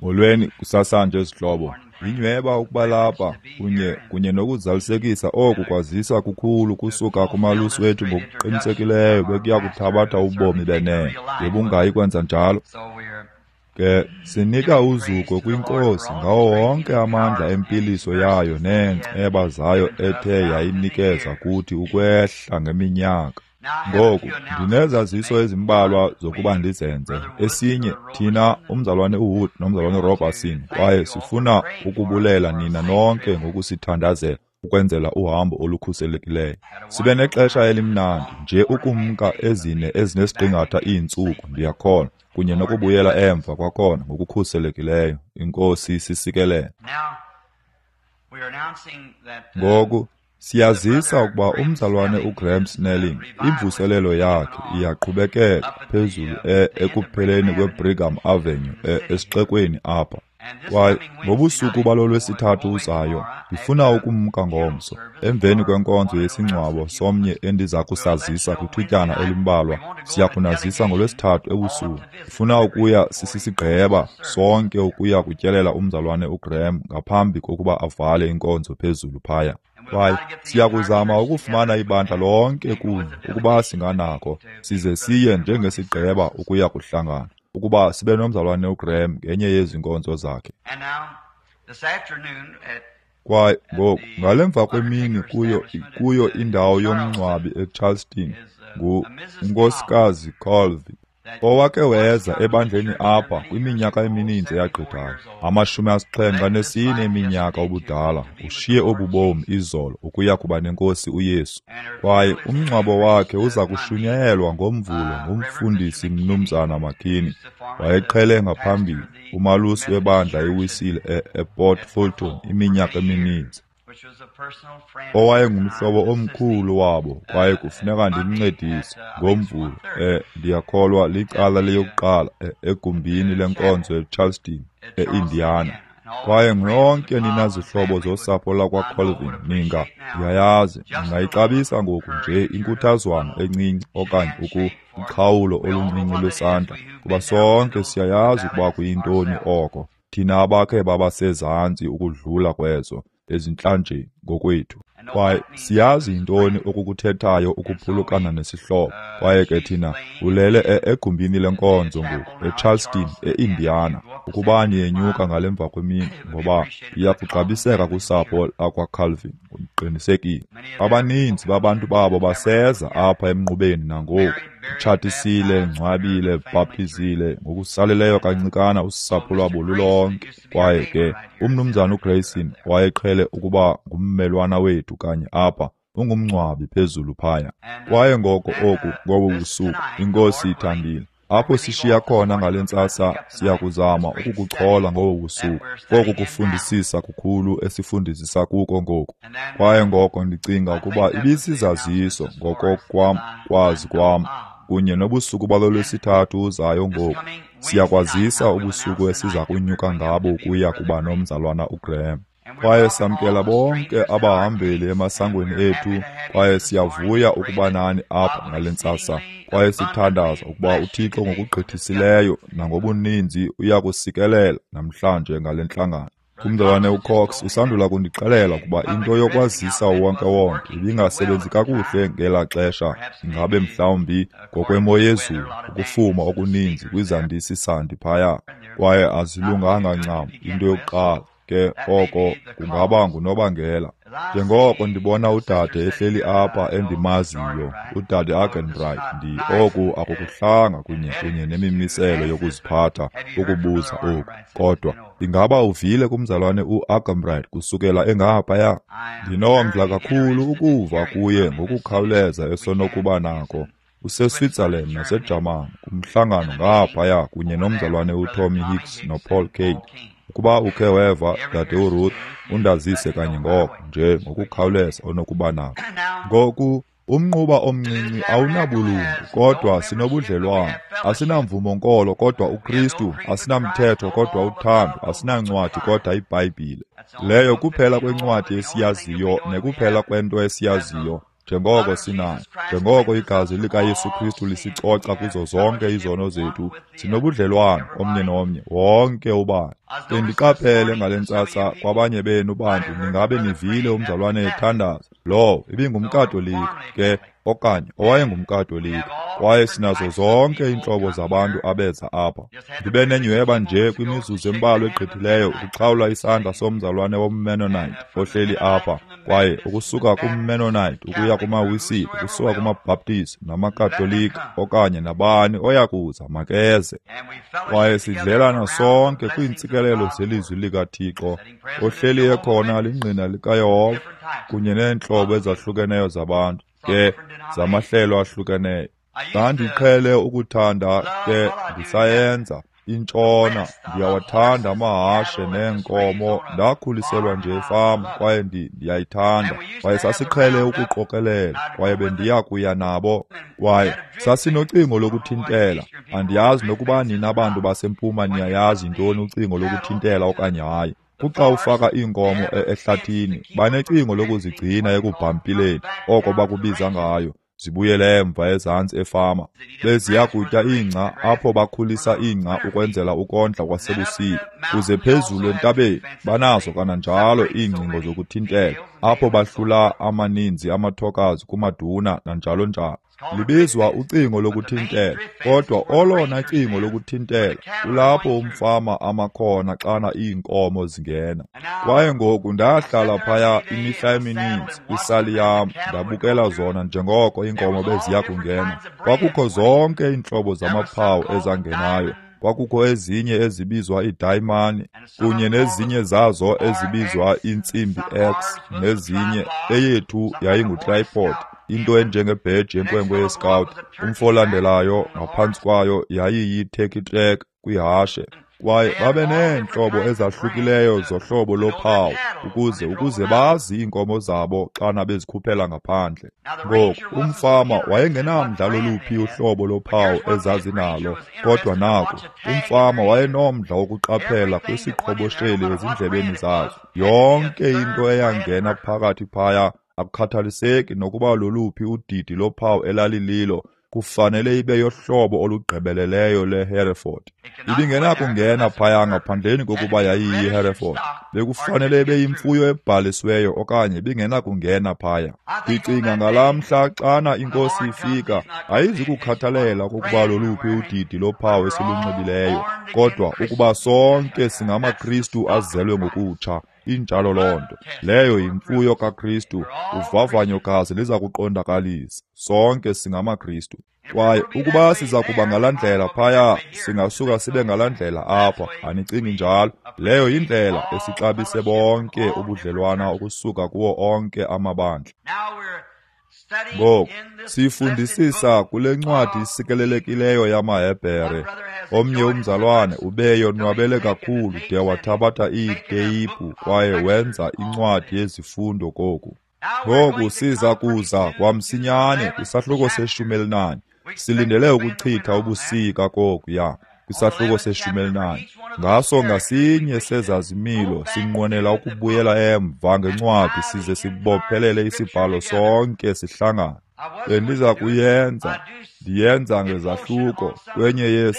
Molweni kusasanje zihlobo. Yinyweba ukuba lapha kunye nokuzalisekisa oku kwazisa kukhulu kusuka kumalusi wethu ngokuqinisekileyo bekuya kuthabatha ubomi benene. Ngebungayi kwenza njalo. Ke sinika uzuko kwiNkosi ngawo wonke amandla empiliso yayo neenceba zayo ethe yayinikeza kuthi ukwehla ngeminyaka. Ngoku ndinezaziso ezimbalwa zokuba ndizenze. Esinye, thina umzalwane uWood nomzalwane uRobertson, kwaye sifuna ukubulela nina nonke ngokusithandazela ukwenzela uhambo olukhuselekileyo. Sibe nexesha elimnandi nje ukumka ezine ezinesiqingatha iintsuku, ndiyakholwa, kunye nokubuyela emva kwakhona ngokukhuselekileyo. Inkosi sisikelele. Ngoku siyazisa ukuba umzalwane uGraham Snelling imvuselelo yakhe iyaqhubekeka phezulu ekupheleni kweBrigham Avenue esixekweni apha. Kwaye ngobusuku balolwesithathu uzayo ndifuna ukumka ngomso emveni kwenkonzo yesingcwabo somnye endiza kusazisa kwithutyana elimbalwa. Siya kunazisa ngolwesithathu ebusuku. Ndifuna ukuya sisisigqeba sonke ukuya kutyelela umzalwane uGraham ngaphambi kokuba avale inkonzo phezulu phaya. Kwaye siyakuzama ukufumana ibandla lonke kunye ukuba singanako, size siye njengesigqeba ukuya kuhlangana, ukuba sibe nomzalwane uGraham ngenye yezi nkonzo zakhe. Kwaye ngoku ngalemva kwemini kuyo indawo yomngcwabi eCharleston nguNkosikazi Colvin, owake weza ebandleni apha kwiminyaka emininzi eyagqithayo, 74 eminyaka ubudala, ushiye obu bomi izolo ukuya kuba nenkosi uYesu. Kwaye umngcwabo wakhe uza kushunyayelwa ngoMvulo ngumfundisi Mnumzana McKinney, wayeqhele ngaphambili, umalusi webandla eWisile ePort Fulton iminyaka emininzi, owayengumhlobo omkhulu wabo, kwaye kufuneka ndimncedise ngoMvulo, ndiyakholwa licala leyokuqala egumbini lenkonzo eCharleston, eIndiana. Kwaye nonke nina zihlobo zosapho lakwaColvin, ninga, ndiyayazi, ningayixabisa ngoku nje inkuthazwana encinci okanye uqhawulo oluncinci lwesandla, kuba sonke siyayazi ukuba kuyintoni oko, thina abakhe babasezantsi ukudlula kwezo ezintlanjeni ngokwethu. Kwaye siyazi yintoni okukuthethayo ukuphulukana nesihlobo. Kwaye ke thina ulele egumbini lenkonzo ngoku eCharleston, eIndiana, ukuba niyenyuka ngalemva kwemini, ngoba iyakuxabiseka kusapho lakwaCalvin, ndiqinisekile. Abaninzi babantu babo baseza apha emnqubeni nangoku, tshatisile, ngcwabile, bhaptizile, ngokusaleleyo kancikana usapho lwabo lulonke. Kwaye ke umnumzana uGrayson wayeqhele ukuba ngummelwana wethu kanye apha, ungumngcwabi phezulu phaya. Kwaye ngoko oku ngobu busuku, iNkosi ithandile, apho sishiya khona ngale ntsasa, siyakuzama ukukuchola ngobu busuku koku kufundisisa kukhulu esifundisisa kuko ngoku. Kwaye ngoko ndicinga ukuba ibisizaziso ngokokwam kwazi kwam kunye nobusuku balolwesithathu uzayo ngoku. Siyakwazisa ubusuku esiza kunyuka ngabo ukuya kuba nomzalwana uGraham. Kwaye samkela bonke abahambeli emasangweni ethu, kwaye siyavuya ukuba nani apha ngale ntsasa. Kwaye sithandaza ukuba uThixo ngokugqithisileyo nangobuninzi uyakusikelela namhlanje ngale ntlangano. Umzalwane uCox usandula kundixelela ukuba into yokwazisa wonke-wonke ibingasebenzi kakuhle ngelaa xesha, ingabe mhlawumbi ngokwemo yezulu, ukufuma okuninzi kwizandisi sandi phaya, kwaye azilunganga ncam into yokuqala. Ke oko kungaba ngunobangela. Njengoko ndibona udade ehleli apha endimaziyo, udade Arganbright, oku akukuhlanga kunye nemimiselo yokuziphatha ukubuza oku, kodwa ingaba uvile kumzalwane uArganbright kusukela engaphaya? Ndinomdla kakhulu ukuva kuye ngokukhawuleza esonokuba nako. UseSwitzerland naseJamani kumhlangano ngaphaya kunye nomzalwane uTommy Hicks noPaul Kane. Ukuba ukhe weva, dade uRuth, undazise kanye ngoko nje ngokukhawuleza onokuba nako. Ngoku umnquba omncinci awunabulungu, kodwa sinobudlelwane. Asinamvumo nkolo kodwa uKristu, asinamthetho kodwa uthando, asinancwadi kodwa iBhayibhile. Leyo kuphela kwencwadi esiyaziyo nekuphela kwento esiyaziyo. njengoko sinayo. Njengoko igazi likaYesu Kristu lisicoca kuzo zonke izono zethu, sinobudlelwane omnye nomnye, wonke ubani. Bendiqaphele ngale ntsasa kwabanye benu bantu ningabe nivile umzalwane ethandaza. Lowo ibingumKatolika ke, okanye owayengumKatolika, kwaye sinazo zonke iintlobo zabantu abeza apha. Ndibe nenyweba nje kwimizuzu embalwa egqithileyo ukuxhawula isandla somzalwane womMennonite ohleli apha, kwaye ukusuka kumMennonite ukuya kumaWisile, ukusuka kumaBhaptizi namaKatolika, okanye nabani oyakuza makeze. Kwaye sidlelana sonke kwiintsikelelo zelizwi likaThixo. Ohleli ekhona lingqina likaYehova kunye neentlobo ezahlukeneyo zabantu, ke zamahlelo ahlukeneyo. Ndandiqhele ukuthanda ke ndisayenza intshona, ndiyawathanda amahashe neenkomo. Ndakhuliselwa nje efama kwaye ndiyayithanda. Kwaye sasiqhele ukuqokelela, kwaye bendiya kuya nabo. Kwaye sasinocingo lokuthintela. Andiyazi nokuba nina bantu basempuma niyayazi yintoni ucingo lokuthintela okanye hayi. Kuxa ufaka iinkomo ehlathini, banecingo lokuzigcina ekubhampileni, oko bakubiza ngayo, zibuyele emva ezantsi efama. Beziya kutya ingca apho bakhulisa ingca ukwenzela ukondla kwasebusika. Kuze phezulu entabeni banazo kananjalo iingcingo zokuthintela, apho bahlula amaninzi amathokazi kumaduna nanjalo njalo. Libizwa ucingo lokuthintela, kodwa olona cingo lokuthintela kulapho umfama amakhona xana iinkomo zingena. Kwaye ngoku ndahlala phaya imihla emininzi kwisali yam, ndabukela zona njengoko iinkomo beziya kungena. Kwakukho zonke iintlobo zamaphawu ezangenayo. Kwakukho ezinye ezibizwa idayimani, kunye nezinye zazo ezibizwa intsimbi X, nezinye. Eyethu yayingutripod, into enjengebheji yenkwenkwe yescout. Umfo olandelayo ngaphantsi kwayo yayiyi-turkey track kwihashe. Kwaye babe neentlobo ezahlukileyo zohlobo lophawu ukuze bazi iinkomo zabo xana bezikhuphela ngaphandle. Ngoku umfama wayengenamdla loluphi uhlobo lophawu ezazinalo, kodwa naku umfama wayenomdla wokuqaphela kwisiqhobosheli ezindlebeni zazo. Yonke into eyangena phakathi phaya, akukhathaliseki nokuba loluphi udidi lophawu elalililo, kufanele ibe yohlobo olugqibeleleyo leHereford. Ibingenakungena phaya ngaphandleni kokuba yayiyiHereford. Bekufanele ibe yimfuyo ebhalisiweyo okanye ibingenakungena phaya. Ndicinga ngalaa mhla xana inkosi ifika, ayizukukhathalela okokuba loluphi udidi lophawu esilunxibileyo, kodwa ukuba sonke singamaKristu azelwe ngokutsha. Injalo loo nto. Leyo yimfuyo kaKristu. Uvavanyo gazi liza kuqondakalisa. Sonke singamaKristu. Kwaye ukuba siza kuba ngalaa ndlela phaya, singasuka sibe ngalaa ndlela apha. Anicingi njalo? Leyo yindlela esixabise bonke ubudlelwana ukusuka kuwo onke amabandla. Ngoku sifundisisa kule ncwadi isikelelekileyo yamaHebhere. Omnye umzalwane ubeyonwabele kakhulu de wathabatha iiteyiphu kwaye wenza incwadi yezifundo koku. Ngoku siza kuza kwamsinyane kwisahluko se-14. Silindele ukuchitha ubusika kokuya kwisahluko se-14. Ngaso ngasinye sezazimilo sinqwenela ukubuyela emva ngencwadi size sibophelele isibhalo sonke sihlangane. Bendiza kuyenza, ndiyenza ngezahluko kwenye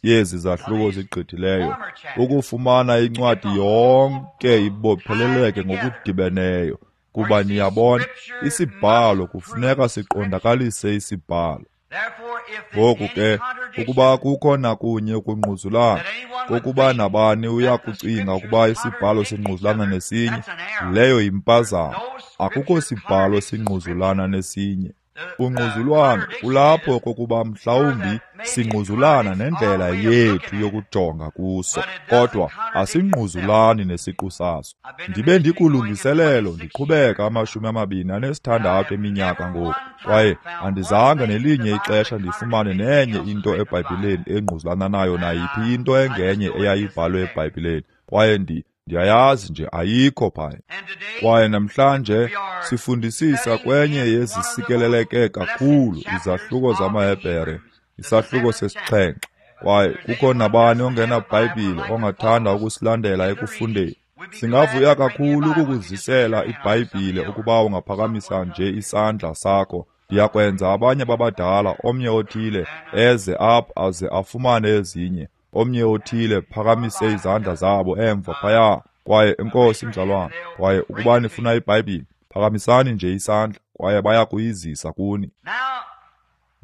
yezi zahluko zigqithileyo, ukufumana incwadi yonke ibopheleleke ngokudibeneyo. Kuba niyabona, isibhalo kufuneka siqondakalise isibhalo. Ngoku ke, ukuba kukho nakunye ukungquzulana, kokuba nabani uyakucinga ukuba isibhalo singquzulana nesinye, leyo yimpazamo. Akukho sibhalo singquzulana nesinye. Ungquzulwano kulapho kokuba mhlawumbi singquzulana nendlela yethu yokujonga kuso, kodwa asingquzulani nesiqu saso. Ndibe ndikulungiselelo ndiqhubeka 26 eminyaka ngoku, kwaye andizange nelinye ixesha ndifumane nenye into eBhayibhileni engquzulana nayo nayiphi into engenye eyayibhalwe eBhayibhileni, kwaye ndiyayazi nje ayikho phaya. Kwaye namhlanje sifundisisa kwenye yezisikeleleke kakhulu izahluko zamaHebhere, isahluko se-7. Kwaye kukho nabani ongenaBhayibhile ongathanda ukusilandela ekufundeni. Singavuya kakhulu ukukuzisela iBhayibhile ukuba ungaphakamisa nje isandla sakho. Ndiyakwenza abanye babadala, omnye othile eze apha aze afumane ezinye. Omnye othile phakamise izandla zabo emva phaya. Kwaye enkosi mzalwana. Kwaye ukuba nifuna iBhayibhile, phakamisani nje isandla kwaye baya kuyizisa kuni.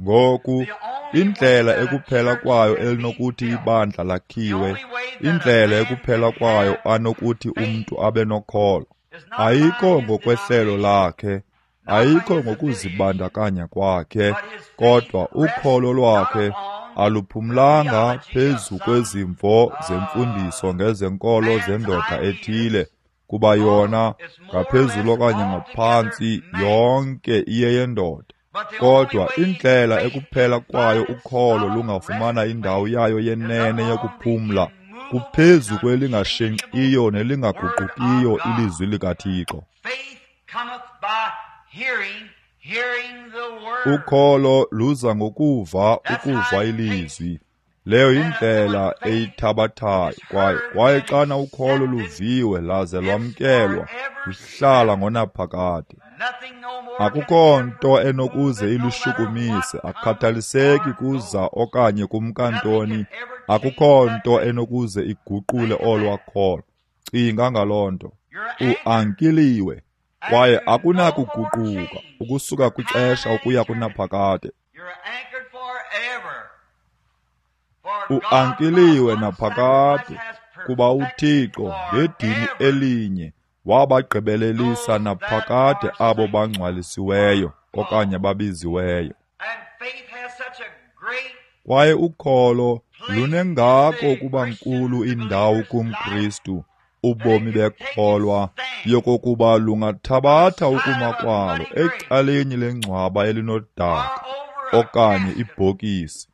Ngoku, indlela ekuphela kwayo elinokuthi ibandla lakhiwe, indlela ekuphela kwayo anokuthi umntu abe nokholo, ayikho ngokwehlelo lakhe, ayikho ngokuzibandakanya kwakhe, kodwa ukholo lwakhe aluphumlanga phezu kwezimvo zemfundiso ngezenkolo zendoda ethile, kuba yona ngaphezulu okanye ngaphantsi yonke iyeyendoda. Kodwa indlela ekuphela kwayo ukholo lungafumana indawo yayo yenene yokuphumla kuphezu kwelingashenxiyo nelingaguqukiyo ilizwi likaThixo. Ukholo luza ngokuva, ukuva ilizwi. Leyo yindlela eyithabathayo. Kwaye xana ukholo luviwe laze lwamkelwa, luhlala ngonaphakade. Akukho nto enokuze ilushukumise, akukhathaliseki kuza okanye kumkantoni, akukho nto enokuze iguqule olwa kholo. Cinga ngaloo nto. Uankiliwe kwaye akunakuguquka ukusuka kwixesha ukuya kunaphakade. Uankiliwe naphakade kuba uThixo ngedini elinye wabagqibelelisa naphakade abo bangcwalisiweyo okanye babiziweyo. Kwaye ukholo lunengako ukuba nkulu indawo kumKristu, ubomi bekholwa, yokokuba lungathabatha ukuma kwalo ecaleni lengcwaba elinodaka okanye ibhokisi,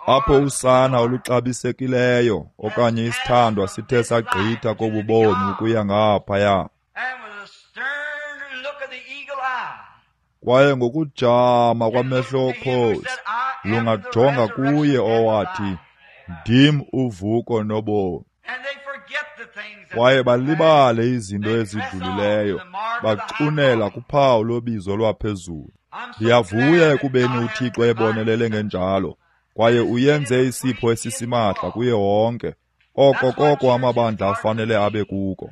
apho usana oluxabisekileyo okanye isithandwa sithe sagqitha kobubomi ukuya ngaphaya. Kwaye ngokujama kwamehlo okhozi lungajonga kuye owathi, ndim uvuko nobomi. Kwaye balibale izinto ezidlulileyo, bacunela kuphawu lobizo lwaphezulu. Ndiyavuya ekubeni uThixo ebonelele ngenjalo, kwaye uyenze isipho esisimahla kuye wonke. Oko koko amabandla afanele abe kuko.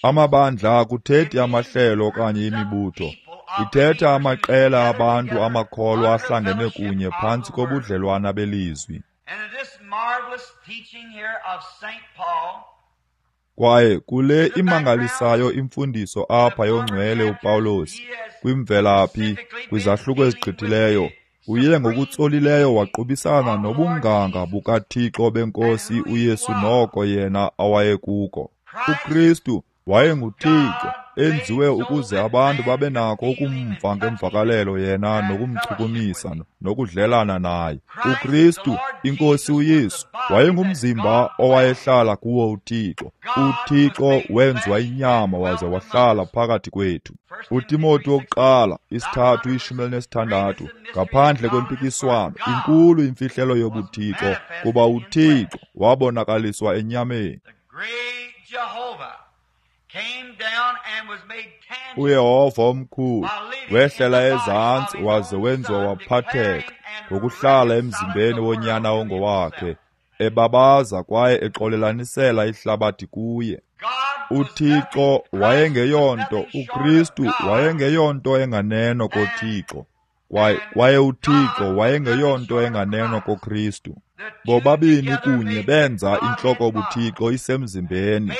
Amabandla akuthethi amahlelo okanye imibutho. Ithetha amaqela abantu amakholwa ahlangene kunye phantsi kobudlelwana belizwi. Kwaye kule imangalisayo imfundiso apha yongcwele uPawulos, kwimvelaphi, kwizahluko ezigqithileyo, uye ngokutsolileyo waqubisana nobunganga bukaThixo benkosi uYesu noko yena awayekuko. uKristu wayenguThixo enziwe ukuze abantu babe nako ukumva ngemvakalelo yena nokumchukumisa nokudlelana naye. uKristu, inkosi uYesu, wayengumzimba owayehlala kuwo uThixo. uThixo wenziwa inyama waze wahlala phakathi kwethu. uTimoti wokuqala 3:16, ngaphandle kwempikiswano, inkulu imfihlelo yobuThixo, kuba uThixo wabonakaliswa enyameni. uYehova omkhulu wehlela ezantsi waze wenziwa waphatheka ngokuhlala emzimbeni wonyana ongowakhe, ebabaza kwaye exolelanisela ihlabathi kuye. uThixo wayengeyonto, uKristu wayengeyonto enganeno koThixo, kwaye uThixo wayengeyonto enganeno koKristu. Bobabini kunye benza intloko buThixo isemzimbeni,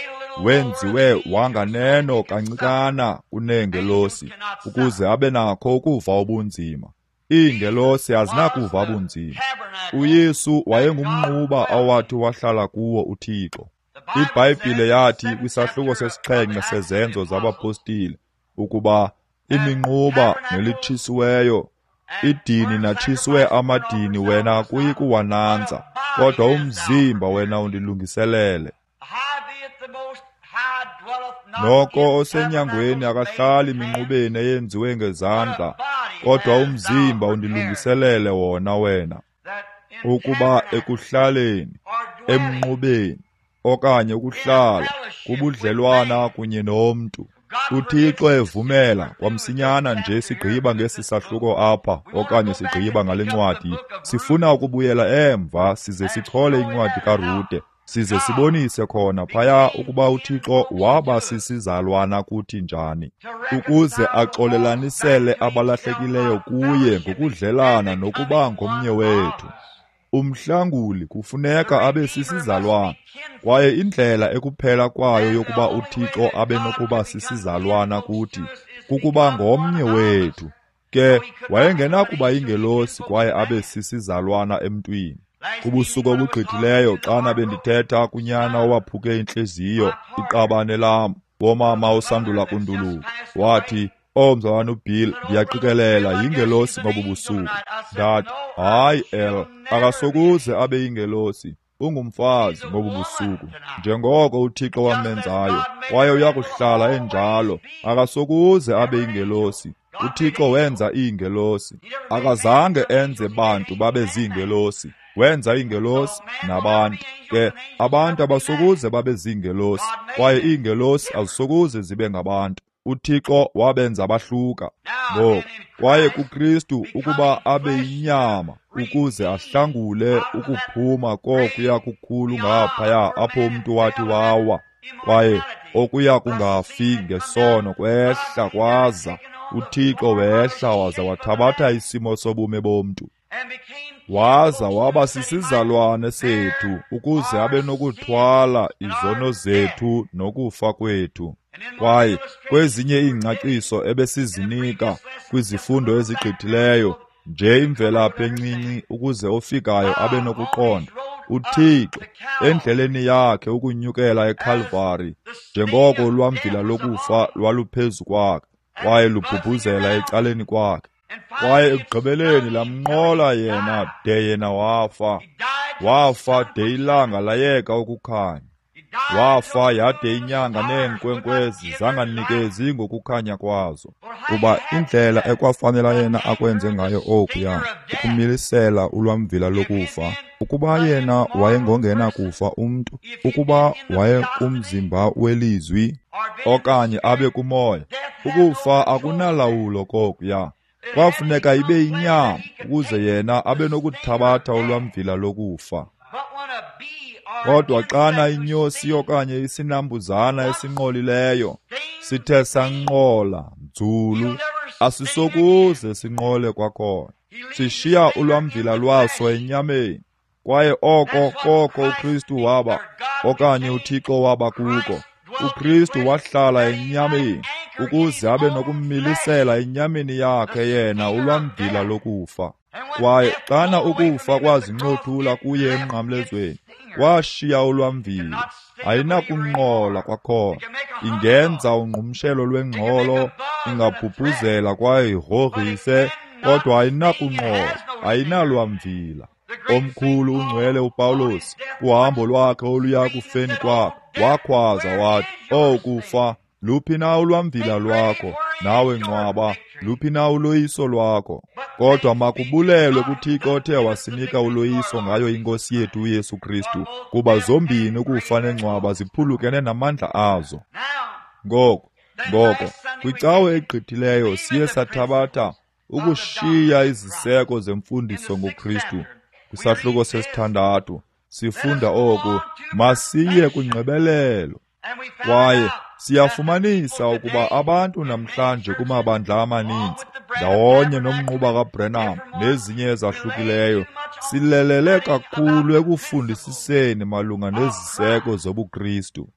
wenziwe wanganeno kancikana kuneengelosi ukuze abe nakho ukuva ubunzima. Iingelosi azinakuva bunzima. uYesu wayengumnquba awathi wahlala kuwo uThixo. IBhayibhile yathi kwisahluko sesixhenxe seZenzo zabaPostile ukuba iminquba nelitshisiweyo idini natshiswe amadini wena akuyi kuwananza, kodwa umzimba wena undilungiselele. Noko osenyangweni akahlali minqubeni eyenziwe ngezandla, kodwa umzimba undilungiselele wona wena, ukuba ekuhlaleni Emnqubeni, okanye ukuhlala kubudlelwana kunye nomntu. UThixo evumela kwamsinyana nje sigqiba ngesi sahluko apha okanye sigqiba ngale ncwadi, sifuna ukubuyela emva size sichole incwadi kaRute, size sibonise khona phaya ukuba uThixo waba sisizalwana kuthi njani, ukuze axolelanisele abalahlekileyo kuye ngokudlelana nokuba ngomnye wethu. Umhlanguli kufuneka abe sisizalwana, kwaye indlela ekuphela kwayo yokuba uThixo abe nokuba sisizalwana kuthi kukuba ngomnye wethu. Ke wayengenakuba yingelosi kwaye abe sisizalwana emntwini. Kubusuku obugqithileyo xana bendithetha kunyana owaphuke intliziyo, iqabane lam, womama osandula kunduluka, wathi, "Oh, mzalwana uBill, ndiyaqikelela yingelosi ngobu busuku." Ndathi, "Hayi, El, akasokuze abe yingelosi, ungumfazi ngobu busuku, njengoko uThixo wamenzayo, kwaye uyakuhlala enjalo. Akasokuze abe yingelosi. UThixo wenza iingelosi. Akazange enze bantu babe ziingelosi. Wenza iingelosi nabantu. Ke abantu abasokuze babe ziingelosi, kwaye iingelosi azisokuze zibe ngabantu. UThixo wabenza bahluka. Ngoku, kwaye kuKristu ukuba abe yinyama ukuze ahlangule ukuphuma kokuya kukhulu ngaphaya apho umntu wathi wawa, kwaye okuya kungafi ngesono kwehla kwaza uThixo wehla waza wathabatha isimo sobume bomntu, waza waba sisizalwane sethu ukuze abe nokuthwala izono zethu nokufa kwethu. Kwaye kwezinye iingcaciso ebesizinika kwizifundo ezigqithileyo, nje imvelaphi encinci ukuze ofikayo abe nokuqonda, uThixo endleleni yakhe ukunyukela eKalvari, njengoko ulwamvila lokufa lwaluphezu kwakhe kwaye lubhubhuzela ecaleni kwakhe, kwaye ekugqibeleni lamnqola yena de yena wafa. Wafa de ilanga layeka ukukhanya. Wafa yade inyanga neenkwenkwezi zanganikezi ngokukhanya kwazo. Kuba indlela ekwafanela yena akwenze ngayo okuya, ukumilisela ulwamvila lokufa, ukuba yena wayengongena kufa umntu, ukuba wayekumzimba welizwi okanye abe kumoya, ukufa akunalawulo kokuya. Kwafuneka ibe yinyama ukuze yena abe nokuthabatha ulwamvila lokufa. Kodwa xana inyosi okanye isinambuzana esinqolileyo sithe sanqola nzulu, asisokuze sinqole kwakhona. Sishiya ulwamvila lwaso enyameni, kwaye oko koko uKristu waba, okanye uThixo waba kuko. uKristu wahlala enyameni ukuze abe nokumilisela enyameni yakhe yena ulwamvila lokufa. Kwaye xana ukufa kwazincothula kuye emnqamlezweni, washiya ulwamvila. Ayinakunqola kwakhona. Ingenza ungqumshelo lwengxolo, ingabhubhuzela kwaye igrogrise, kodwa ayinakunqola, ayinalwamvila. Omkhulu ungcwele uPawulos, kuhambo lwakhe oluya kufeni kwakhe, wakhwaza wathi, "Oh kufa, luphi na ulwamvila lwakho? Nawe ngcwaba, luphi na uloyiso lwakho?" Kodwa makubulelwe kuThixo othe wasinika uloyiso ngayo iNkosi yethu uYesu Kristu, kuba zombini ukufa nengcwaba ziphulukene namandla azo. Ngoko, kwicawe egqithileyo siye sathabatha ukushiya iziseko zemfundiso ngoKristu. Kwisahluko sesithandathu sifunda oku, masiye kwingqibelelo. Kwaye siyafumanisa ukuba abantu namhlanje kumabandla amaninzi, ndawonye nomnquba kaBrenham nezinye ezahlukileyo, silelele kakhulu ekufundisiseni malunga neziseko zobuKristu.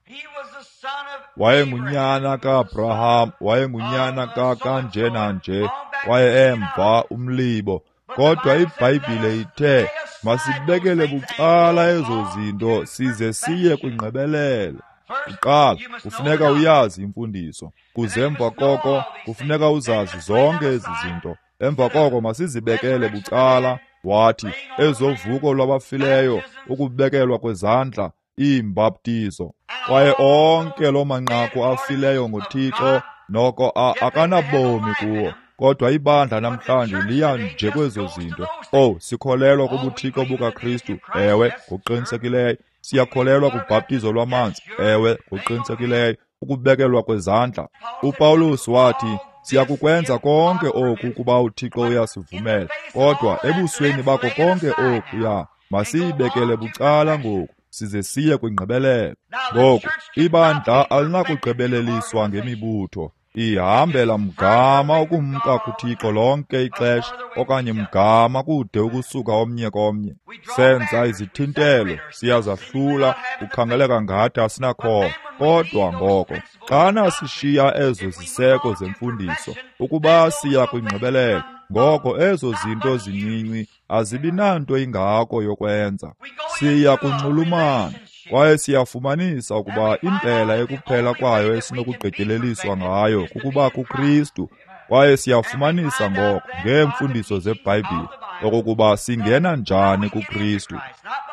Wayengunyana kaAbraham, wayengunyana kanje nanje, kwaye emva umlibo. Kodwa iBhayibhile ithe masibekele bucala ezo zinto size siye kwingqibelelo. Kuqala kufuneka uyazi imfundiso, kuze emva koko kufuneka uzazi zonke ezi zinto. Emva koko masizibekele bucala, wathi, ezovuko lwabafileyo, ukubekelwa kwezandla, iimbaptizo, kwaye onke loo manqaku afileyo ngoThixo noko akanabomi kuwo. Kodwa ibandla namhlanje liya nje kwezo zinto. Oh, sikholelwa kubuthixo bukaKristu. Ewe, ngokuqinisekileyo. Siyakholelwa kubhaptizo lwamanzi. Ewe, ngokuqinisekileyo. Ukubekelwa kwezandla. UPawulos wathi, siyakukwenza konke oku ukuba uThixo uyasivumela. Kodwa ebusweni bakho konke okuya, masiyibekele bucala ngoku, size siye kwingqibelelo. Ngoku, ibandla alinakugqibeleliswa ngemibutho. Ihambela mgama ukumka kuThixo lonke ixesha, okanye mgama kude ukusuka omnye komnye. Senza izithintelo, siyazahlula, kukhangeleka ngathi asinakholo. Kodwa ngoko, xana sishiya ezo ziseko zemfundiso, ukuba siya kwingqibelelo, ngoko ezo zinto zincinci azibi nanto ingako yokwenza. Siya kunxulumana. Kwaye siyafumanisa ukuba indlela ekuphela kwayo esinokugqityeleliswa ngayo kukuba kuKristu. Kwaye siyafumanisa ngoko ngeemfundiso zeBhayibhile okokuba singena njani kuKristu.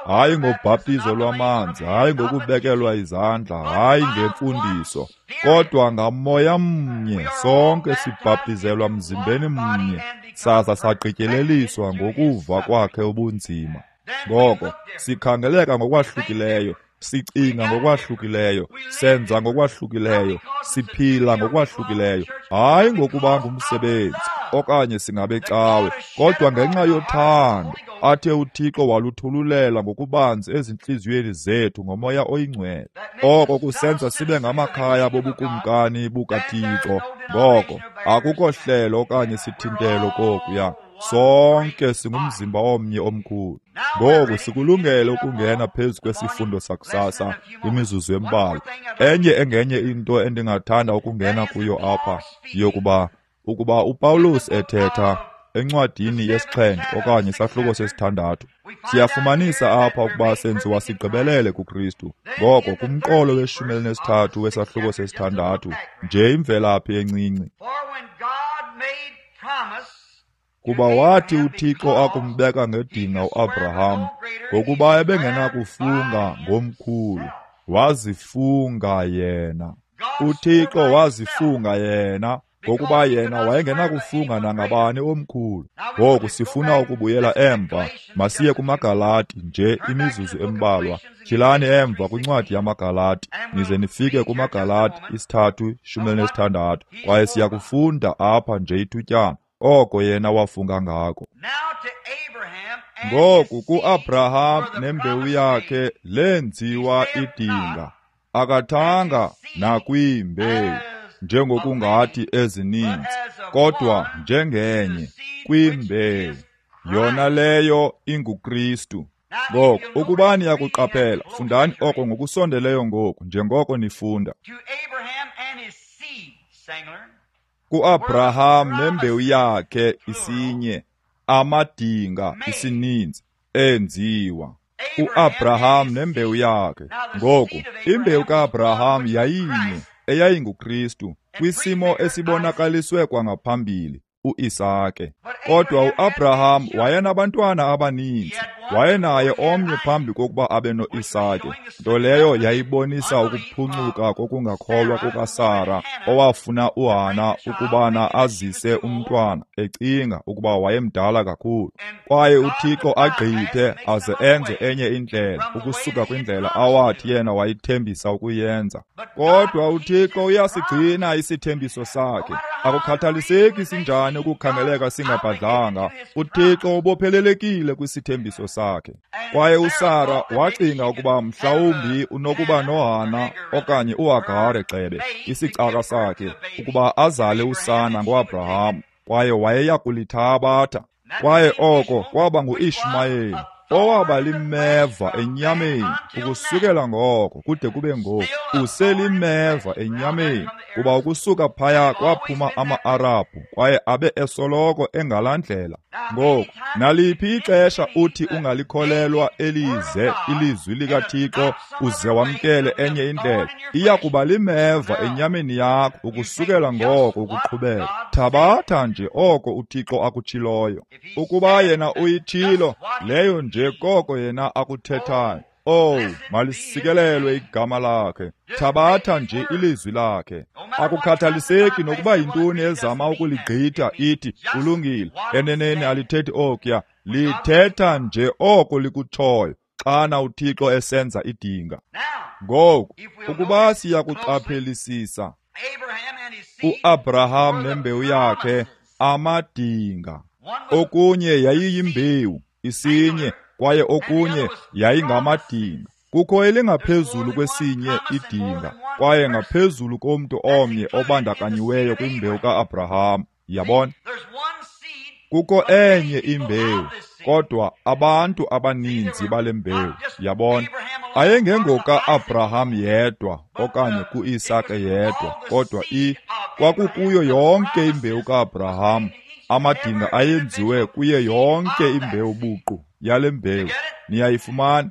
Hayi ngobhaptizo lwamanzi, hayi ngokubekelwa izandla, hayi ngemfundiso, kodwa ngamoya mnye sonke sibhaptizelwa mzimbeni mnye, saza sagqityeleliswa ngokuva kwakhe ubunzima. Ngoko sikhangeleka ngokwahlukileyo, sicinga ngokwahlukileyo, senza ngokwahlukileyo, siphila ngokwahlukileyo, hayi ngokuba ngumsebenzi okanye singabecawe, kodwa ngenxa yothando athe uThixo waluthululela ngokubanzi ezintliziyweni zethu ngomoya oyingcwele. Oko kusenza sibe ngamakhaya bobukumkani bukaThixo. Ngoko akukho hlelo okanye sithintelo kokuya. Sonke singumzimba omnye omkhulu. Ngoku sikulungele ukungena phezu kwesifundo sakusasa imizuzu embalwa. Enye engenye into endingathanda ukungena kuyo apha yokuba ukuba uPawulos ethetha encwadini yesixhenxe okanye isahluko sesithandathu, siyafumanisa apha ukuba senziwa sigqibelele kuKristu. Ngoko kumqolo we-13 wesahluko sesithandathu, nje imvelaphi encinci. Kuba wathi uThixo akumbeka ngedinga uAbraham, ngokuba ebengenakufunga ngomkhulu, wazifunga yena. uThixo wazifunga yena, ngokuba yena wayengenakufunga nangabani omkhulu. Ngoku sifuna ukubuyela emva, masiye kumaGalati nje imizuzu embalwa. Tyhilani emva kwincwadi yamaGalati, nize nifike kumaGalati 3:16, kwaye siyakufunda apha nje ithutyana oko yena wafunga ngako. Ngoku kuAbraham nembewu yakhe lenziwa idinga, akathanga nakwimbewu njengokungathi ezininzi, kodwa njengenye kwimbewu, yona leyo inguKristu. Ngoku ukuba niyakuqaphela, fundani oko ngokusondeleyo ngoku njengoko nifunda. KuAbraham nembewu yakhe isinye, amadinga isininzi enziwa. UAbraham nembewu yakhe. Ngoku imbewu kaAbraham yayinye, eyayinguKristu, kwisimo esibonakaliswe kwangaphambili, uIsake. Kodwa uAbraham wayenabantwana abaninzi, wayenaye omnye phambi kokuba abe noIsake, nto leyo yayibonisa ukuphuncuka kokungakholwa kukaSara, owafuna uHana ukubana azise umntwana, ecinga ukuba wayemdala kakhulu. Kwaye uThixo agqithe aze enze enye indlela ukusuka kwindlela awathi yena wayithembisa ukuyenza. Kodwa uThixo uyasigcina isithembiso sakhe. Akukhathaliseki sinjani ukukhangeleka singabhadlanga, uThixo ubophelelekile kwisithembiso sakhe. Kwaye uSara wacinga ukuba mhlawumbi unokuba noHana okanye uHagare gxebe, isicaka sakhe, ukuba azale usana ngoAbraham, kwaye wayeya kulithabatha. Kwaye oko kwaba nguIshmayeli, owaba limeva enyameni ukusukela ngoko kude kube ngoku. Uselimeva enyameni, kuba ukusuka phaya kwaphuma ama-Arabhu, kwaye abe esoloko engalandlela. Ngoku naliphi ixesha uthi ungalikholelwa elize ilizwi likaThixo uze wamkele enye indlela, iya kuba limeva enyameni yakho ukusukela ngoko ukuqhubeka. Thabatha nje oko uThixo akutshiloyo. Ukuba yena uyitshilo, leyo nje koko yena akuthethayo. Owu, malisikelelwe igama lakhe. Thabatha nje ilizwi lakhe. Akukhathaliseki nokuba yintoni ezama ukuligqitha ithi kulungile, eneneni alithethi okuya, lithetha nje oko likutshoyo xana uThixo esenza idinga. Ngoku, ukuba siyakuqaphelisisa, uAbraham nembewu yakhe amadinga. Okunye yayiyimbewu, isinye, kwaye okunye yayingamadinga. Kukho elingaphezulu kwesinye idinga, kwaye ngaphezulu komntu omnye obandakanyiweyo kwimbewu ka-Abraham. Yabona? Kukho enye imbewu, kodwa abantu abaninzi bale mbewu. Yabona? Ayengengoka-Abraham yedwa okanye ku-Isake yedwa, kodwa kwakukuyo yonke imbewu ka-Abraham. Amadinga ayenziwe kuye yonke imbewu buqu yale mbewu. Niyayifumana?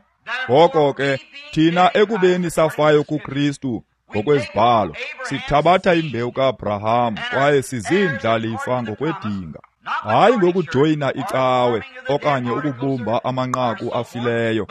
Ngoko ke thina ekubeni safayo kuKristu ngokwezibhalo, sithabatha imbewu ka-Abraham kwaye sizindlalifa ngokwedinga. Hayi ngokujoyina icawe okanye ukubumba amanqaku afileyo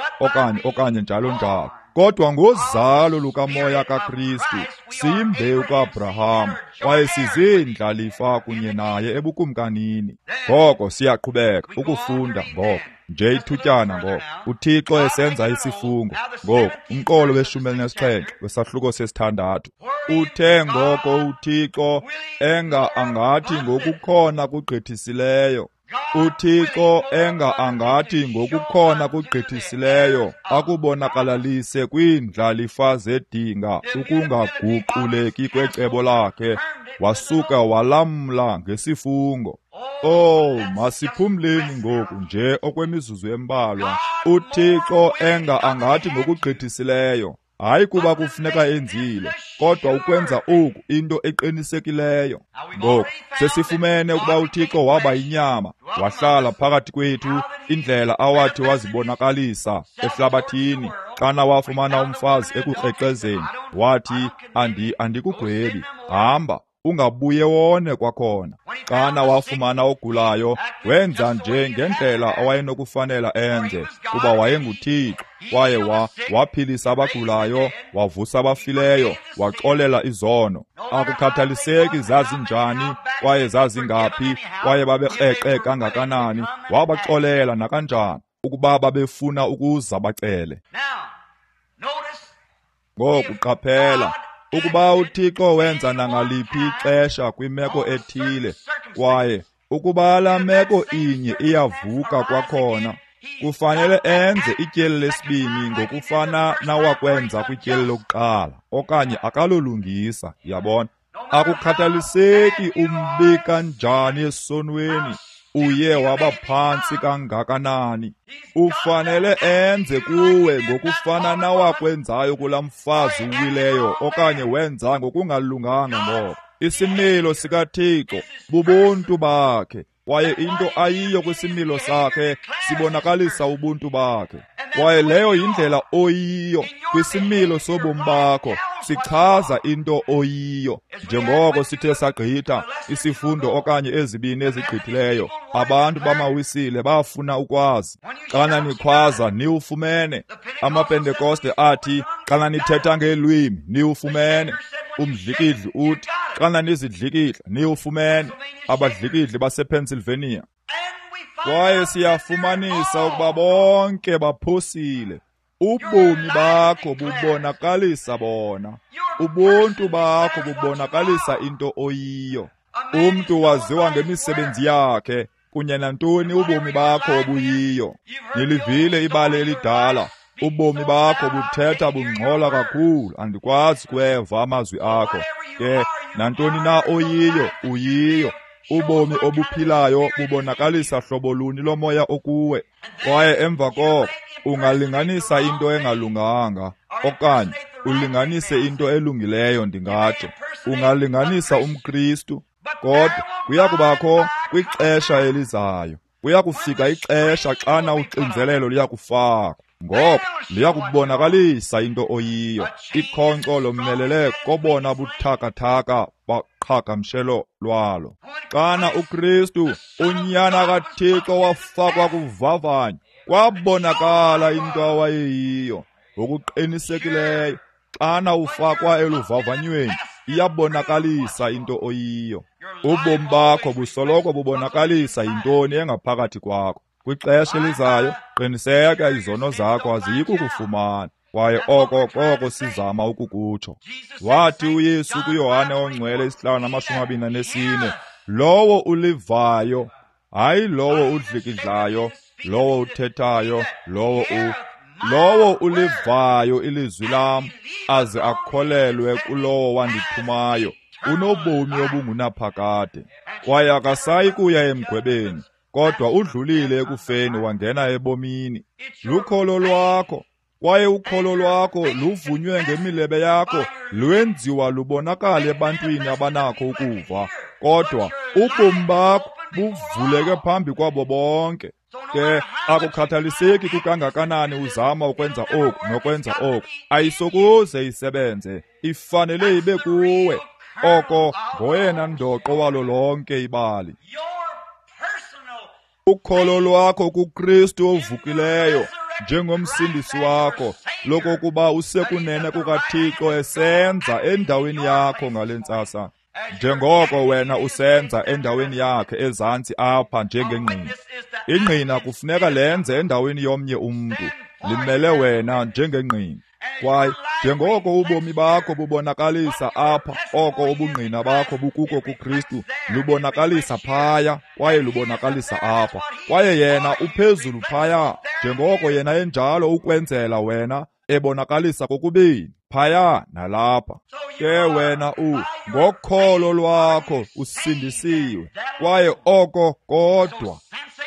okanye njalo njalo, kodwa ngozalo lukamoya kaKristu siyimbewu ka-Abraham kwaye sizindlalifa kunye naye ebukumkanini. Ngoko siyaqhubeka ukufunda ngoko nje ithutyana ngoko uThixo esenza isifungo. Ngoku umqolo we-17 wesahluko 6. Uthe ngoko uThixo enga angathi ngokukhona kugqithisileyo, uThixo enga angathi ngokukhona kugqithisileyo akubonakalalise kwiindlalifa zedinga ukungaguquleki kwecebo lakhe, wasuka walamla ngesifungo. Oh, masiphumleni ngoku nje okwemizuzu embalwa. uThixo enga angathi ngokugqithisileyo, hayi kuba kufuneka enzile, kodwa ukwenza oku into eqinisekileyo. Ngoku sesifumene ukuba uThixo waba yinyama, wahlala phakathi kwethu, indlela awathi wazibonakalisa ehlabathini. Xana wafumana umfazi ekukrexezeni, wathi, andikugwebi, hamba, ungabuye wone kwakhona. Xana wafumana ogulayo, wenza nje ngendlela awayenokufanela enze, kuba wayenguThixo, kwaye waphilisa abagulayo, wavusa abafileyo, waxolela izono. Akukhathaliseki zazinjani kwaye zazingaphi kwaye babekreqe kangakanani, wabaxolela nakanjani ukuba babefuna ukuza bacele. Ngoku qaphela, ukuba uThixo wenza nangaliphi ixesha kwimeko ethile, kwaye ukuba laa meko inye iyavuka kwakhona, kufanele enze ityeli lesibini ngokufana nawakwenza kwityeli lokuqala, okanye akalolungisa. Yabona? Akukhathaliseki umbi kanjani esonweni, uye waba phantsi kangakanani, ufanele enze kuwe ngokufana nawakwenzayo kulaa mfazi uwileyo okanye wenza ngokungalunganga. Ngoko isimilo sikaThixo bubuntu bakhe, kwaye into ayiyo kwisimilo sakhe sibonakalisa ubuntu bakhe. Kwaye leyo yindlela oyiyo kwisimilo sobomi bakho, sichaza into oyiyo. Njengoko sithe sagqitha isifundo okanye ezibini ezigqithileyo, abantu bamawisile bafuna ukwazi. Xana nikhwaza niwufumene. AmaPentekoste athi xana nithetha ngeelwimi niwufumene. Umdlikidli uthi xana nizidlikidla niwufumene. Abadlikidli basePennsylvania. Kwaye siyafumanisa ukuba bonke baphosile. Ubomi bakho bubonakalisa bona. Ubuntu bakho bubonakalisa into oyiyo. Umntu waziwa ngemisebenzi yakhe kunye nantoni ubomi bakho obuyiyo. Nilivile ibali elidala. Ubomi bakho buthetha bungxola kakhulu, andikwazi kweva amazwi akho. Ke nantoni na oyiyo, uyiyo. Ubomi obuphilayo bubonakalisa hlobo luni lomoya okuwe. Kwaye emva koko ungalinganisa into engalunganga okanye ulinganise into elungileyo. Ndingatsho ungalinganisa umKristu, kodwa kuya kubakho kwixesha elizayo, kuya kufika ixesha xana uxinzelelo luyakufakwa. Ngoko liyakubonakalisa into oyiyo. Ikhonkco lomelele kobona buthakathaka baqhagamshelo lwalo. Xana uKristu unyana kaThixo wafakwa kuvavanyo, kwabonakala into awayeyiyo. Ngokuqinisekileyo, xana ufakwa eluvavanyweni, iyabonakalisa into oyiyo. Ubomi bakho busoloko bubonakalisa yintoni engaphakathi kwakho. Kwixesha elizayo, qiniseka izono zakho aziyi kukufumana. Kwaye oko koko sizama ukukutsho. Wathi uYesu kuYohane oNgcwele 5:24, lowo ulivayo, hayi lowo udlikidlayo, lowo uthethayo, lowo ulivayo ilizwi lam, aze akholelwe kulowo wandithumayo, unobomi obungunaphakade. Kwaye akasayi kuya emgwebeni, kodwa udlulile ekufeni wangena ebomini. Lukholo lwakho, kwaye ukholo lwakho luvunywe ngemilebe yakho, lwenziwa lubonakale ebantwini abanakho ukuva. Kodwa ubomi bakho buvuleke phambi kwabo bonke. Ke akukhathaliseki kukangakanani uzama ukwenza oku nokwenza oku, ayisokuze isebenze, ifanele ibe kuwe. Oko ngoyena ndoqo walo lonke ibali. Ukholo lwakho kuKristu ovukileyo njengomsindisi wakho, lokokuba usekunene kukaThixo esenza endaweni yakho ngale ntsasa, njengoko wena usenza endaweni yakhe ezantsi apha njengengqina. Ingqina kufuneka lenze endaweni yomnye umntu, limele wena njengengqina. Kwaye njengoko ubomi bakho bubonakalisa apha oko ubungqina bakho bukuko kuKristu, lubonakalisa phaya kwaye lubonakalisa apha. Kwaye yena uphezulu phaya, njengoko yena enjalo ukwenzela wena, ebonakalisa kokubini phaya nalapha. Ke wena ngokholo lwakho usindisiwe, kwaye oko kodwa.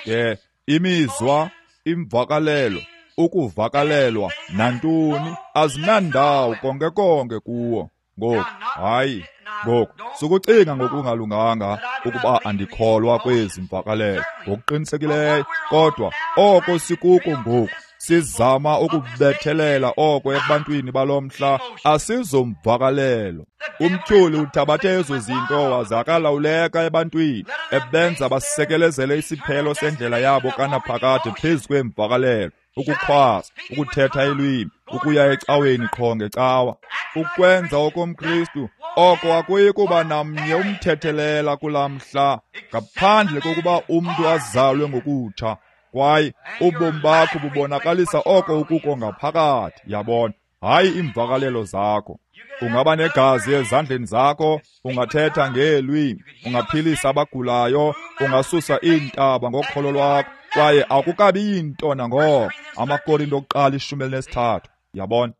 Ke imizwa, imvakalelo, ukuvakalelwa nantoni azinandawo konke konke kuwo. Ngoku hayi, ngoku sukucinga ngokungalunganga ukuba andikholwa kwezi mvakalelo ngokuqinisekileyo, kodwa oko sikuko ngoku sizama ukubethelela oko ebantwini balomhla, asizomvakalelo. Umtyholi uthabathe ezo zinto waze akalawuleka ebantwini, ebenza basekelezele isiphelo sendlela yabo kanaphakade phezu kweemvakalelo, ukukhwaza, ukuthetha ilwimi, ukuya ecaweni qho ngecawa, ukwenza okomKristu. Oko akuyi kuba namnye umthethelela kulaa mhla, ngaphandle kokuba umntu azalwe ngokutsha. Kwaye ubomi bakho bubonakalisa oko ukuko ngaphakathi, yabona, hayi iimvakalelo zakho. Ungaba negazi ezandleni zakho, ungathetha ngeelwimi, ungaphilisa abagulayo, ungasusa iintaba ngokholo lwakho, kwaye akukabi yinto nangoko. AmaKorinto okuqala 13, yabona.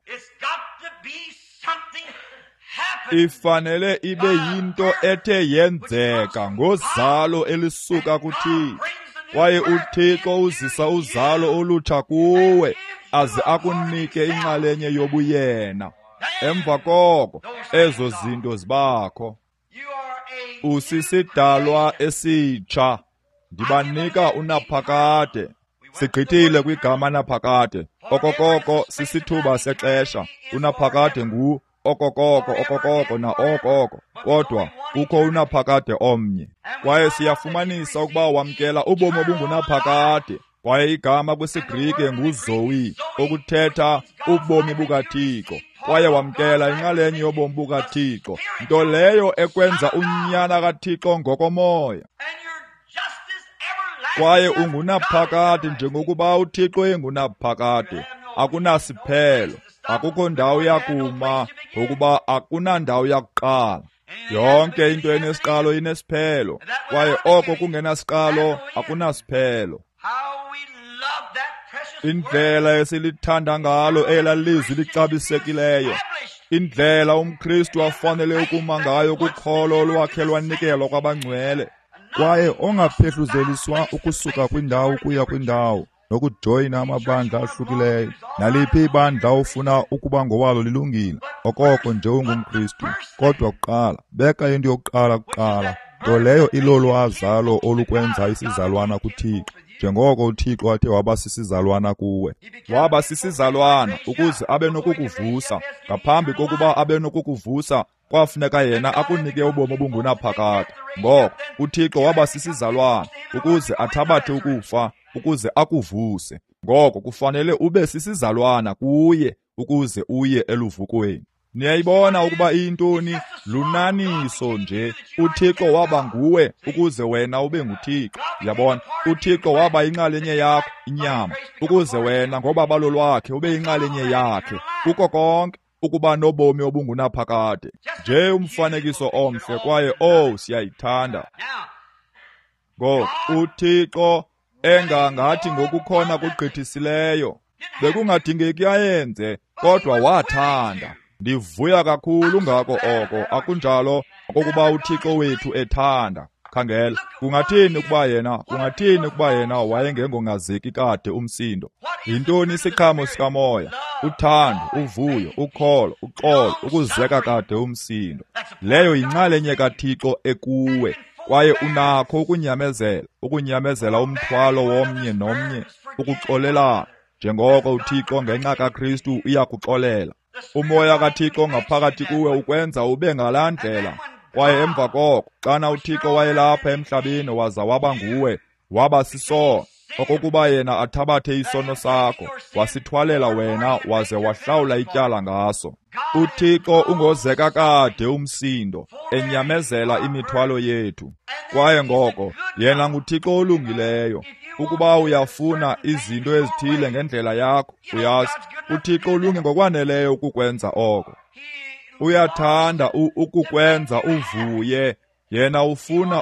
Ifanele ibe yinto ethe yenzeka ngozalo elisuka kuThixo. Kwaye uThixo uzisa uzalo olutsha kuwe, aze akunike inxalenye yobuyena. Emva koko ezo zinto zibakho. Usisidalwa esitsha. Ndibanika unaphakade. Sigqithile kwigama naphakade. Okokoko sisithuba sexesha. Unaphakade ngu okokoko, okokoko na okoko. Kodwa kukho unaphakade omnye. Kwaye siyafumanisa ukuba wamkela ubomi obungunaphakade. Kwaye igama kwisiGrike nguZoe, okuthetha ubomi bukaThixo. Kwaye wamkela inxalenye yobomi bukaThixo, nto leyo ekwenza unyana kaThixo ngokomoya. Kwaye ungunaphakade njengokuba uThixo engunaphakade. Akunasiphelo, akukho ndawo yakuma, ngokuba akunandawo yakuqala. Yonke into enesiqalo inesiphelo, kwaye oko kungenasiqalo akunasiphelo. Indlela esilithanda ngalo ela lizwi lixabisekileyo, indlela umKristu afanele ukuma ngayo kukholo lwakhe lwanikelwa kwabangcwele, kwaye ongaphehluzeliswa ukusuka kwindawo kuya kwindawo nokujoyina amabandla ahlukileyo. Naliphi ibandla ofuna ukuba ngowalo lilungile, okoko nje ungumKristu. Kodwa kuqala, beka into yokuqala kuqala, nto leyo ilolwazalo olukwenza isizalwana kuThixo, njengoko uThixo athe waba sisizalwana kuwe. Waba sisizalwana ukuze abe nokukuvusa. Ngaphambi kokuba abe nokukuvusa, kwafuneka yena akunike ubomi obungunaphakade. Ngoko uThixo waba sisizalwana ukuze athabathe ukufa, ukuze akuvuse. Ngoko kufanele ube sisizalwana kuye ukuze uye eluvukweni. Niyayibona ukuba iyintoni? Lunaniso nje. UThixo waba nguwe ukuze wena ube nguThixo. Yabona, uThixo waba inxalenye yakho, inyama, ukuze wena ngobabalo lwakhe ube inxalenye yakhe. Kuko konke ukuba nobomi obungunaphakade. Nje umfanekiso omhle, kwaye oh, siyayithanda. Ngoku uThixo engangathi ngokukhona kugqithisileyo, bekungadingeki ayenze, kodwa wathanda. Ndivuya kakhulu ngako oko, akunjalo okokuba uThixo wethu ethanda. Khangela, kungathini ukuba yena wayengengongazeki kade umsindo? Yintoni isiqhamo sikamoya? Uthando, uvuyo, ukholo, uxolo, ukuzeka kade umsindo. Leyo yinxalenye kaThixo ekuwe, kwaye unakho ukunyamezela umthwalo womnye nomnye, ukuxolelana, njengoko uThixo ngenxa kaKristu uyakuxolela. Umoya kaThixo ngaphakathi kuwe ukwenza ube ngalaa ndlela. Kwaye emva koko, xana uThixo wayelapha emhlabeni waza waba nguwe, waba sisono, okokuba yena athabathe isono sakho, wasithwalela wena waze wahlawula ityala ngaso. UThixo ungozeka kade umsindo, enyamezela imithwalo yethu. Kwaye ngoko, yena nguThixo olungileyo. Ukuba uyafuna izinto ezithile ngendlela yakho, uyazi, uThixo ulunge ngokwaneleyo ukukwenza oko. Uyathanda ukukwenza uvuye. Yena ufuna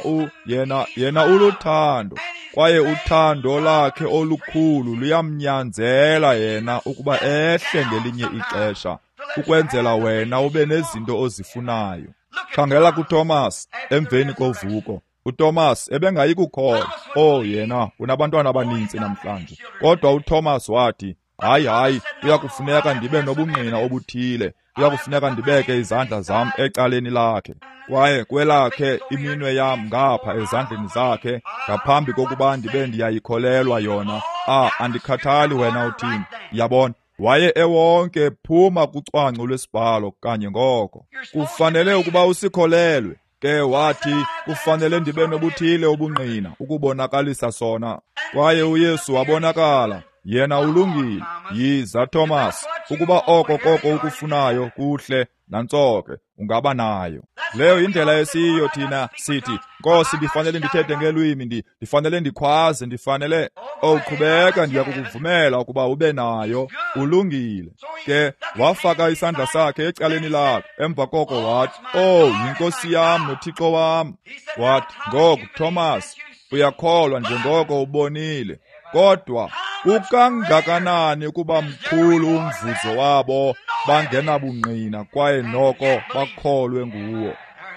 yena uluthando, kwaye uthando lakhe olukhulu luyamnyanzela yena ukuba ehle ngelinye ixesha, ukwenzela wena ube nezinto ozifunayo. Khangela kuThomas emveni kovuko. uThomas ebengayi kukholwa. Oh, yena unabantwana abaninzi namhlanje. Kodwa uThomas wathi, hayi, kuyakufuneka ndibe nobungqina obuthile. Kuyakufuneka ndibeke izandla zam ecaleni lakhe, kwaye kwelakhe iminwe yam ngapha ezandleni zakhe, ngaphambi kokuba ndibe ndiyayikholelwa yona. Andikhathali wena uthini. Yabona, waye ewonke phuma kucwangco lwesibhalo kanye ngoko. Kufanele ukuba usikholelwe. Ke wathi, kufanele ndibe nobuthile ubungqina ukubonakalisa sona. Kwaye uYesu wabonakala, yena ulungile. Yiza Thomas, ukuba oko koko ukufunayo kuhle, nantsoke ungaba nayo. Leyo indlela esiyo thina sithi, Nkosi, ndifanele ndithethe ngelwimi, ndifanele ndikhwaze, ndifanele. Qhubeka, ndiyakukuvumela ukuba ube nayo. Ulungile. Ke wafaka isandla sakhe ecaleni lakhe, emva koko wathi, oh, yinkosi yam noThixo wam. Wathi, ngoku Thomas, uyakholwa njengoko ubonile. Kodwa kukangakanani ukuba mkhulu umvuzo wabo bangenabungqina kwaye noko bakholwe nguwo.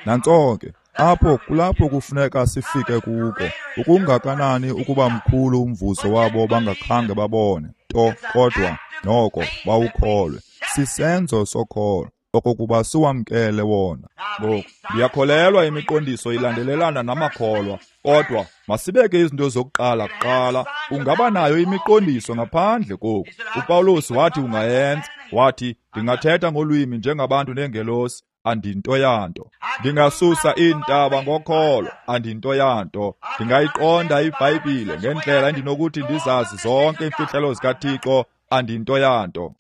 Nantso ke, apho kulapho kufuneka sifike kuko. Ukungakanani ukuba mkhulu umvuzo wabo bangakhange babone nto, kodwa noko bawukholwe. Sisenzo sokholo okokuba siwamkele wona. Ngoku ndiyakholelwa imiqondiso ilandelelana namakholwa, kodwa masibeke izinto zokuqala kuqala. Ungaba nayo imiqondiso ngaphandle koku. uPawulos wathi ungayenza. Wathi, ndingathetha ngolwimi njengabantu neengelosi, andinto yanto. Ndingasusa iintaba ngokholo, andinto yanto. Ndingayiqonda iBhayibhile ngendlela endinokuthi ndizazi zonke iimfihlelo zikaThixo, andinto yanto.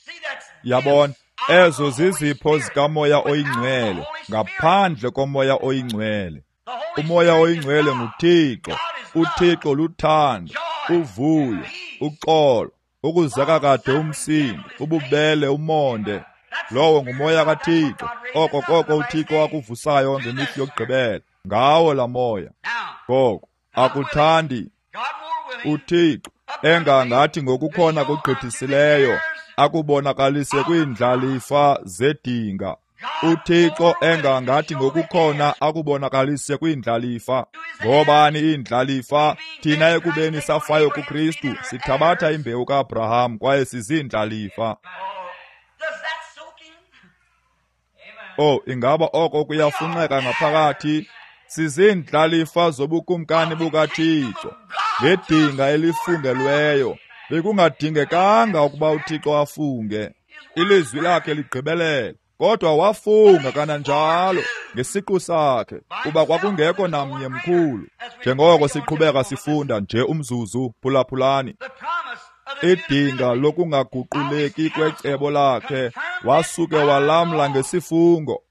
Yabona, ezo zizipho zikaMoya oyiNgcwele, ngaphandle koMoya oyiNgcwele. UMoya oyiNgcwele nguThixo. uThixo luthando, uvuyo, uxolo, ukuzeka kade umsindo, ububele, umonde. Lowo nguMoya kaThixo. Oko koko uThixo akuvusayo ngemihla yokugqibela, ngawo la moya. Ngoko akuthandi uThixo engangathi ngokukhona kugqithisileyo akubonakalise kwiindlalifa zedinga. uThixo engangathi ngokukhona akubonakalise kwiindlalifa. Ngobani iindlalifa? Thina ekubeni safayo kuKristu, sithabatha imbewu kaAbraham kwaye siziindlalifa. Oh, ingaba oko kuyafunxeka ngaphakathi? Siziindlalifa zobukumkani bukaThixo ngedinga elifungelweyo. Bekungadingekanga ukuba uThixo afunge, ilizwi lakhe ligqibelele. Kodwa wafunga kananjalo ngesiqu sakhe, kuba kwakungekho namnye mkhulu. Njengoko siqhubeka sifunda nje umzuzu, phulaphulani. Idinga lokungaguquleki kwecebo lakhe wasuke walamla ngesifungo.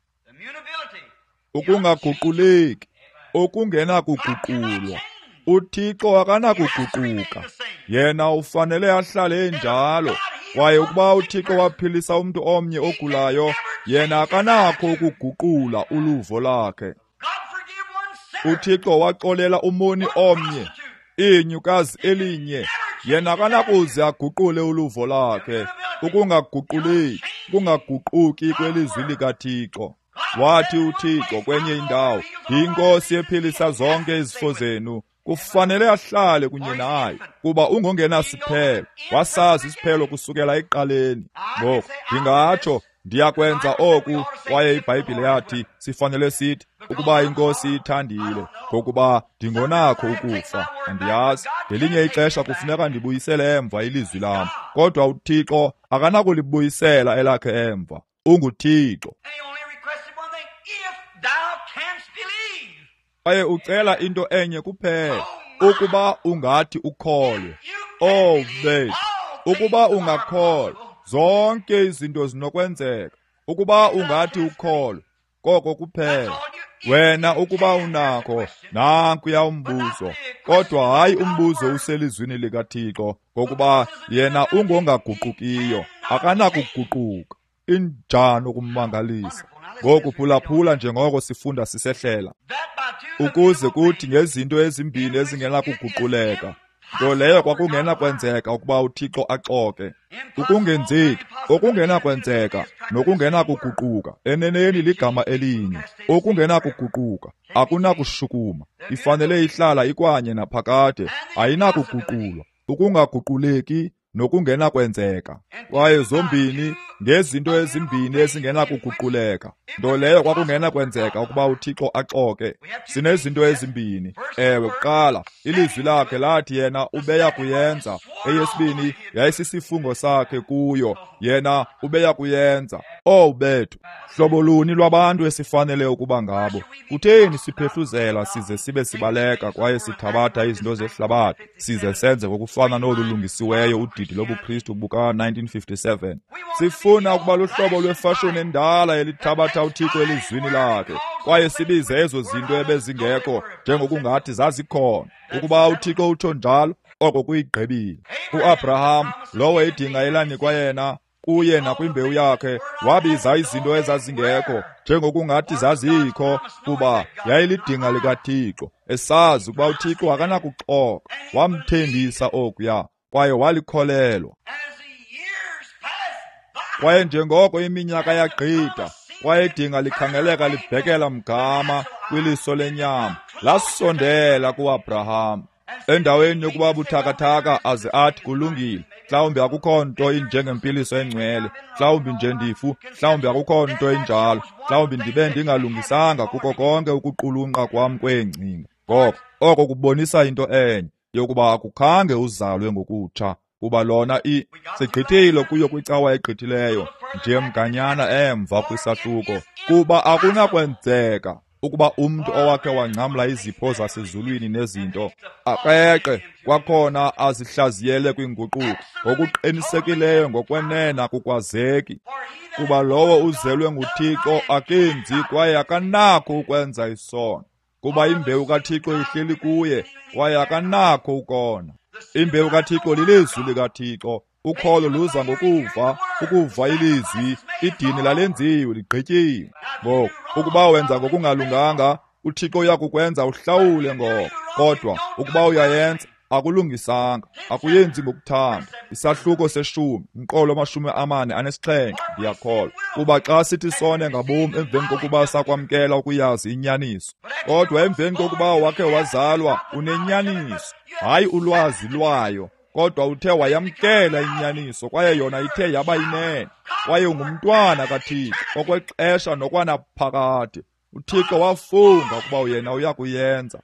Ukungaguquleki, okungenakuguqulwa. UThixo akanakuguquka. Yena ufanele ahlale enjalo. Kwaye ukuba uThixo waphilisa umntu omnye ogulayo, yena akanakho ukuguqula uluvo lakhe. UThixo waxolela umoni omnye, inyukazi elinye, yena akanakuze aguqule uluvo lakhe. Ukungaguquleki, ukungaguquki kwelizwi likaThixo. Wathi uThixo kwenye indawo, "Inkosi ephilisa zonke izifo zenu." Kufanele ahlale kunye naye, kuba ungongenasiphelo. Wasazi isiphelo kusukela ekuqaleni. Ngoku ndingatsho ndiyakwenza oku, kwaye iBhayibhile yathi sifanele sithi ukuba iNkosi ithandile, ngokuba ndingonakho ukufa. Andiyazi, ngelinye ixesha kufuneka ndibuyisele emva ilizwi lam, kodwa uThixo akanakulibuyisela elakhe emva. UnguThixo. Kwaye ucela into enye kuphela, ukuba ungathi ukholwe. Oh bethu, ukuba ungakholwa, zonke izinto zinokwenzeka. Ukuba ungathi ukholwe, koko kuphela. Wena ukuba unakho, nankuya umbuzo. Kodwa hayi umbuzo uselizwini likaThixo, ngokuba yena ungongaguqukiyo, akanakuguquka. Injani ukumangalisa! Ngoku phulaphula njengoko sifunda sisehlela, ukuze kuthi ngezinto ezimbini ezingenakuguquleka, nto leyo kwakungenakwenzeka ukuba uThixo axoke. Ukungenzeki, okungenakwenzeka nokungenakuguquka, eneneni ligama elinye. Okungenakuguquka akunakushukuma, ifanele ihlala ikwanye naphakade, ayinakuguqulwa. Ukungaguquleki nokungenakwenzeka. Kwaye zombini ngezinto ezimbini ezingenakuguquleka, nto leyo kwakungenakwenzeka ukuba uThixo axoke. Sinezinto ezimbini. Ewe, kuqala ilizwi lakhe lathi yena ubeya kuyenza. Eyesibini yayisisifungo sakhe kuyo, yena ubeya kuyenza. Oh bethu, hlobo luni lwabantu esifanele ukuba ngabo? Kutheni siphehluzela size sibe sibaleka kwaye sithabatha izinto zehlabathi size senze ngokufana nolu lungisiweyo udidi lobuKristu buka-1957? Sifuna ukuba luhlobo lwefashoni endala elithabatha uThixo elizwini lakhe, kwaye sibize ezo zinto ebezingekho njengokungathi zazikhona. Ukuba uThixo utsho njalo, oko kuyigqibile. UAbraham, lowo idinga elanikwa yena, kuye nakwimbewu yakhe, wabiza izinto ezazingekho njengokungathi zazikho, kuba yayilidinga likaThixo, esazi ukuba uThixo akanakuxoka. Wamthembisa okuya, kwaye walikholelwa. Kwaye njengoko iminyaka yagqitha, kwaye idinga likhangeleka libhekela mgama kwiliso lenyama, lasondela kuAbraham. Endaweni yokuba buthakathaka aze athi kulungile, mhlawumbi akukho nto injengempiliso engcwele, mhlawumbi nje ndifu, mhlawumbi akukho nto injalo, mhlawumbi ndibe ndingalungisanga kuko konke ukuqulunqa kwam kweengcinga. Ngoko oko kubonisa into enye, yokuba akukhange uzalwe ngokutsha, kuba lona sigqithile kuyo kwicawa egqithileyo, nje mganyana emva kwisahluko, kuba akunakwenzeka ukuba umntu owakhe wangcamla izipho zasezulwini nezinto akreqe kwakhona azihlaziyele kwinguquko. Ngokuqinisekileyo ngokwenene akukwazeki, kuba lowo uzelwe nguThixo akenzi kwaye akanakho ukwenza isono, kuba imbewu kaThixo ihleli kuye kwaye akanakho ukona. Imbewu kaThixo lilizwi likaThixo. Ukholo luza ngokuva, ukuva ilizwi. Idini lalenziwe, ligqityiwe. Ngoku ukuba wenza ngokungalunganga, uThixo uyakukwenza uhlawule ngoko. Kodwa ukuba uyayenza, akulungisanga, akuyenzi ngokuthanda. Isahluko seshumi, umqolo 47, ndiyakholwa. Kuba xa sithi sone ngabom emveni kokuba sakwamkela ukuyazi inyaniso, kodwa emveni kokuba wakhe wazalwa unenyaniso, hayi ulwazi lwayo, kodwa uthe wayamkela inyaniso, kwaye yona ithe yaba yinene, kwaye ungumntwana kaThixo okwexesha nokwanaphakade. uThixo wafunga ukuba yena uyakuyenza.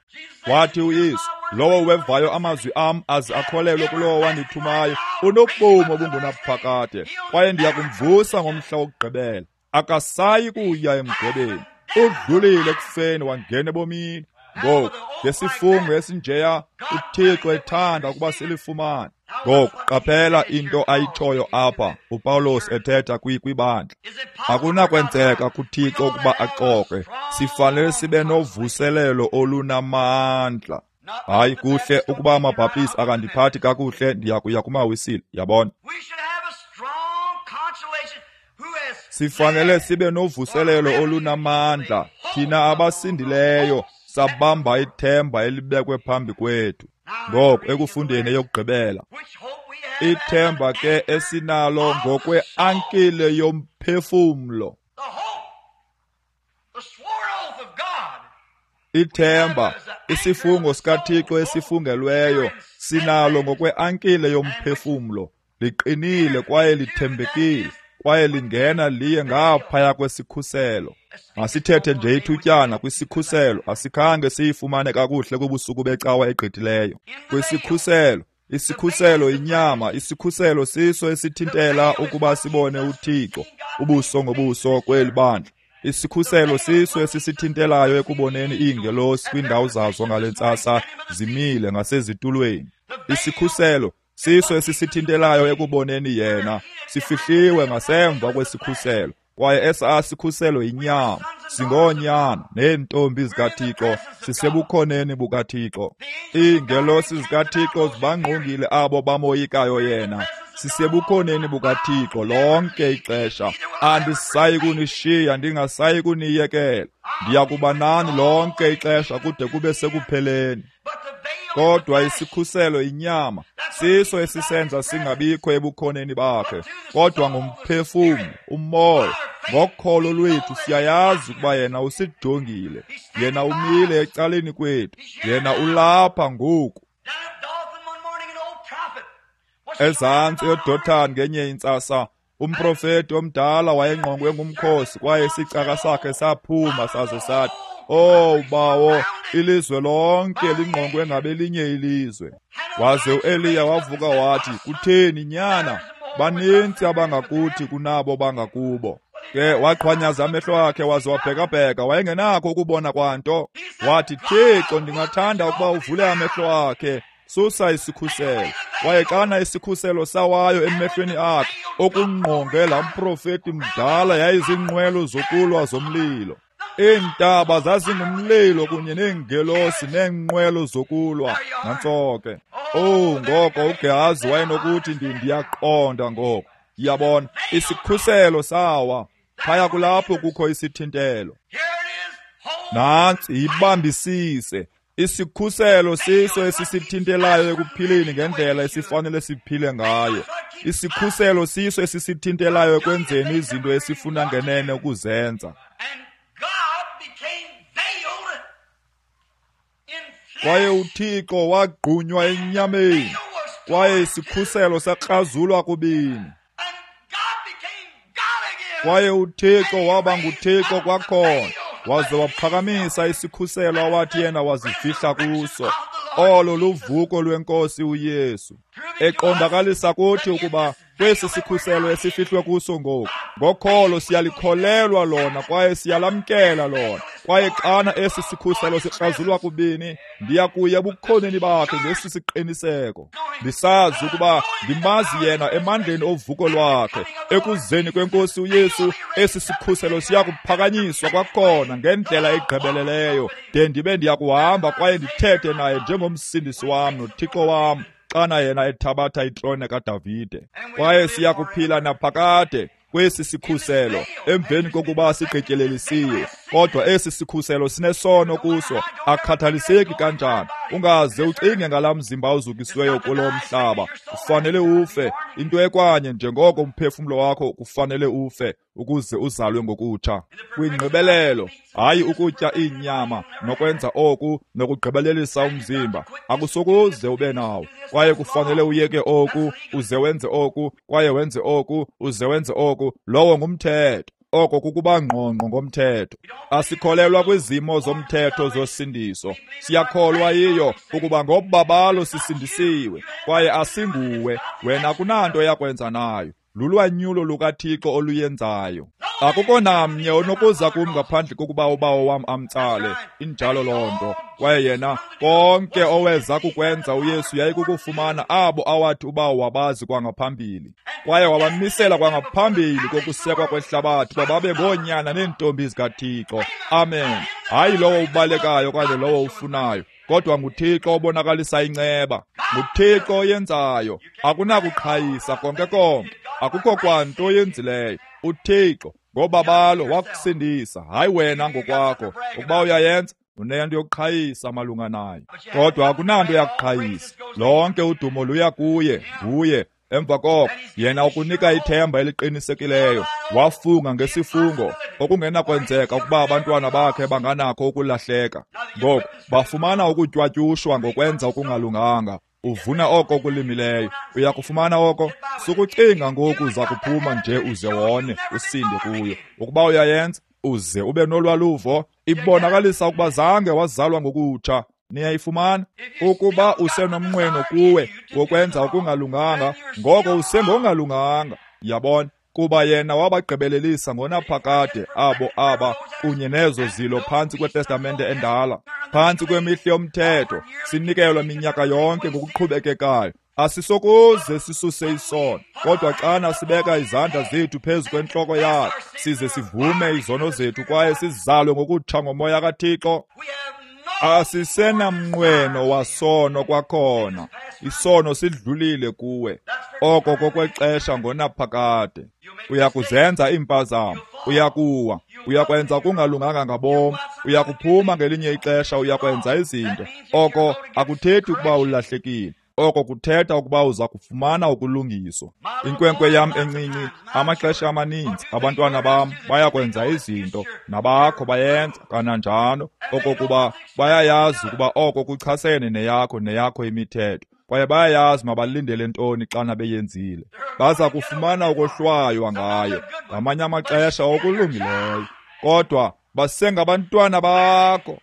Wathi uYesu, lowo wevayo amazwi am aze akholelwe kulowo wandithumayo unobomi obungunaphakade, kwaye ndiyakumvusa ngomhla wokugqibela. Akasayi kuya emgwebeni, udlulile ekufeni wangena ebomini. Ngoku ngesifungo esinjeya uThixo ethanda ukuba silifumane. Ngoku qaphela into ayitshoyo apha uPawulos ethetha kwibandla. Akunakwenzeka kuThixo ukuba axoke. Sifanele sibe novuselelo olunamandla. Hayi, kuhle ukuba amaBhaptisti akandiphathi kakuhle, ndiya kuya kumaWisile, yabona. Sifanele sibe novuselelo olunamandla, thina abasindileyo sabamba ithemba elibekwe phambi kwethu. Ngoku ekufundeni eyokugqibela, ithemba ke esinalo ngokweankile yomphefumlo. Ithemba, isifungo sikaThixo esifungelweyo, sinalo ngokweankile yomphefumlo. Liqinile kwaye lithembekile, kwaye lingena liye ngaphaya kwesikhuselo. Masithethe nje ithutyana kwisikhuselo, asikhange siyifumane kakuhle kubusuku becawa egqithileyo. Kwisikhuselo, isikhuselo inyama, isikhuselo siso esithintela ukuba sibone uThixo ubuso ngobuso kweli bandla. Isikhuselo siso esisithintelayo ekuboneni iingelosi kwiindawo zazo ngale ntsasa zimile ngasezitulweni. Isikhuselo siso esisithintelayo ekuboneni yena, sifihliwe ngasemva kwesikhuselo. Kwaye esa sikhuselo inyama. Singoonyana neentombi zikaThixo, sisebukhoneni bukaThixo. Iingelosi zikaThixo zibangqongile abo bamoyikayo yena. Sisebukhoneni bukaThixo lonke ixesha. Andisayi kunishiya, ndingasayi kuniyekela. Ndiya kuba nani lonke ixesha kude kube sekupheleni. Kodwa isikhuselo inyama, siso esisenza singabikho ebukhoneni bakhe. Kodwa ngomphefumlo, umoya, ngokholo lwethu siyayazi ukuba yena usijongile. Yena umile ecaleni kwethu. Yena ulapha ngoku. Ezantsi eDothan ngenye intsasa, umprofeti omdala wayengqongwe ngumkhosi, kwaye isicaka sakhe saphuma saze sathi, "Oh bawo, ilizwe lonke lingqongwe ngabelinye ilizwe." Waze uEliya wavuka wathi, "Kutheni nyana? Baninzi abangakuthi kunabo bangakubo." Ke waqhwanyaza amehlo akhe waze wabhekabheka, wayengenakho ukubona kwanto. Wathi, "Thixo, ndingathanda ukuba uvule amehlo akhe, susa isikhuselo." Kwaye xana isikhuselo sawayo emehlweni akhe, okungqonge laa mprofeti mdala yayizinqwelo zokulwa zomlilo. Iintaba zazingumlilo kunye neengelosi neenqwelo zokulwa. Nantso ke. Oh, ngoko uGehazi wayenokuthi, ndiyaqonda ngoko. Yabona, isikhuselo sawa. Phaya kulapho kukho isithintelo. Nantsi, yibambisise. Isikhuselo siso esisithintelayo ekuphileni ngendlela esifanele siphile ngayo. Isikhuselo siso esisithintelayo ekwenzeni izinto esifuna ngenene ukuzenza. Kwaye uThixo wagqunywa enyameni, kwaye isikhuselo sakrazulwa kubini. Kwaye uThixo waba nguThixo kwakhona, waze waphakamisa isikhuselo awathi yena wazifihla kuso. Olo luvuko lweNkosi uYesu, eqondakalisa kuthi ukuba kwesi sikhuselo esifihlwe kuso ngoku, ngokholo siyalikholelwa lona kwaye siyalamkela lona. Kwaye xana esi sikhuselo sikrazulwa kubini, ndiya kuya ebukhoneni bakhe ngesi siqiniseko, ndisazi ukuba ndimazi yena emandleni ovuko lwakhe. Ekuzeni kweNkosi uYesu, esi sikhuselo siya kuphakanyiswa kwakhona ngendlela egqibeleleyo, de ndibe ndiya kuhamba kwaye ndithethe naye njengomsindisi wam noThixo wam, xana yena ethabatha itrone kaDavide. Kwaye siya kuphila naphakade kwesi sikhuselo emveni kokuba sigqityelelisiwe. Kodwa esi sikhuselo sinesono kuso, akhathaliseki kanjani. Ungaze ucinge ngalaa mzimba uzukisiweyo kulo mhlaba. Ufanele ufe, into ekwanye njengoko umphefumlo wakho kufanele ufe ukuze uzalwe ngokutsha. Kwingqibelelo, hayi ukutya iinyama nokwenza oku nokugqibelelisa umzimba, akusokuze ube nawo. Kwaye kufanele uyeke oku, uze wenze oku, kwaye wenze oku, uze wenze oku. Lowo ngumthetho. Oko kukuba ngqongqo ngomthetho. Asikholelwa kwizimo zomthetho zosindiso. Siyakholwa yiyo ukuba ngobabalo sisindisiwe, kwaye asinguwe wena kunanto yakwenza nayo. Lulwanyulo lukaThixo oluyenzayo. Akukho namnye onokuza kum ngaphandle kokuba uBawo wam amtsale. Injalo loo nto. Kwaye yena konke oweza kukwenza uYesu yayikukufumana abo awathi uBawo wabazi kwangaphambili, kwaye wabamisela kwangaphambili kokusekwa kwehlabathi uba babe ngoonyana neentombi zikaThixo. Amen. Hayi lowo ubalekayo okanye lowo ufunayo, kodwa nguThixo obonakalisa inceba, nguThixo oyenzayo. Akunakuqhayisa konke konke, akukho kwanto oyenzileyo. UThixo ngobabalo wakusindisa, hayi wena ngokwakho. Ukuba uyayenza, unento yokuqhayisa malunga nayo, kodwa akunanto yakuqhayisa. Lonke udumo luya kuye, nguye. Emva koko yena ukunika ithemba eliqinisekileyo. Wafunga ngesifungo okungenakwenzeka ukuba abantwana bakhe banganakho ukulahleka. Ngoku bafumana ukutywatyushwa ngokwenza okungalunganga. Uvuna oko okulimileyo, uyakufumana oko. Sukucinga ngoku uza kuphuma nje uze wone usinde kuyo. Ukuba uyayenza uze ube nolwaluvo, ibonakalisa ukuba zange wazalwa ngokutsha. Niyayifumana? Ukuba usenomnqweno kuwe wokwenza okungalunganga, ngoko usengongalunganga. Yabona? Kuba yena wabagqibelelisa ngonaphakade abo aba kunye nezo zilo phantsi kweTestamente endala, phantsi kwemihla yomthetho, sinikelwa minyaka yonke ngokuqhubekekayo. Asisokuze sisuse isono, kodwa xana sibeka izandla zethu phezu kwentloko yakhe, size sivume izono zethu kwaye sizalwe ngokutsha ngomoya kaThixo, asisenamnqweno wasono kwakhona. Isono sidlulile kuwe, oko kokwexesha ngonaphakade. Uyakuzenza iimpazamo, uyakuwa, uyakwenza kungalunganga ngabom, uyakuphuma ngelinye ixesha, uyakwenza izinto. Oko akuthethi ukuba ulahlekile, oko kuthetha ukuba uza kufumana ukulungiswa. Inkwenkwe yam encinci, amaxesha amaninzi abantwana bam bayakwenza izinto, nabakho bayenza kananjalo, okokuba bayayazi ukuba oko kuchasene neyakho imithetho, kwaye bayayazi mabalindele ntoni xana beyenzile. Baza kufumana ukohlwaywa ngayo ngamanye amaxesha okulungileyo, kodwa basengabantwana bakho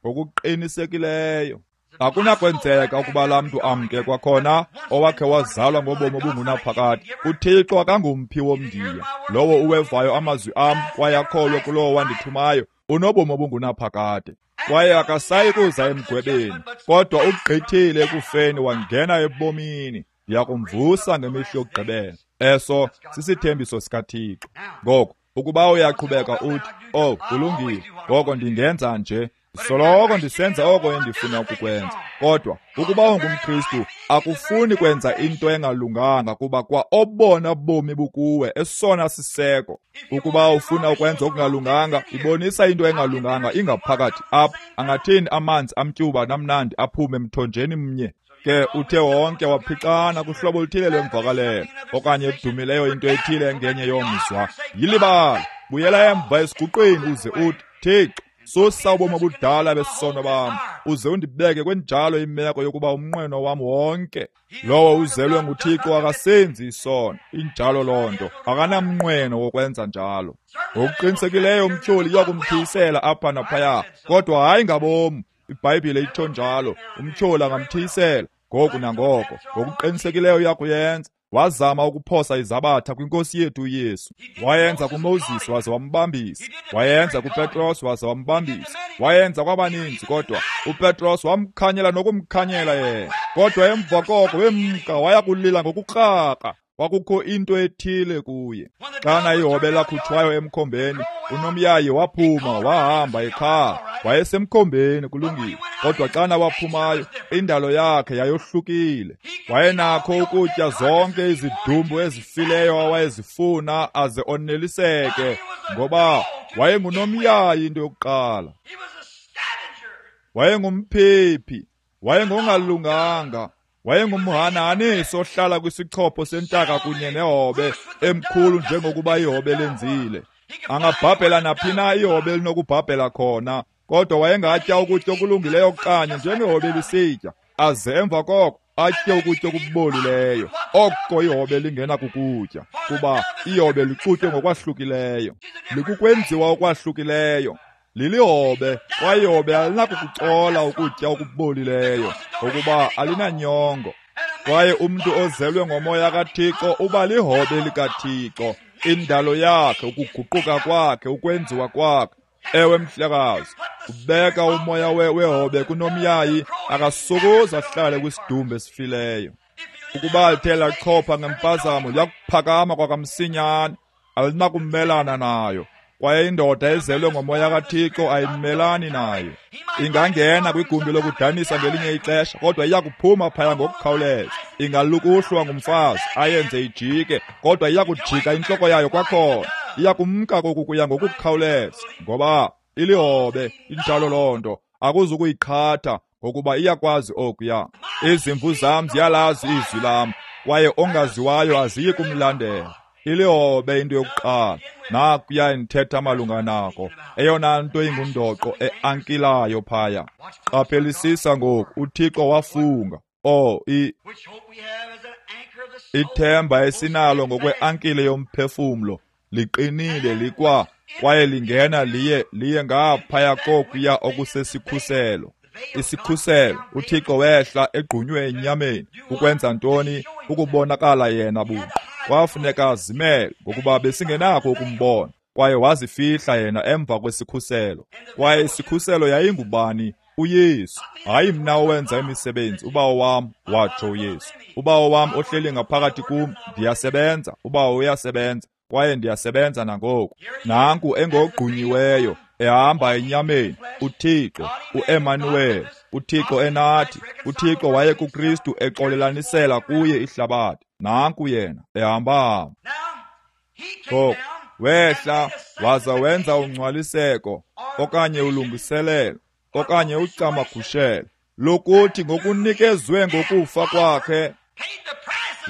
ngokuqinisekileyo. Akunakwenzeka ukuba laa mntu amke kwakhona owakhe wazalwa ngobomi obungunaphakade. UThixo akangumphi womndiya. Lowo uwevayo amazwi am kwaye akholwe kulowo wandithumayo unobomi obungunaphakade, kwaye akasayi kuza emgwebeni, kodwa ugqithile ekufeni wangena ebomini. Ndiyakumvusa ngemihla yokugqibela. Eso sisithembiso sikaThixo. Ngoku ukuba uyaqhubeka uthi, "Oh, kulungile, ngoko ndingenza nje, soloko ndisenza oko endifuna ukukwenza." Kodwa ukuba ungumKristu, akufuni kwenza into engalunganga, kuba kwa obona bomi bukuwe, esona siseko. Ukuba ufuna ukwenza okungalunganga, ibonisa into engalunganga ingaphakathi apha. Angathini amanzi amtyuba namnandi aphume emthonjeni mnye? Ke uthe wonke waphixana kuhlobo oluthile lwemvakalelo okanye edumileyo into ethile engenye yomzwa. Yilibala, buyela emva esiguqweni uze uthi, "Thixo, susa ubomi obudala besono bam, uze undibeke kwenjalo imeko yokuba umnqweno wam wonke." Lowo uzelwe nguThixo akasenzi isono. Injalo loo nto, akanamnqweno wokwenza njalo. Ngokuqinisekileyo umtyholi uyakumthiyisela apha naphaya, kodwa hayi ngabom. IBhayibhile itsho njalo, umtyholi angamthiyisela ngoku nangoko. Ngokuqinisekileyo uyakuyenza. Wazama ukuphosa izabatha kwinkosi yethu uYesu. Wayenza kuMoses waze wambambisa, wayenza kuPetros waze wambambisa, wayenza kwabaninzi, kodwa uPetros wamkhanyela nokumkhanyela yena. Kodwa emva koko wemka waya kulila ngokukrakra. Kwakukho into ethile kuye. Xana ihobe lakhutshwayo emkhombeni, unomyayi waphuma wahamba ekhaya. Wayesemkhombeni, kulungile, kodwa xana waphumayo, indalo yakhe yayohlukile. Wayenakho ukutya zonke izidumbu ezifileyo awayezifuna aze oneliseke, ngoba wayengunomyayi into yokuqala. Wayengumphephi, wayengongalunganga, wayengumhanahanisi ohlala kwisichopho sentaka kunye nehobe emkhulu njengokuba ihobe lenzile. Angabhabhela naphi na ihobe elinokubhabhela khona, kodwa wayengatya ukutya okulungileyo kanye njengehobe lisitya, aze emva koko atye ukutya okubolileyo, oko ihobe lingena kukutya, kuba ihobe lixutywe ngokwahlukileyo, likukwenziwa okwahlukileyo. Lilihobe, kwaye ihobe alinakukucola ukutya okubolileyo, ngokuba alinanyongo. Kwaye umntu ozelwe ngomoya kaThixo uba lihobe likaThixo. Indalo yakhe, ukuguquka kwakhe, ukwenziwa kwakhe. Ewe mhlekazi, ubeka umoya wehobe kunomyayi, akasokoze ahlale kwisidumbu esifileyo. Ukuba lithe lachopha ngempazamo, liyakuphakama kwakamsinyane, alinakumelana nayo. Kwaye indoda ezelwe ngomoya kaThixo ayimelani nayo. Ingangena kwigumbi lokudanisa ngelinye ixesha, kodwa iyakuphuma phaya ngokukhawuleza. Ingalukuhlwa ngumfazi ayenze ijike, kodwa iyakujika intloko yayo kwakhona. Iyakumka koku kuya ngokukhawuleza, ngoba ilihobe, injalo loo nto. Akuzukuyiqhatha, ngokuba iyakwazi okuya. Izimvu zam ziyalazi izwi lam, kwaye ongaziwayo aziyi kumlandela. Ilihobe into yokuqala. Nakuya ndithetha malunga nako, eyona nto ingundoqo eankilayo phaya. Qaphelisisa ngoku, uThixo wafunga. Ithemba esinalo ngokweankile yomphefumlo liqinile likwa, kwaye lingena liye ngaphaya kokuya okusesikhuselo. Isikhuselo, uThixo wehla egqunywe enyameni. Ukwenza ntoni? Ukubonakala yena buqu. Kwafuneka azimele, ngokuba besingenakho ukumbona, kwaye wazifihla yena emva kwesikhuselo. Kwaye isikhuselo yayingubani? uYesu. Hayi mna owenza imisebenzi, uBawo wam, watsho uYesu. uBawo wam ohleli ngaphakathi kum, ndiyasebenza, uBawo uyasebenza, kwaye ndiyasebenza nangoku. Nanku engogqunyiweyo, ehamba enyameni, uThixo, uEmanuel, uThixo enathi. uThixo waye kuKristu exolelanisela kuye ihlabathi. Nanku yena ehamba. Ngoku wehla waza wenza ungcwaliseko okanye ulungiselelo okanye ucamagushelo lokuthi ngokunikezwe ngokufa kwakhe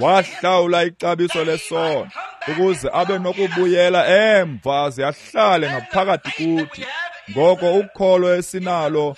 wahlawula ixabiso lesono, ukuze abe nokubuyela emva aze ahlale ngaphakathi kuthi. Ngoko ukholo esinalo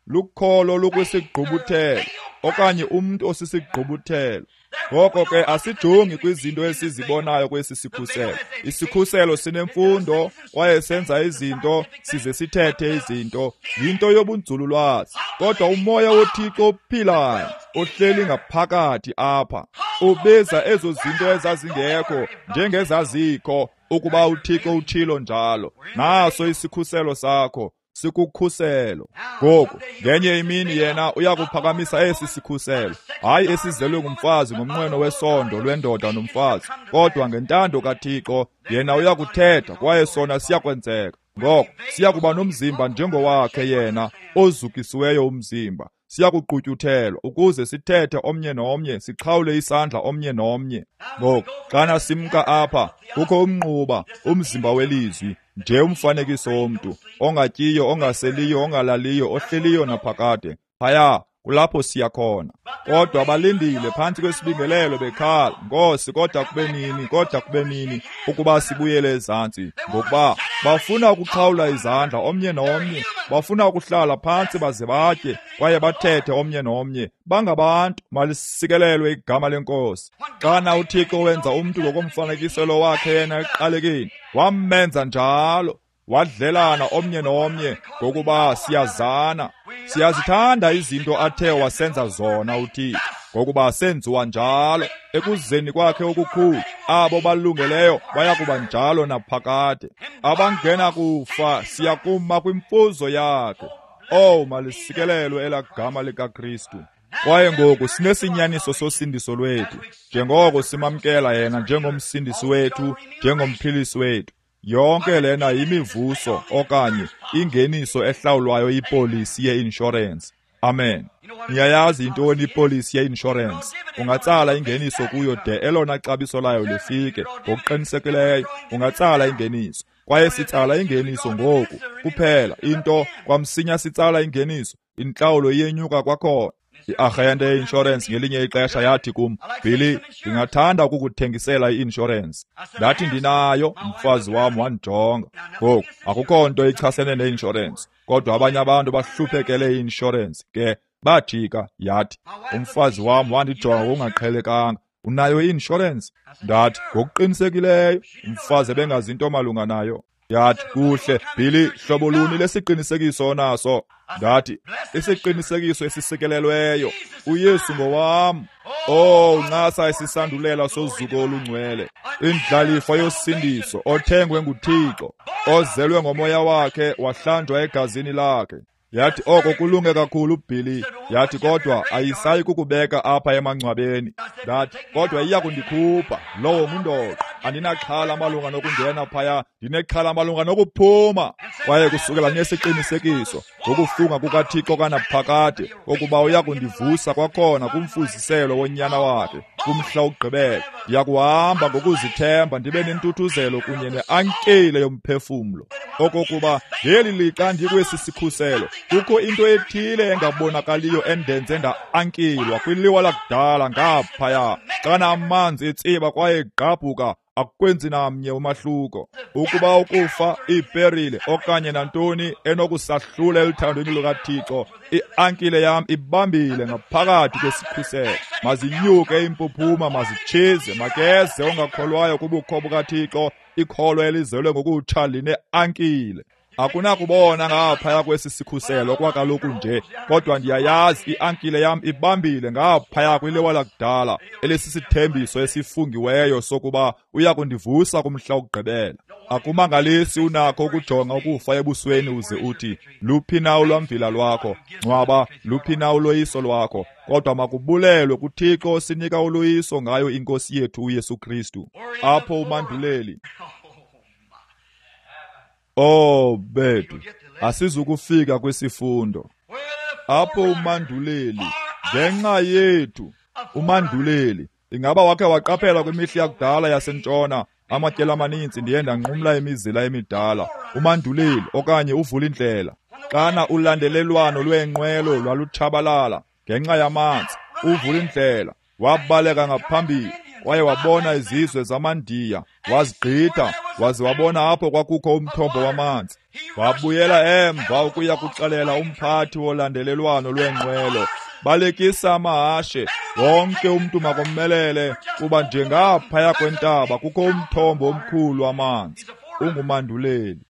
lukholo lukwisigqubuthelo okanye umntu osisigqubuthelo. Ngoko ke asijongi kwizinto esizibonayo kwesi sikhuselo. Isikhuselo sinemfundo kwaye senza izinto size sithethe izinto, yinto yobunzululwazi. Kodwa umoya woThixo ophilayo ohleli ngaphakathi apha ubiza ezo zinto ezazingekho njengezazikho, ukuba uThixo utshilo njalo. Naso isikhuselo sakho sikukhuselo. Ngoku ngenye imini yena uyakuphakamisa esi sikhuselo, hayi esizelwe ngumfazi ngomnqweno wesondo lwendoda nomfazi, kodwa ngentando kaThixo yena uyakuthetha kwaye sona siyakwenzeka. Ngoko siyakuba nomzimba njengowakhe yena ozukisiweyo umzimba. Siyakuqutyuthelwa ukuze sithethe omnye nomnye, sixhawule isandla omnye nomnye. Ngoku xana simka apha, kukho umnquba, umzimba welizwi, nje umfanekiso womntu ongatyiyo, ongaseliyo, ongalaliyo, ohleliyo naphakade. Phaya kulapho siya khona. Kodwa balindile phantsi kwesibingelelo bekhala, Nkosi, kodwa kube nini, kodwa kube nini ukuba sibuyele ezantsi? Ngokuba bafuna ukuxhawula izandla omnye nomnye, bafuna ukuhlala phantsi baze batye kwaye bathethe omnye nomnye. Bangabantu, malisikelelwe igama leNkosi. Xana uThixo wenza umntu ngokomfanekiselo wakhe yena ekuqalekeni, wamenza njalo, wadlelana omnye nomnye, ngokuba siyazana. Siyazithanda izinto athe wasenza zona uThixo, ngokuba senziwa njalo. Ekuzeni kwakhe okukhulu, abo balungeleyo bayakuba njalo naphakade. Abangena kufa siyakuma kwimfuzo yakhe. Oh, malisikelelwe elaa gama likaKristu. Kwaye ngoku sinesinyaniso sosindiso lwethu, njengoko simamkela yena njengomsindisi wethu, njengomphilisi wethu. Yonke lena yimivuso okanye ingeniso ehlawulwayo yipolisi ye-inshorensi. Amen. Niyayazi yintoni ipolisi ye-inshorensi? Ungatsala ingeniso kuyo de elona xabiso layo lifike. Ngokuqinisekileyo ungatsala ingeniso. Kwaye sitsala ingeniso ngoku kuphela into kwamsinya sitsala ingeniso, intlawulo iyenyuka kwakhona. I-arhente ye-inshorensi ngelinye ixesha yathi kum, Billy, ndingathanda ukukuthengisela i-inshorensi. Ndathi ndinayo, umfazi wam wandijonga. Ngoku akukho nto ichasene ne-inshorensi, kodwa abanye abantu bahluphekele i-inshorensi ke bajika. Yathi umfazi wam wandijonga ngokungaqhelekanga, unayo i-inshorensi? Ndathi ngokuqinisekileyo. Umfazi ebengazi into malunga nayo. Yathi, kuhle, Billy, hlobo luni lesiqinisekiso onaso? Ndathi, isiqinisekiso esisikelelweyo, uYesu ngowam. Oh, ncasa isisandulela sozuko olungcwele, indlalifa yosindiso, othengwe nguThixo, ozelwe ngomoya wakhe, wahlanjwa egazini lakhe. Yathi, oko kulunge kakhulu, Billy. Yathi, kodwa ayisayi kukubeka apha emangcwabeni. Ndathi, kodwa iya kundikhupha. Lowo ngundoqo. Andinaxhala malunga nokungena phaya, ndinexhala malunga nokuphuma. Kwaye kusukela nesiqinisekiso ngokufunga kukaThixo kanaphakade ukuba uya kundivusa kwakhona kumfuziselo wonyana wakhe kumhla wokugqibela, ndiyakuhamba ngokuzithemba ndibe nentuthuzelo kunye neankile yomphefumlo, okokuba ngeli lixa ndikwesi sikhuselo kukho into ethile engabonakaliyo endenze nda-ankilwa kwiliwa lakudala ngaphaya. Xana amanzi etsiba kwaye egqabhuka, akukwenzi namnye umahluko. Ukuba ukufa, iiperile okanye nantoni enokusahlula eluthandweni lukaThixo, i-ankile yam ibambile ngaphakathi kwesikhuselo. Mazinyuke impuphuma, mazitshize, makeze ongakholwayo kubukho bukaThixo. Ikholwa elizelwe ngokutsha line-ankile. Akunakubona ngaphaya kwesi sikhuselo kwakaloku nje, kodwa ndiyayazi i-ankile yam ibambile ngaphaya kwiliwa lakudala elisisithembiso esifungiweyo sokuba uya kundivusa kumhla wokugqibela. Akumangalisi unakho ukujonga ukufa ebusweni uze uthi, luphi na ulwamvila lwakho? Ngcwaba, luphi na uloyiso lwakho? Kodwa makubulelwe kuThixo osinika uloyiso ngayo iNkosi yethu uYesu Kristu. Apho umanduleli. Oh bethu, asizukufika kwisifundo. Apho umanduleli ngenxa yethu, umanduleli. Ingaba wakhe waqaphela kwimihla yakudala yasentshona, amatyeli amaninzi ndiye ndanqumla imizila emidala, umanduleli okanye uvulindlela. Xana ulandelelwano lweenqwelo lwalutshabalala ngenxa yamanzi, uvulindlela wabaleka ngaphambili kwaye wabona izizwe zamaNdiya, wazigqitha, waze wabona apho kwakukho umthombo wamanzi. Wabuyela emva ukuya kuxelela umphathi wolandelelwano lweenqwelo, balekisa amahashe, wonke umntu makomelele, kuba njengaphaya kwentaba kukho umthombo omkhulu wamanzi. Ungumanduleli.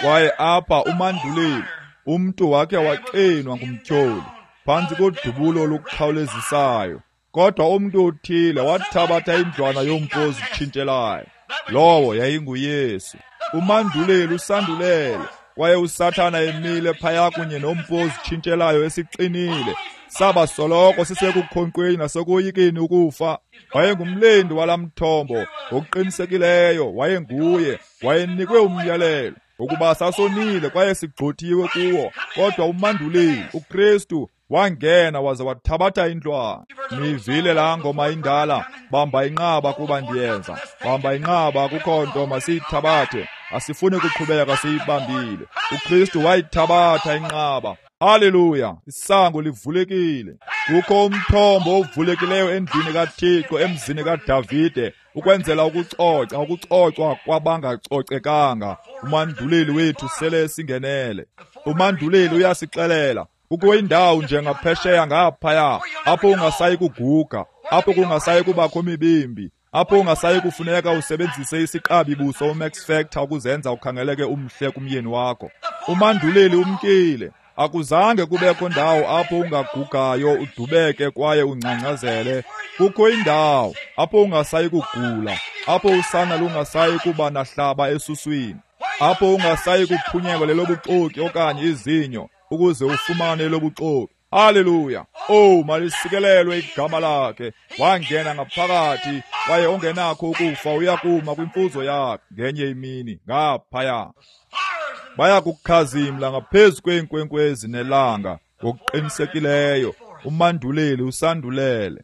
Kwaye apha umanduleli, umntu wakhe waxinwa ngumtyholi phantsi kodubulo olukhawulezisayo. Kodwa umntu othile wathabatha indlwana yompu ozitshintshelayo. Lowo yayinguYesu. Umanduleli usandulele, kwaye uSathana emile phaya kunye nompu ozitshintshelayo esixinile. Saba soloko sisekukhonkqweni nasekoyikeni ukufa. Wayengumlindi walamthombo, ngokuqinisekileyo wayenguye, wayenikwe umyalelo ukuba sasonile kwaye sigxothiwe kuwo. Kodwa umanduleli uKristu wangena waze wathabatha indlwana. Nivile laa ngoma indala, bamba inqaba kuba ndiyenza, bamba inqaba, akukho nto masiyithabathe, asifuni kuqhubeka siyibambile. uKristu wayithabatha inqaba. Haleluya, isango livulekile. Kukho umthombo ovulekileyo endlini kaThixo, emzini kaDavide, ukwenzela ukucoca, ukucocwa kwabangacocekanga. Umanduleli wethu sele singenele. Umanduleli uyasixelela, kukho indawo njengaphesheya ngaphaya apho ungasayi kuguga, apho kungasayi kubakho mibimbi, apho ungasayi kufuneka usebenzise isiqabi buso uMax Factor ukuzenza ukhangeleke umhle kumyeni wakho. Umanduleli umkile. Akuzange kubekho ndawo apho ungagugayo udubeke kwaye ungcangcazele. Kukho indawo apho ungasayi kugula, apho usana lungasayi kuba nahlaba esuswini, apho ungasayi kuphunyelwa lelobuxoki okanye izinyo ukuze ufumane lobuxoki. Haleluya! Oh, malisikelelwe igama lakhe. Wangena ngaphakathi kwaye ongenakho ukufa uyakuma kwimfuzo yakhe ngenye imini ngaphaya. Bayakukhazimla ngaphezu kweenkwenkwezi nelanga ngokuqinisekileyo. Umanduleli usandulele.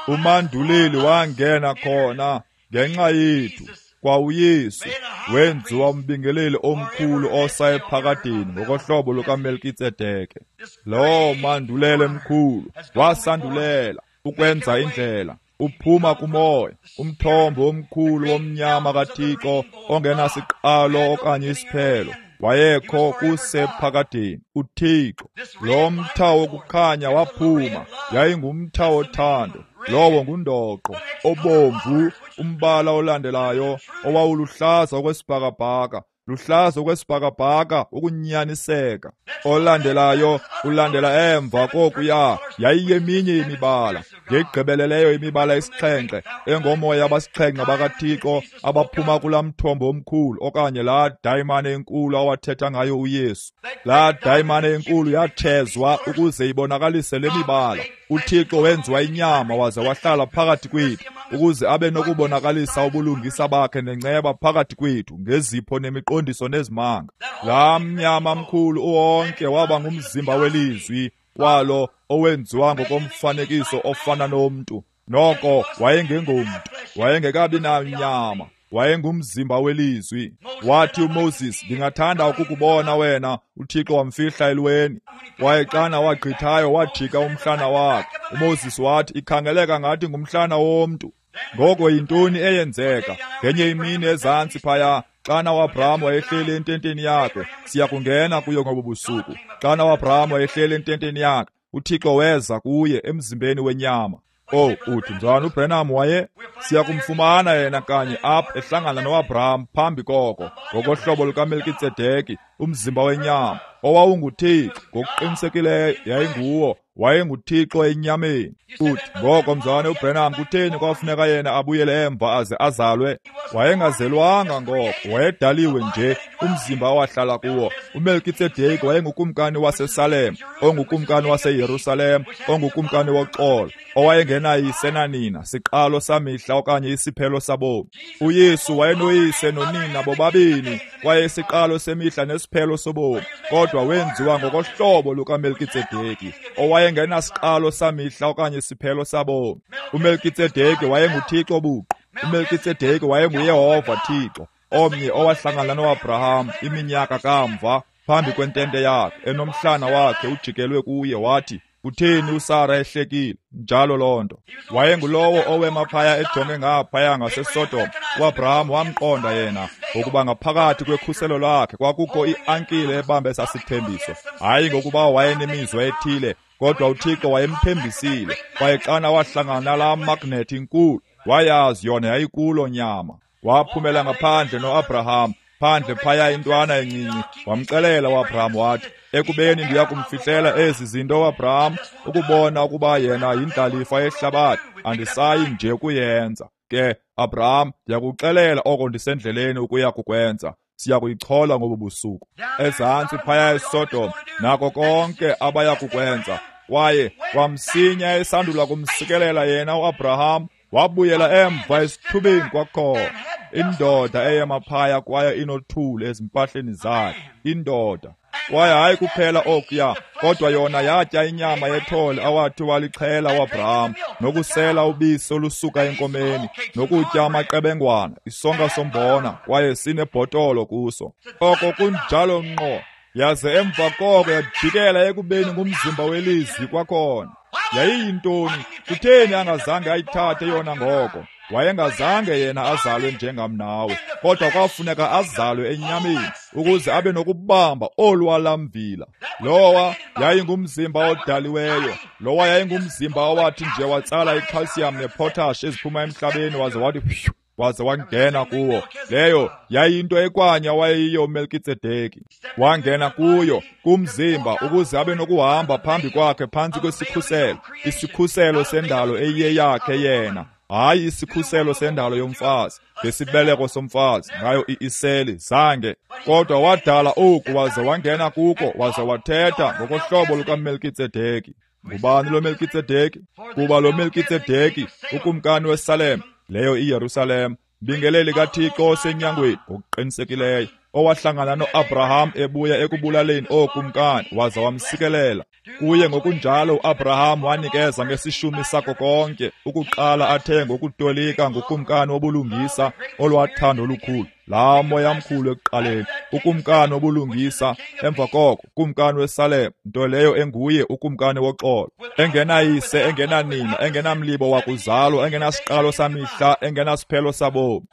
Umanduleli wangena khona ngenxa yethu. Kwa uYesu wenziwa umbingeleli omkhulu osa ephakadeni ngokohlobo lukaMelkitsedeke. Lo mandulele mkhulu wasandulela ukwenza indlela, uphuma kumoya, umthombo omkhulu womnyama kaThixo ongenasiqalo okanye isiphelo. Wayekho kusephakadeni uThixo. Lo mtha wokukhanya waphuma, yayingumtha wothando. Lowo ngundoqo obomvu Umbala olandelayo owawuluhlaza okwesibhakabhaka, luhlaza okwesibhakabhaka ukunyaniseka. Olandelayo ulandela emva kokuya yayiyeminye imibala, ngegqibeleleyo imibala esixhenxe engomoya abasixhenxe bakaThixo abaphuma kulaa mthombo omkhulu okanye laa dayimane enkulu awathetha ngayo uYesu. Laa dayimane enkulu yathezwa ukuze ibonakalise le mibala. UThixo wenziwa inyama waze wahlala phakathi kwethu ukuze abe nokubonakalisa ubulungisa bakhe nenceba phakathi kwethu ngezipho nemiqondiso nezimanga. Laa mnyama mkhulu uwonke waba ngumzimba welizwi walo owenziwa ngokomfanekiso ofana nomntu. Noko wayengengomntu, wayengekabi nanyama, wayengumzimba welizwi. Wathi uMoses, ndingathanda ukukubona wena. UThixo wamfihla elweni. Kwaye xana wagqithayo wajika umhlana wakhe. uMoses wathi, ikhangeleka ngathi ngumhlana womntu. Ngoko yintoni eyenzeka? Ngenye imini ezantsi phaya, xana uAbraham wayehleli ententeni yakhe, siya kungena kuyo ngobu busuku. Xana uAbraham wayehleli ententeni yakhe, uThixo weza kuye emzimbeni wenyama. Oh, uthi njani uBrenham waye? Siya kumfumana yena kanye apha ehlangana noAbraham phambi koko, ngokohlobo lukaMelkitsedeki, umzimba wenyama owawunguThixo ngokuqinisekileyo yayinguwo, wayenguThixo enyameni. Uthi ngoko mzalwane uBrenham, kutheni kwafuneka yena abuyele emva aze azalwe? Wayengazelwanga ngoko, wayedaliwe nje umzimba awahlala kuwo. uMelkitsedeki wayengukumkani waseSalem, ongukumkani waseYerusalem, ongukumkani woxolo, owayengenayise nanina, siqalo samihla okanye isiphelo sabomi. uYesu wayenoyise nonina bobabini, kwaye isiqalo semihla nesiphelo sobomi, kodwa wenziwa ngokohlobo lukaMelkitsedeki, owayengenasiqalo samihla okanye isiphelo sabomi. uMelkitsedeki wayenguThixo buqu. uMelkitsedeki wayenguYehova Thixo, omnye owahlangana noAbraham iminyaka kamva phambi kwentente yakhe, enomhlana wakhe ujikelwe kuye, wathi, kutheni uSara ehlekile? Njalo loo nto. Wayengulowo owema phaya ejonge ngaphaya ngaseSodom. UAbraham wamqonda yena, ngokuba ngaphakathi kwekhuselo lakhe kwakukho iankile ebambe sasithembiso. Hayi ngokuba wayenemizwa ethile, kodwa uThixo wayemthembisile. Kwaye xana wahlangana nalaa magnethi inkulu, wayazi yona yayikulo nyama. Waphumela ngaphandle noAbraham, phandle phaya intwana encinci. Wamxelela uAbraham wathi, ekubeni ndiya kumfihlela ezi zinto uAbraham, ukubona ukuba yena yindlalifa yehlabathi, andisayi nje kuyenza. Ke Abraham, ndiyakuxelela oko ndisendleleni ukuya kukwenza. Siya kuyichola ngobu busuku. Ezantsi phaya eSodom, nako konke abaya kukwenza. Kwaye kwamsinya esandula kumsikelela yena uAbraham, wabuyela emva esithubeni kwakhona. Indoda eyema phaya kwaye inothuli ezimpahleni zakhe, indoda. Kwaye hayi kuphela okuya, kodwa yona yatya inyama yethole awathi walixhela uAbraham, nokusela ubisi olusuka enkomeni, nokutya amaqebengwana, isonka sombona, kwaye sinebhotolo kuso. Oko kunjalo ngqo. Yaze emva koko yajikela ekubeni ngumzimba welizwi kwakhona. Yayiyintoni? Kutheni angazange ayithathe yona ngoko? Wayengazange yena azalwe njengam nawe, kodwa kwafuneka azalwe enyameni ukuze abe nokubamba olwalamvila. Lowa yayingumzimba odaliweyo, lowa yayingumzimba owathi nje watsala icalcium nepotash eziphuma emhlabeni waze wathi waze wangena kuwo. Leyo yayinto ekwanya wayeyiyo uMelkitsedeki. Wangena kuyo kumzimba ukuze abe nokuhamba phambi kwakhe phantsi kwesikhuselo, isikhuselo sendalo eyiyeyakhe yena, hayi isikhuselo sendalo yomfazi, ngesibeleko somfazi ngayo iiseli zange. Kodwa wadala oku waze wangena kuko waze wathetha ngokohlobo lukaMelkitsedeki. Ngubani lo Melkitsedeki? Kuba lo Melkitsedeki ukumkani weSalem, leyo iYerusalem, mbingeleli kaThixo osenyangweni ngokuqinisekileyo, owahlangana noAbraham ebuya ekubulaleni ookumkani waza wamsikelela. Kuye ngokunjalo uAbraham wanikeza ngesishumi sako konke, ukuqala athe ngokutolika ngukumkani wobulungisa olwathando olukhulu, laa moya mkhulu ekuqaleni, ukumkani wobulungisa, emva koko ukumkani weSalem, nto leyo enguye ukumkani woxolo, engenayise, engenanina, engenamlibo wakuzalwa, engenasiqalo samihla, engenasiphelo sabomi.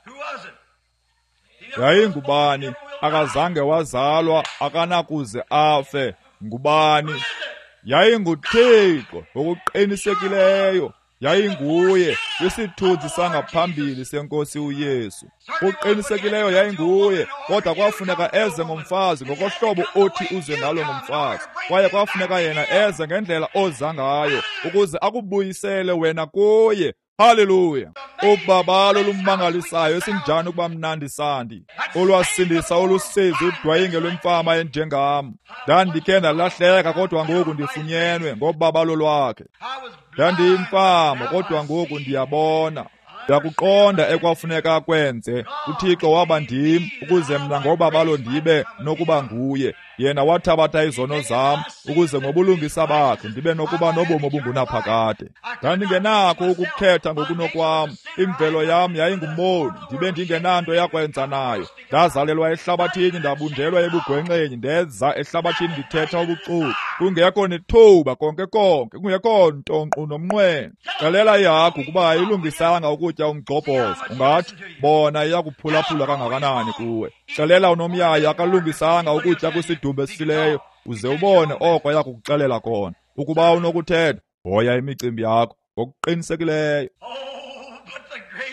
Yayingubani? Akazange wazalwa, akanakuze afe. Ngubani? YayinguThixo ngokuqinisekileyo. Yayinguye kwisithunzi sangaphambili senkosi uYesu. Kuqinisekileyo yayinguye, kodwa kwafuneka eze ngomfazi ngokohlobo othi uze ngalo ngomfazi. Kwaye kwafuneka yena eze ngendlela oza ngayo ukuze akubuyisele wena kuye. Haleluya! Ubabalo olumangalisayo esinjani ukuba mnandi sandi, olwasindisa olusizi udwayinge lwemfama enjengam. Ndandikhe ndalahleka, kodwa ngoku ndifunyenwe ngobabalo lwakhe. Ndandiyimfama, kodwa ngoku ndiyabona. Ndakuqonda ekwafuneka kwenze. UThixo waba ndim ukuze mna ngobabalo ndibe nokuba nguye. Yena wathabatha izono zam ukuze ngobulungisa bakhe ndibe nokuba nobomi obungunaphakade. Ndandingenakho ukukhetha ngokunokwam. Imvelo yam yayingumoni, ndibe ndingenanto yakwenza nayo. Ndazalelwa ehlabathini, ndabunjelwa ebugwenxeni, ndeza ehlabathini ndithetha ubuxoki, kungekho nethuba konke konke, kungekho nto nkqu nomnqweno. Xelela ihagu ukuba ayilungisanga ukutya umgxobhozo, ungathi bona iyakuphulaphula kangakanani kuwe. Xelela unomyayi akalungisanga ukutya kwisidumbu esifileyo, uze ubone oko yakukuxelela kona. Ukuba unokuthetha, hoya imicimbi yakho ngokuqinisekileyo.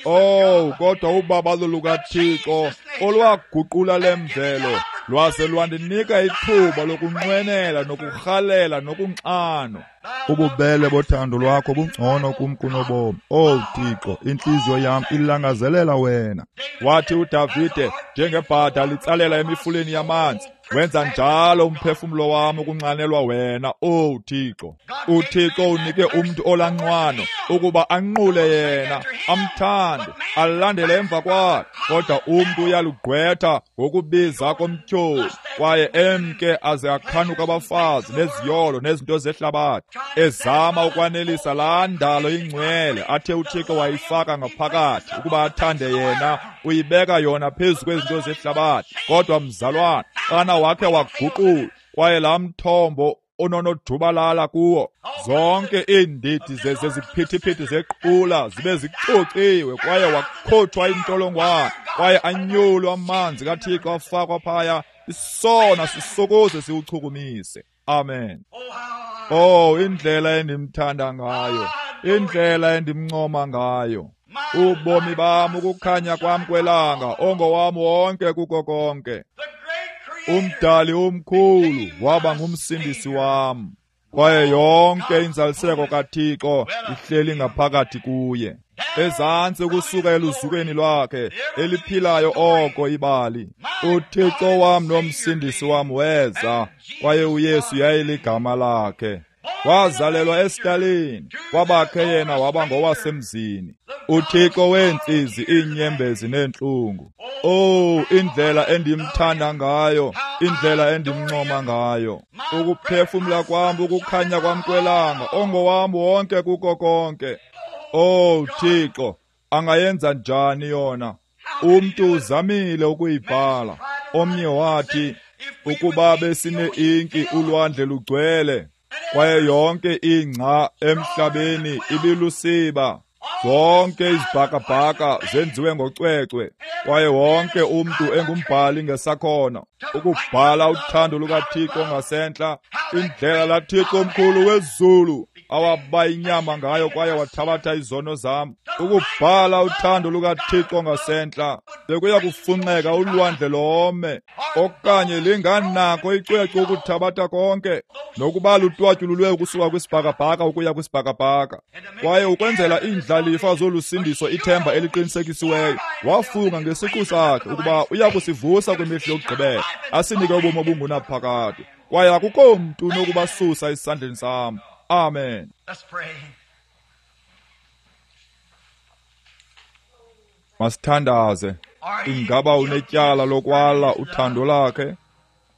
Oh, kodwa ubabalo lukaThixo olwaguqula lemvelo lwaze lwandinika ithuba lokunqwenela nokurhalela nokunxano. Ububele bothando lwakho bungcono kum kunobomi. Oh Thixo, intliziyo yam ilangazelela wena. Wathi uDavide, njengebhada litsalela emifuleni yamanzi, wenza njalo umphefumlo wam ukunxanelwa wena, oh Thixo. UThixo unike umntu olanxwano ukuba anqule yena, amthande, alandele emva kwakhe. Kodwa umntu uyalugqwetha ngokubiza komtyholi, kwaye emke aze akhanuka abafazi neziyolo nezinto zehlabathi, ezama ukwanelisa laa ndalo ingcwele athe uThixo wayifaka ngaphakathi ukuba athande yena. Uyibeka yona phezu kwezinto zehlabathi. Kodwa mzalwana, xana wakhe waguqula, kwaye laa mthombo ononojubalala kuwo, zonke iindidi zeziphithiphithi zequla zibe zicociwe, kwaye wakhutshwa intsholongwane, kwaye anyulwa amanzi kaThixo afakwa phaya, isona sisokuze siwuchukumise. Amen. Oh, indlela endimthanda ngayo, indlela endimncoma ngayo. Ubomi bam, ukukhanya kwam kwelanga, ongowam wonke kuko konke. Umdali omkhulu waba ngumsindisi wam, kwaye yonke inzaliseko kaThixo ihleli ngaphakathi kuye. Ezantsi ukusuka eluzukweni lwakhe eliphilayo oko ibali. UThixo wam nomsindisi wam weza, kwaye uYesu yayiligama lakhe. Wazalelwa esitalini, kwabakhe yena waba ngowasemzini. uThixo weentsizi, iinyembezi neentlungu. Oh, indlela endimthanda ngayo, indlela endimncoma ngayo. Ukuphefumla kwam, ukukhanya kwam kwelanga, ongowam wonke kuko konke. Oh Thixo, angayenza njani yona? Umntu uzamile ukuyibhala. Omnye wathi, ukuba besine-inki ulwandle lugcwele, kwaye yonke ingca emhlabeni ibilusiba. Zonke izibhakabhaka zenziwe ngocwecwe, kwaye wonke umntu engumbhali ngesakhono ukubhala uthando lukaThixo ngasentla, indlela laThixo omkhulu wezulu awaba inyama ngayo kwaye wathabatha izono zam. Ukubhala uthando lukaThixo ngasentla, bekuya kufunxeka ulwandle lome, okanye linganako icwecwe ukuthabatha konke, nokuba lutwatyululwe ukusuka kwisibhakabhaka ukuya kwisibhakabhaka. Kwaye ukwenzela iindlalifa zolusindiso ithemba eliqinisekisiweyo, wafunga ngesiqu sakhe ukuba uya kusivusa kwimihla yokugqibela, asinike ubomi obungunaphakade. Kwaye akukho mntu unokubasusa esandleni sam. Amen. Masithandaze. Ingaba unetyala lokwala uthando lakhe?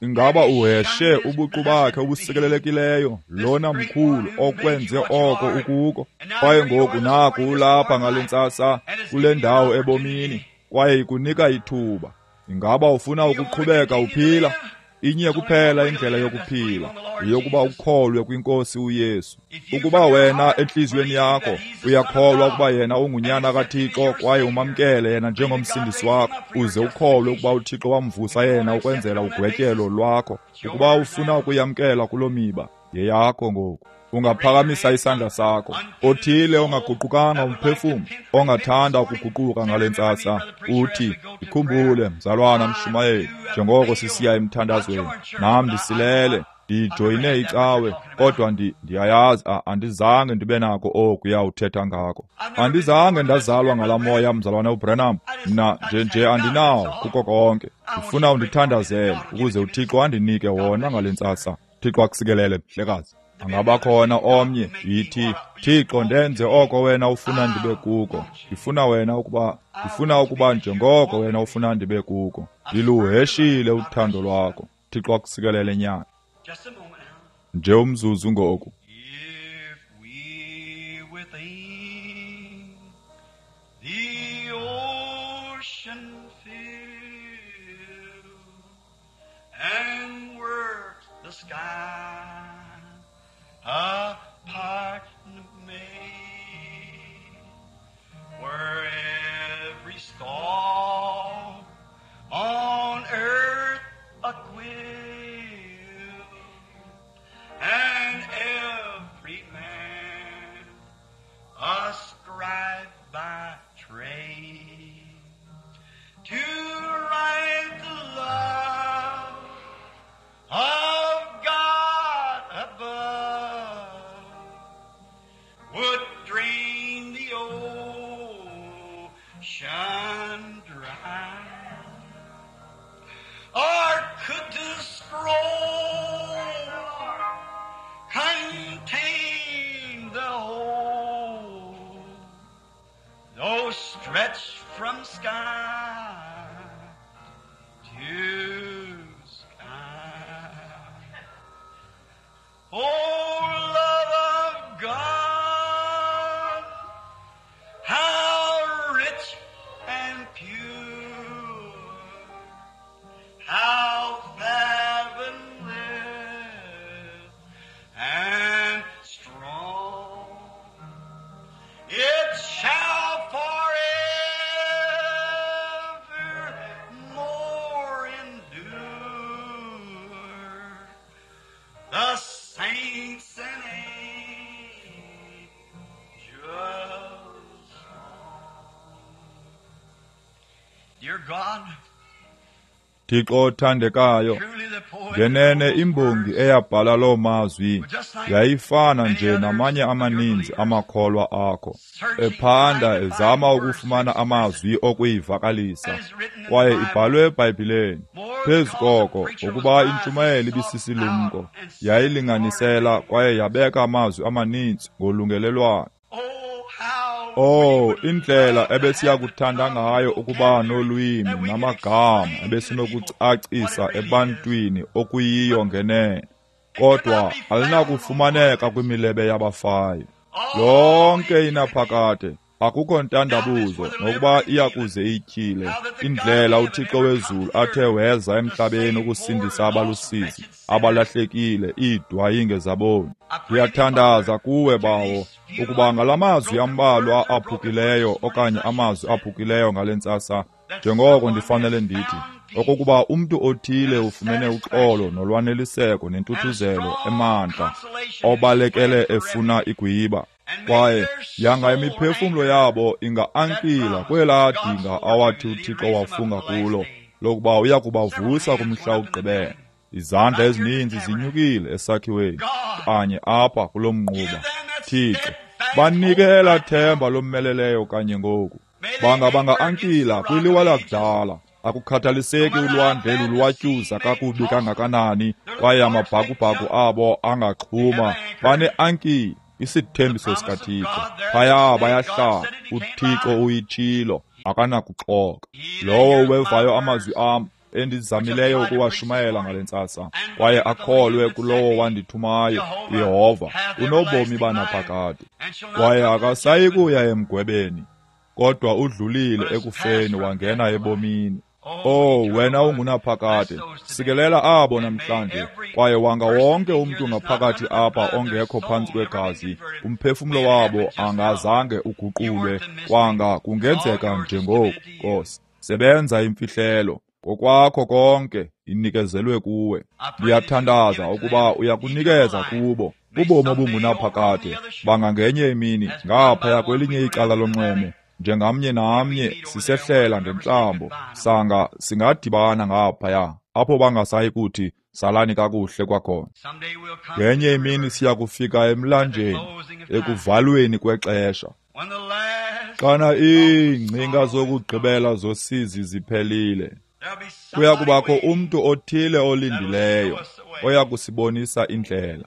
Ingaba uheshe ubuqu bakhe obusikelelekileyo, lona mkhulu okwenze oko ukuko? Kwaye ngoku naku ulapha ngale ntsasa kule ndawo ebomini, kwaye ikunika ithuba. Ingaba ufuna ukuqhubeka uphila? Inye kuphela indlela yokuphila, yeyokuba ukholwe kwinkosi uYesu. Ukuba wena entliziyweni yakho uyakholwa ukuba yena ungunyana kaThixo, kwaye umamkele yena njengomsindisi wakho, uze ukholwe ukuba uThixo wamvusa yena ukwenzela ugwetyelo lwakho, ukuba ufuna ukuyamkela kuloo miba, Yeyakho ngoku. Ungaphakamisa isandla sakho. Othile ongaguqukanga umphefumlo, ongathanda ukuguquka ngale ntsasa, uthi, ndikhumbule mzalwana mshumayeli, njengoko sisiya emthandazweni, nam ndisilele, ndijoyine icawe, kodwa ndiyayazi andizange ndibe nako okuya uthetha ngako. Andizange ndazalwa ngala moya, mzalwana uBranham. Mna nje andinawo kuko konke. Ndifuna undithandazele ukuze uThixo andinike wona ngale ntsasa. Thixo akusikelele, mhlekazi. Angabakhona omnye, yithi, Thixo, ndenze oko wena ufuna ndibe kuko. Ndifuna ukuba njengoko wena ufuna ndibe kuko. Ndiluheshile uthando lwakho. Thixo akusikelele, nyana. Nje umzuzu ngoku. If we within the ocean fill and work the sky a partner made, where every star on earth a quill and every man a scribe by trade, to write the love of God above would drain the ocean dry. Or could the scroll contain the whole, though stretched from sky to sky? Oh, love of God, how rich and pure, how fathomless and strong, it shall forevermore endure the saints and angels' song. Dear God, Thixo othandekayo, truly the poet ngenene imbongi eyabhala loo mazwi yayifana nje namanye amaninzi amakholwa akho, ephanda ezama ukufumana amazwi okuyivakalisa, kwaye ibhalwe eBhayibhileni. Phezu koko, ukuba intshumayeli ibisisilumko, yayilinganisela kwaye yabeka amazwi amaninzi ngolungelelwano. Oh, how Oh, indlela ebesiyakuthanda ngayo ukuba nolwimi namagama ebesinokucacisa ebantwini okuyiyo ngenene, kodwa alinakufumaneka kwimilebe yabafayo. Lonke inaphakade, akukho ntandabuzo nokuba iyakuze ityhile indlela uThixo wezulu athe weza emhlabeni ukusindisa abalusizi, abalahlekile, iidwayinge zaboni. Ndiyathandaza kuwe, Bawo, ukuba ngalamazwi ambalwa aphukileyo okanye amazwi aphukileyo ngale ntsasa, njengoko ndifanele ndithi, okokuba umntu othile ufumene uxolo nolwaneliseko nentuthuzelo emandla, obalekele efuna igwiba. Kwaye yanga imiphefumlo yabo inga-ankila kwelaa dinga awathi uThixo wafunga kulo, lokuba uya kubavusa kumhla wokugqibela. Izandla ezininzi zinyukile esakhiweni kanye apha kulo mnquba. Thixo, banike elaa themba lomeleleyo kanye ngoku. Banga banga-ankila kwiliwa lakudala. Akukhathaliseki ulwandle lulwatyuza kakubi kangakanani, kwaye amabhakubhaku abo angaxhuma, bane-ankile, isithembiso sikaThixo. Phaya bayahlala, uThixo uyitshilo, akanakuxoka. Lowo uwevayo amazwi am endizamileyo ukuwashumayela ngale ntsasa, kwaye akholwe kulowo wandithumayo, uYehova, unobomi banaphakade, kwaye akasayi kuya emgwebeni, kodwa udlulile ekufeni wangena ebomini. Oh, wena ungunaphakade, sikelela abo namhlanje, kwaye wanga wonke umntu ngaphakathi apha ongekho phantsi kwegazi, umphefumlo wabo angazange uguqulwe, kwanga kungenzeka njengoku, Nkosi. Sebenza imfihlelo, Kokwakho konke inikezelwe kuwe. Ndiyathandaza ukuba uyakunikeza kubo ubomi obungunaphakade, bangangenye imini ngaphaya kwelinye icala lonxweme, njengamnye namnye sisehlela ngentlambo, sanga singadibana ngaphaya apho bangasayi kuthi salani kakuhle kwakhona. Ngenye imini siya kufika emlanjeni ekuvalweni kwexesha, xana iingcinga zokugqibela zosizi ziphelile, kuya kubakho umntu othile olindileyo oya kusibonisa indlela.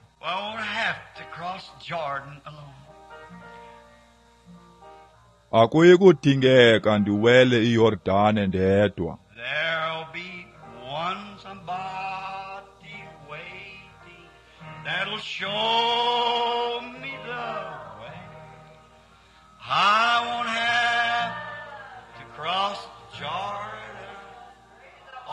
Akuyi kudingeka ndiwele iYordane ndedwa.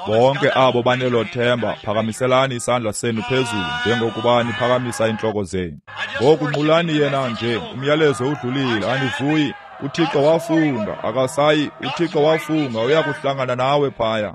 Bonke abo banelo themba, phakamiselani isandla senu phezulu njengokuba niphakamisa intloko zenu. Ngoku nqulani yena nje, umyalezo udlulile, anivuyi. UThixo wafunga, akasayi. UThixo wafunga, uyakuhlangana nawe phaya.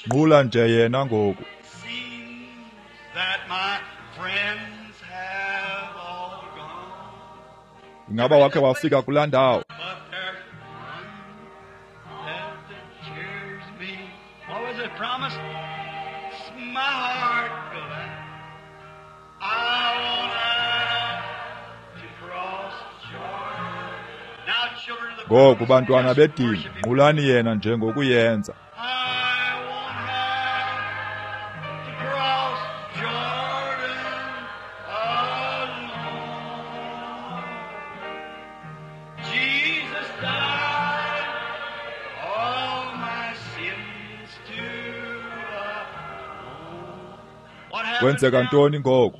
Nqula nje yena ngoku. Ingaba wakhe wafika kulaa ndawo? Ngoku bantwana bedini, nqulani yena njengokuyenza. Kwenzeka ntoni ngoku?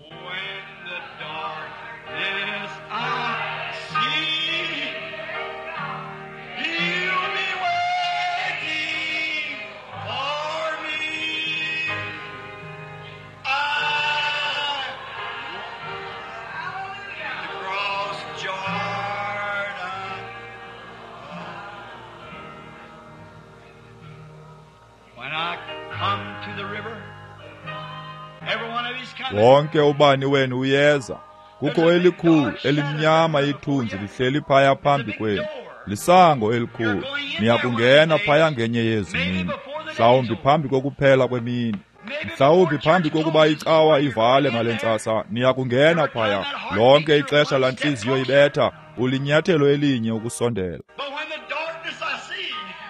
Wonke ubani wenu uyeza. Kukho elikhulu elimnyama ithunzi lihleli phaya phambi kwenu. Lisango elikhulu. Niyakungena phaya ngenye yezi mini, mhlawumbi phambi kokuphela kwemini, mhlawumbi phambi kokuba icawa ivale ngale ntsasa. Niyakungena phaya. Lonke ixesha laa ntliziyo ibetha, ulinyathelo elinye ukusondela.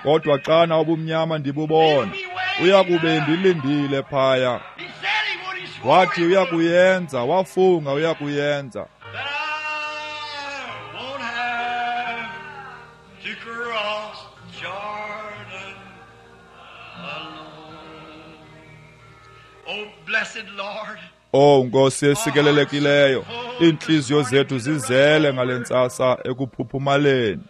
Kodwa xana ubumnyama ndibubona, uyakube ndilindile phaya. Wathi uyakuyenza, wafunga uyakuyenza. Oh Nkosi esikelelekileyo, iintliziyo zethu zizele ngale ntsasa ekuphuphumaleni.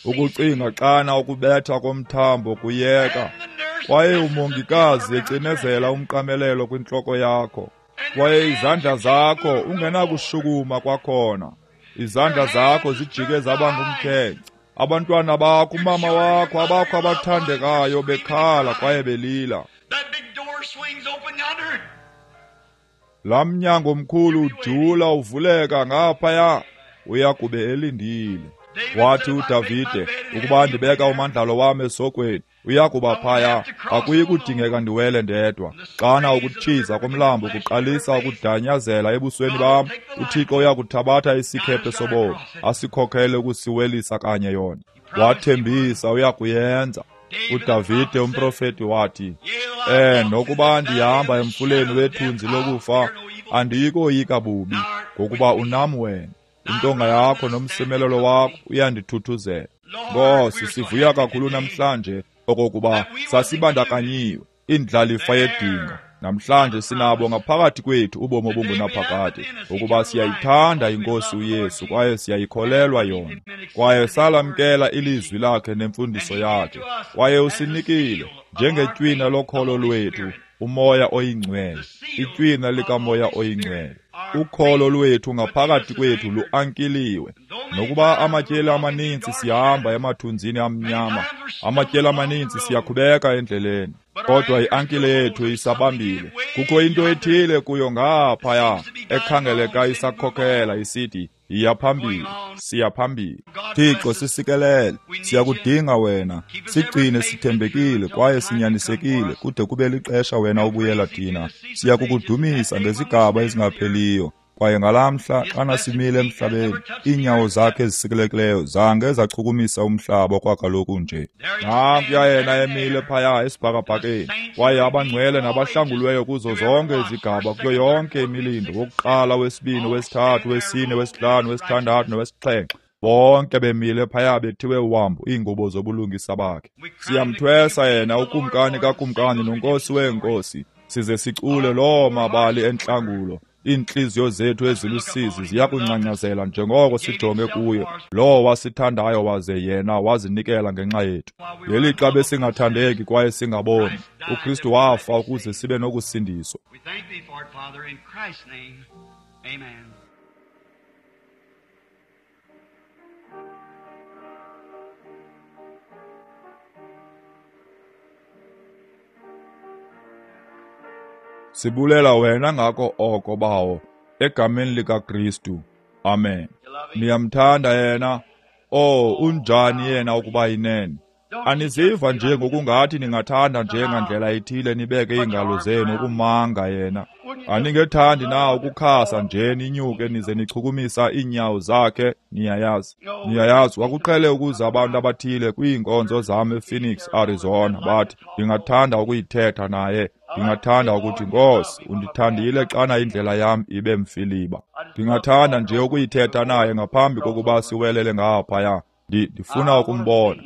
Ukucinga xana ukubetha komthambo kuyeka, kwaye umongikazi ecinezela umqamelelo kwintloko yakho, kwaye izandla zakho ungenakushukuma kwakhona. Izandla zakho zijike zaba ngumkhenkce. Abantwana bakho, umama wakho, abakho abathandekayo bekhala kwaye belila. Laa mnyango mkhulu ujula uvuleka ngaphaya, uyakube elindile. Wathi uDavide, ukuba ndibeka umandlalo wam esokweni, uyakuba phaya, akuyi kudingeka ndiwele ndedwa. Xana ukutshiza komlambo kuqalisa ukudanyazela ebusweni bam, uThixo uyakuthabatha isikhephe sobomi, asikhokhele ukusiwelisa kanye yona. Wathembisa uyakuyenza. UDavide umprofeti wathi, nokuba ndihamba emfuleni wethunzi lokufa, andiyikoyika bubi, ngokuba unam wena. Intonga yakho nomsimelelo wakho uyandithuthuzela. Nkosi, sivuya kakhulu namhlanje okokuba sasibandakanyiwe indlalifa yedinga. Namhlanje sinabo ngaphakathi kwethu ubomi obungunaphakade, ukuba siyayithanda iNkosi uYesu kwaye siyayikholelwa yona, kwaye salamkela ilizwi lakhe nemfundiso yakhe, kwaye usinikile njengetywina lokholo lwethu uMoya oyiNgcwele, itywina likaMoya oyiNgcwele. Ukholo lwethu ngaphakathi kwethu luankiliwe. Nokuba amatyeli amaninzi sihamba emathunzini amnyama, amatyeli amaninzi siyakhubeka endleleni, kodwa iankile yethu isabambile. Kukho into ethile kuyo ngaphaya ekhangeleka isakhokhela isithi, yiya phambili, siya phambili. Thixo, sisikelele, siyakudinga wena. Sigcine sithembekile kwaye sinyanisekile kude kube lixesha wena ubuyela thina. Siyakukudumisa ngezigaba ezingapheliyo. Kwaye ngalamhla xana simile emhlabeni, iinyawo zakhe ezisikelekileyo zange zachukumisa umhlaba kwakaloku nje. Nankuya yena emile phaya esibhakabhakeni, kwaye abangcwele nabahlangulweyo kuzo zonke izigaba, kuyo yonke imilindo, wokuqala, wesibini, wesithathu, wesine, wesihlanu, wesithandathu nowesixhenxe, bonke bemile phaya bethiwe wambu iingubo zobulungisa bakhe. Siyamthwesa yena ukumkani kakumkani nonkosi weenkosi, size sicule loo mabali entlangulo. Iintliziyo zethu ezilusizi ziyakuncanyazela njengoko sijonge kuye, lowo wasithandayo waze yena wazinikela ngenxa yethu. Ngelixa besingathandeki kwaye singaboni, uKristu wafa ukuze sibe nokusindiswa. Sibulela wena ngako oko, Bawo, egameni likaKristu. Amen. Niyamthanda yena? Oh, unjani yena ukuba yinene? Aniziva nje ngokungathi ningathanda nje ngandlela ithile nibeke iingalo zenu ukumanga yena? Aningethandi na ukukhasa nje ninyuke nize nichukumisa iinyawo zakhe? Niyayazi, niyayazi, kwakuqhele ukuza abantu abathile kwiinkonzo zam ePhoenix, Arizona, bathi, ndingathanda ukuyithetha naye. Ndingathanda ukuthi, Nkosi, undithandile xana indlela yam ibe mfiliba. Ndingathanda nje ukuyithetha naye ngaphambi kokuba siwelele ngaphaya. Ndifuna ukumbona,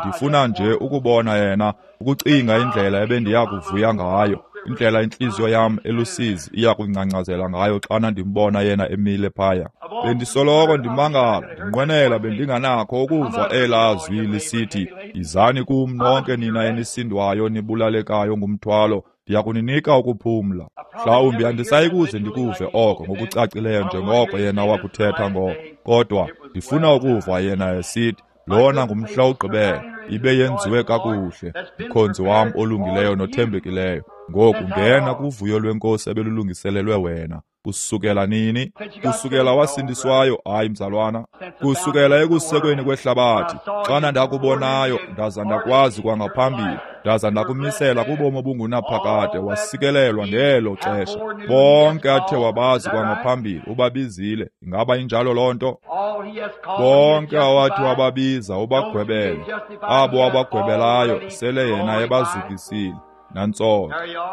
ndifuna nje ukubona yena, ukucinga indlela ebendiya kuvuya ngayo, indlela intliziyo yam elusizi iya kungcangcazela ngayo xana ndimbona yena emile phaya. Bendisoloko ndimangala, ndinqwenela bendinganakho ukuva elaa zwi lisithi, yizani kum nonke nina enisindwayo nibulalekayo ngumthwalo, ndiyakuninika ukuphumla. Mhlawumbi andisayikuze ndikuve oko ngokucacileyo njengoko yena wakuthetha ngoko, kodwa ndifuna ukuva yena esithi, lona ngumhla wokugqibela, ibe yenziwe kakuhle, mkhonzi wam olungileyo nothembekileyo. Ngoku ngena kuvuyo lwenkosi ebelulungiselelwe wena. Kusukela nini? Kusukela wasindiswayo? Hayi, mzalwana, kusukela ekusekweni kwehlabathi. Xana ndakubonayo, ndaza ndakwazi kwangaphambili, ndaza ndakumisela kubomi obungunaphakade, wasikelelwa ngelo xesha. Bonke athe wabazi kwangaphambili ubabizile. Ingaba injalo loo nto? Bonke awathi wababiza ubagwebele. Abo abagwebelayo sele yena ebazukisile. Nantso,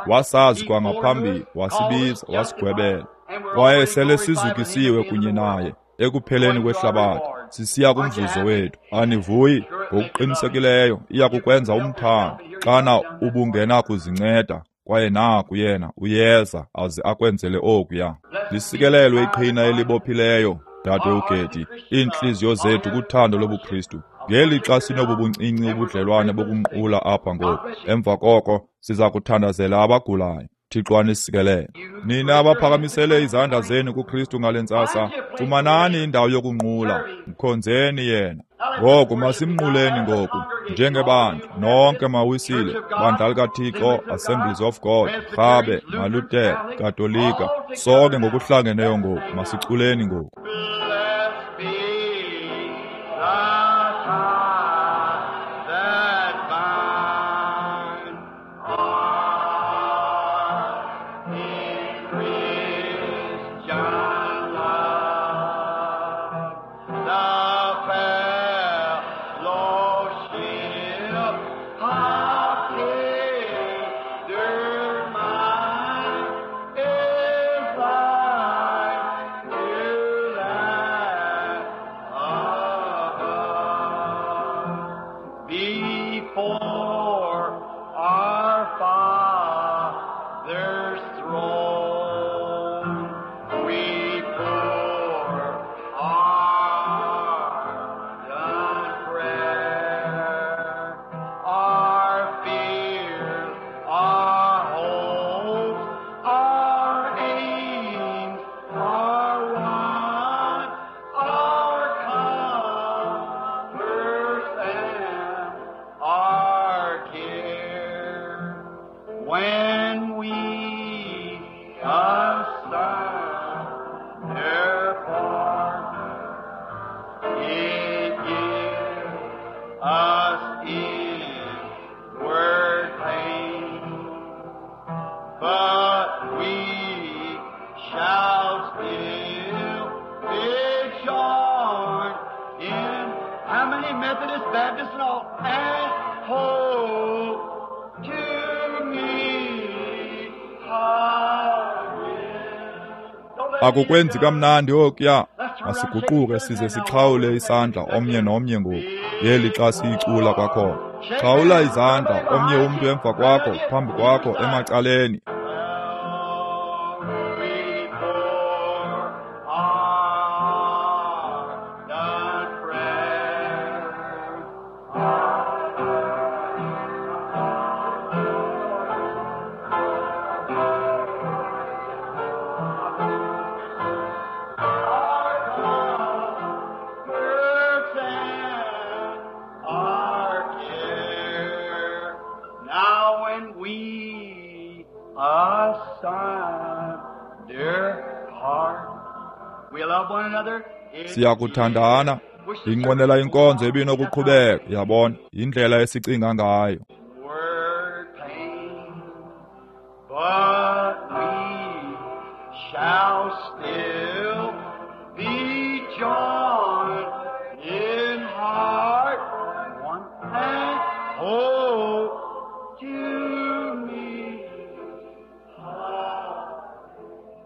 wasazi kwangaphambili, wasibiza, wasigwebela. Kwaye sele sizukisiwe kunye naye ekupheleni kwehlabathi, sisiya kumvuzo wethu. Anivuyi? Ngokuqinisekileyo iya kukwenza umthando xana ubungenakuzinceda, kwaye naku yena uyeza aze akwenzele okuya. Lisikelelwe iqhina elibophileyo, dade uGeti, iintliziyo zethu kuthando lobuKristu. Ngelixa sinobu buncinci ubudlelwane bokunqula apha ngoku, emva koko siza kuthandazela abagulayo. Thixo anisikelele. Nina abaphakamisele izandla zenu kuKristu ngale ntsasa, fumanani indawo yokunqula, mkhonzeni yena. Ngoku masimnquleni ngoku njengebandla nonke mawisile, bandla likaThixo, Assemblies of God, Rhabe, Maluthere, Katolika, sonke ngokuhlangeneyo ngoku masiculeni ngoku. The fellowship of When we asunder part, it gives us inward pain, but we shall still be joined in. How many Methodists, Baptists, and all, and hope to meet again. Akukwenzi kamnandi okuya. Masiguquke size sixhawule isandla omnye nomnye ngoku ngeli xa siyicula kwakhona. Xhawula izandla omnye umntu emva kwakho, phambi kwakho, emacaleni. We pour ardent prayer. Our comforts and our care. Now when we asunder part, we love one another. Siyakuthandana. Ndinqwenela inkonzo ebinokuqhubeka, yabona, yindlela esicinga ngayo. Word pain, but we shall still be joined in heart, one and hope to meet.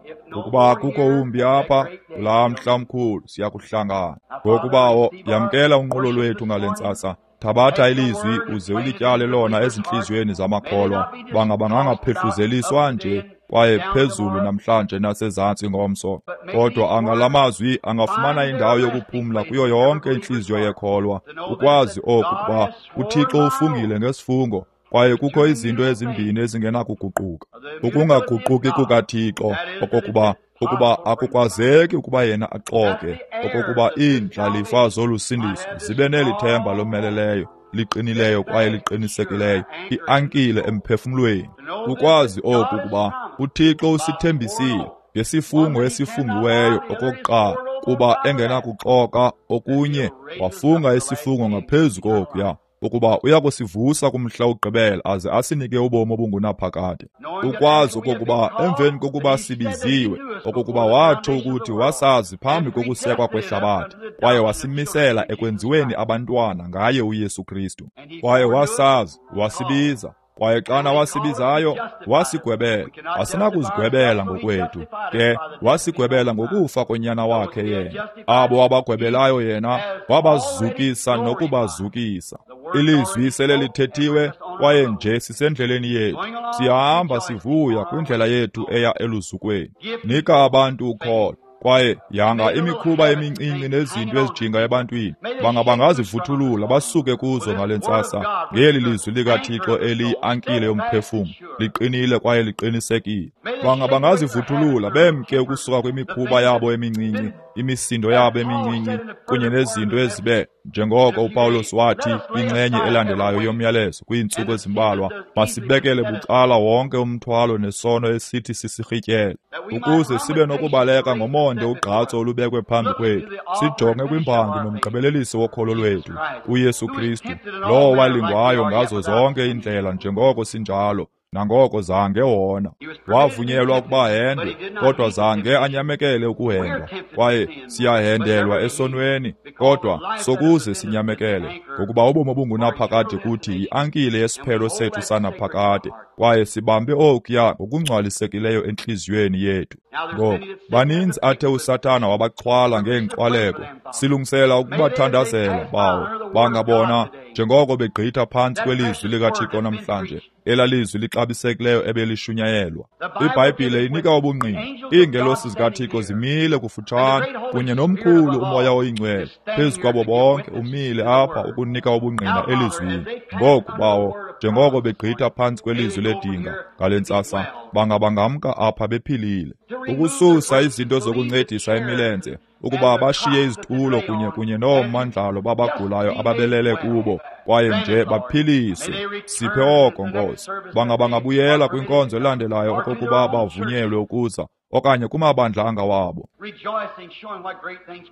If no Ukuba more akukho here, wumbi apha, that great day kulaa mhla mkhulu siyakuhlangana. Ngokubawo, yamkela unqulo lwethu ngale ntsasa. Thabatha ilizwi uze ulityale lona ezintliziyweni zamakholwa, banga bangangaphehluzeliswa nje kwaye phezulu namhlanje nasezantsi ngomso. Kodwa angala mazwi angafumana indawo yokuphumla kuyo yonke intliziyo yekholwa, ukwazi oku kuba uThixo ufungile ngesifungo, kwaye kukho izinto ezimbini ezingenakuguquka. Ukungaguquki kukaThixo, okokuba ukuba akukwazeki ukuba yena axoke, okokuba iindlalifa zolusindiso zibe neli themba lomeleleyo, liqinileyo kwaye liqinisekileyo, iankile emphefumlweni. Ukwazi oku kuba uThixo usithembisile ngesifungo esifungiweyo okokuqala, kuba engenakuxoka okunye, wafunga isifungo ngaphezu kokuya, ukuba uyakusivusa kumhla wokugqibela aze asinike ubomi obungunaphakade. Ukwazi okokuba emveni kokuba sibiziwe, okokuba watsho ukuthi wasazi phambi kokusekwa kwehlabathi, kwaye wasimisela ekwenziweni abantwana ngaye uYesu Kristu. Kwaye wasazi, wasibiza, kwaye xana wasibizayo, wasigwebela. Asinakuzigwebela ngokwethu, ke wasigwebela ngokufa konyana wakhe yena. Abo abagwebelayo yena wabazukisa nokubazukisa. Ilizwi sele lithethiwe, kwaye nje sisendleleni yethu. Siyahamba sivuya kwindlela yethu eya eluzukweni. Nika abantu ukholo, kwaye yanga imikhuba emincinci nezinto ezijinga ebantwini, banga bangazivuthulula basuke kuzo ngale ntsasa ngeli lizwi likaThixo eliyiankile yomphefumlo, liqinile kwaye liqinisekile. Banga bangazivuthulula bemke ukusuka kwimikhuba yabo emincinci, imisindo yabo emincinci, kunye nezinto ezibe njengoko uPawulos wathi kwinxenye elandelayo yomyalezo kwiintsuku ezimbalwa, masibekele bucala wonke umthwalo nesono esithi sisirhityele, ukuze sibe nokubaleka ngomonde ugqatso olubekwe phambi kwethu, sijonge kwimbangi nomgqibelelisi wokholo lwethu, uYesu Kristu, lowo walingwayo ngazo zonke iindlela njengoko sinjalo, nangoko zange wona. Wavunyelwa ukuba ahendwe, kodwa zange anyamekele ukuhendwa. Kwaye siyahendelwa esonweni, kodwa sokuze sinyamekele, ngokuba ubomi obungunaphakade kuthi yiankile yesiphelo sethu sanaphakade, kwaye sibambe okuya ngokungcwalisekileyo entliziyweni yethu. Ngoku baninzi athe uSathana wabachwala ngeenkxwaleko, silungisela ukubathandazela bawo, bangabona njengoko begqitha phantsi kwelizwi likaThixo namhlanje, elalizwi lixabisekileyo ebelishunyayelwa. IBhayibhile inika ubungqina, iingelosi zikaThixo zimile kufutshane, kunye nomkhulu uMoya oyiNgcwele phezu kwabo bonke umile apha ukunika ubungqina elizwini. Ngoku bawo, Njengoko begqitha phantsi kwelizwi ledinga ngale ntsasa, bangabangamka apha bephilile. Ukususa izinto zokuncedisa imilenze, ukuba bashiye izitulo kunye noomandlalo babagulayo ababelele kubo, kwaye nje baphiliswe. Siphe oko, Nkosi. Bangabangabuyela kwinkonzo elandelayo okokuba bavunyelwe ukuza, okanye kumabandla angawabo.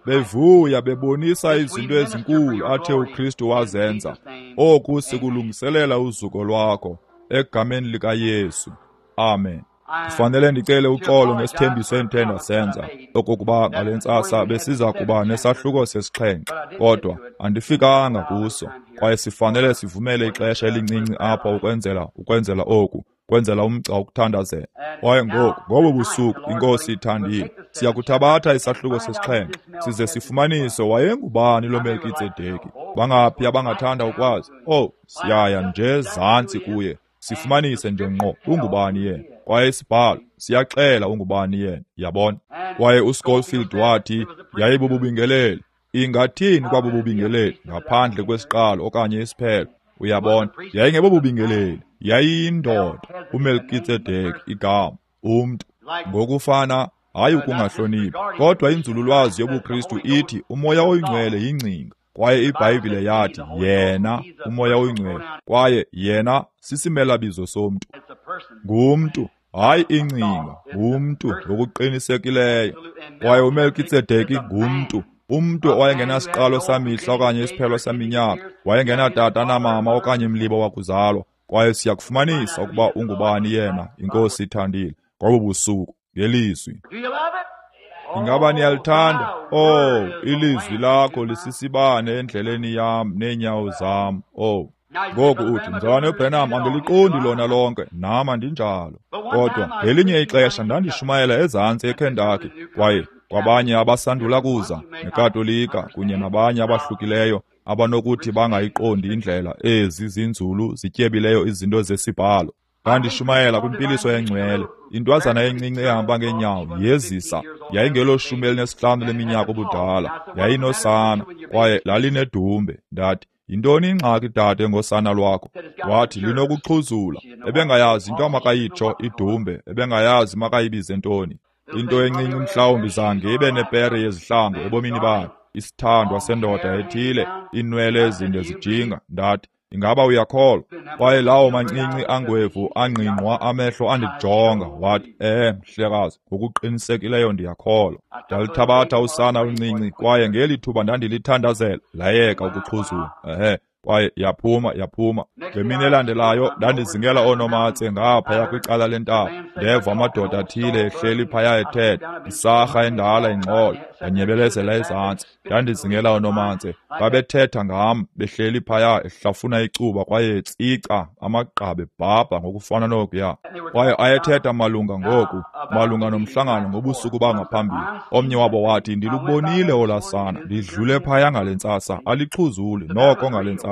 Bevuya bebonisa izinto ezinkulu athe uKristu wazenza. Oku sikulungiselela uzuko lwakho, egameni likaYesu. Amen. Kufanele ndicele uxolo ngesithembiso endithe ndasenza, okokuba ngale ntsasa besiza kuba nesahluko sesixhenxe, kodwa andifikanga kuso, kwaye sifanele sivumele ixesha elincinci apha ukwenzela oku, kwenzela umgca wokuthandazela. Kwaye ngoku, ngobo busuku, iNkosi ithandile, siyakuthabatha isahluko sesixhenxe, size sifumanise wayengubani lo Melkitsedeki. Bangaphi abangathanda ukwazi? Oh, siyaya nje zantsi kuye, sifumanise nje ngqo ungubani yena. Kwaye isibhalo siyaxela ungubani yena, yabona. Kwaye uSchofield wathi yayibububingeleli. Ingathini kwabububingeleli ngaphandle kwesiqalo okanye isiphelo? Uyabona, yayingebobubingeleli, yayiyindoda, uMelkitsedeki igama, umntu. Ngokufana, hayi ukungahloniphi, kodwa inzululwazi yobuKristu ithi uMoya oyiNgcwele yingcinga, kwaye iBhayibhile yathi yena uMoya oyiNgcwele, kwaye yena sisimelabizo somntu. Ngumntu, hayi ingcinga, ngumntu ngokuqinisekileyo. Kwaye uMelkitsedeki ngumntu, umntu owayengenasiqalo samihla okanye isiphelo saminyaka, wayengenatata namama okanye mlibo wakuzalwa. Kwaye siyakufumanisa ukuba ungubani yena, iNkosi ithandile, ngobo busuku ngelizwi. Ingaba niyalithanda? Oh, ilizwi lakho lisisibane endleleni yam neenyawo zam. Oh, ngoku uthi, Mzalwane uBranham, andiliqondi lona lonke, nam andinjalo. Kodwa ngelinye ixesha ndandishumayela ezantsi eKentucky, kwaye kwabanye abasandula kuza neKatolika kunye nabanye abahlukileyo abanokuthi bangayiqondi indlela ezi zinzulu zityebileyo izinto zesibhalo. Ndandishumayela kwimpiliso engcwele. Intwazana encinci ehamba ngeenyawo yezisa, yayingelo 15 leminyaka ubudala, yayinosana kwaye lalinedumbe. Ndathi, yintoni ingxaki dade ngosana lwakho? Wathi linokuxhuzula. Ebengayazi into amakayitsho idumbe, ebengayazi makayibize ntoni. Into encinci mhlawumbi zange ibe nepere yezihlangu ebomini bayo, isithandwa sendoda ethile, iinwele ezinde zijinga. Ndathi, ingaba uyakholwa? Kwaye lawo mancinci angwevu angqingqwa amehlo andijonga, wathi, mhlekazi, ngokuqinisekileyo ndiyakholwa. Ndalithabatha usana oluncinci, kwaye ngeli thuba ndandilithandazela, layeka ukuxhuzula. Kwaye yaphuma. Ngemini elandelayo ndandizingela oonomatse ngaphaya kwicala lentaba. Ndeva amadoda athile ehleli phaya ethetha, isarha endala ingxolo. Ndanyebelezela ezantsi. Ndandizingela oonomatse, babethetha ngam behleli phaya ehlafuna icuba kwaye etsica amagqabi ebhabha ngokufana nokuya. Kwaye ayethetha malunga ngoku, malunga nomhlangano ngobusuku bangaphambili. Omnye wabo wathi, ndilubonile olaa sana, ndidlule phaya ngale ntsasa, alixhuzuli noko ngale ntsasa.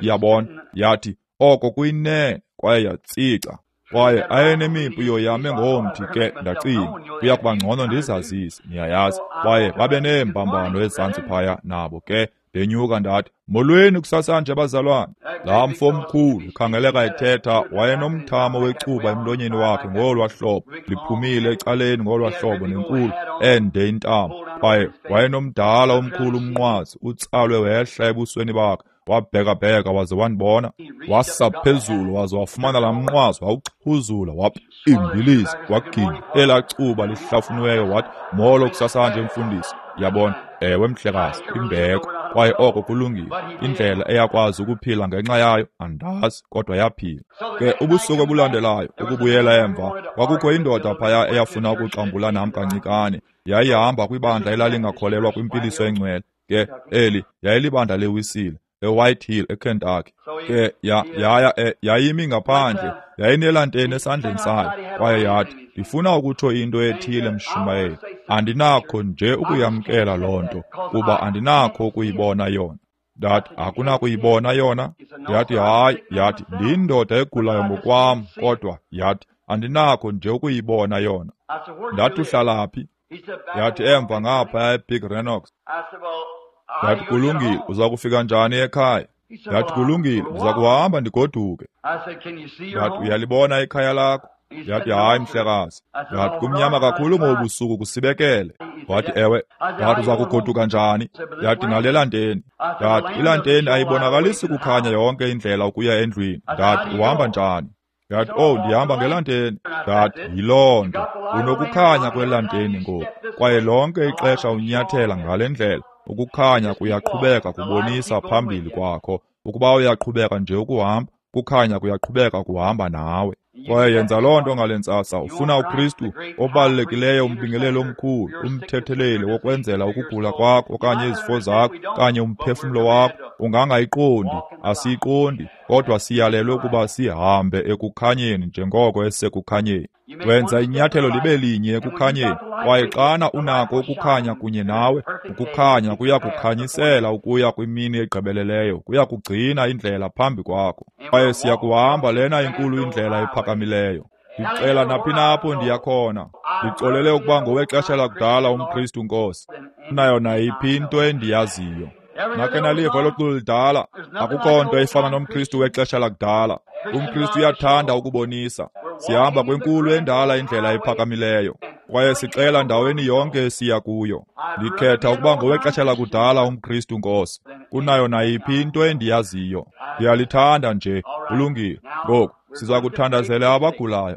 Yabona, yathi oko kuyinene, kwaye yatsica. Kwaye ayenemipu yoyame ngomthi ke, ndacinga kuya kuba ngcono ndizazise, niyayazi. Kwaye babe neembambano ezantsi phaya nabo ke. Ndenyuka ndathi, molweni kusasanje bazalwane. Laa mfo mkhulu khangeleka ethetha, wayenomthamo wecuba emlonyeni wakhe ngolwa hlobo, liphumile ecaleni ngolwa hlobo, nenkulu ende intamo. Kwaye wayenomdala omkhulu umnqwazi utsalwe wehla ebusweni bakhe. Wabhekabheka waze wandibona, wasa phezulu waze wafumana laa mnqwazi, wawuxhuzula, wapimbiliza, waginya elaa cuba lihlafuniweyo, wathi, molo kusasanje mfundisi. Yabona, ewe mhlekazi, imbeko. Kwaye oko kulungile. Indlela eyakwazi ukuphila ngenxa yayo andazi, kodwa yaphila. Ke ubusuku obulandelayo, ukubuyela emva, kwakukho indoda phaya eyafuna ukuxambula nam kancikane. Yayihamba kwibandla elalingakholelwa kwimpiliso engcwele. Ke eli yayilibandla leWisile, eWhite Hill, eKentucky. Ke yayimi ngaphandle, yayinelanteni esandleni sayo, kwaye yathi, ndifuna ukutsho into ethile mshumayeli. Andinakho nje ukuyamkela loo nto, kuba andinakho ukuyibona yona. Ndathi, akunakuyibona yona? Yathi, hayi. Yathi, ndiyindoda egulayo ngokwam, kodwa yathi, andinakho nje ukuyibona yona. Ndathi, uhlala phi? Yathi, emva ngapha eBig Renox. Ndathi, kulungile, uza kufika njani ekhaya? Ndathi, kulungile, ndiza kuhamba ndigoduke. Ndathi, uyalibona ikhaya lakho? Yathi, hayi mhlekazi. Ndathi, kumnyama kakhulu ngobusuku kusibekele. Wathi, ewe. Ndathi, uza kugoduka njani? Yathi, ngale lanteni. Ndathi, ilanteni ayibonakalisi kukhanya yonke indlela ukuya endlwini. Ndathi, uhamba njani? Yathi, oh, ndihamba ngelanteni. Ndathi, yiloo nto, unokukhanya kwelanteni ngoku, kwaye lonke ixesha unyathela ngale ndlela, ukukhanya kuyaqhubeka kubonisa phambili kwakho. Ukuba uyaqhubeka nje ukuhamba, kukhanya kuyaqhubeka kuhamba nawe. Kwaye yenza loo nto ngale ntsasa. Ufuna uKristu obalulekileyo, umbingeleli omkhulu, umthetheleli wokwenzela ukugula kwakho okanye izifo zakho okanye umphefumlo wakho. Ungangayiqondi, asiyiqondi, kodwa siyalelwe ukuba sihambe ekukhanyeni njengoko esekukhanyeni. Wenza inyathelo libe linye ekukhanyeni, kwaye xana unako ukukhanya kunye nawe, ukukhanya kuya kukhanyisela ukuya kwimini egqibeleleyo, kuya kugcina indlela phambi kwakho. Kwaye siya kuhamba lena inkulu indlela ephakamileyo. Ndicela naphi na apho ndiya khona, ndixolele ukuba ngowexesha lakudala umKristu, Nkosi, nayo nayiphi into endiyaziyo. Nakhe naliva elo culo lidala? Akukho nto efana nomKristu wexesha lakudala. UmKristu uyathanda ukubonisa. Sihamba kwenkulu endala indlela ephakamileyo, kwaye sixela ndaweni yonke esiya kuyo. Ndikhetha ukuba ngowexesha lakudala umKristu, Nkosi, kunayo nayiphi into endiyaziyo. Ndiyalithanda nje. Kulungile. Ngoku siza kuthandazela abagulayo.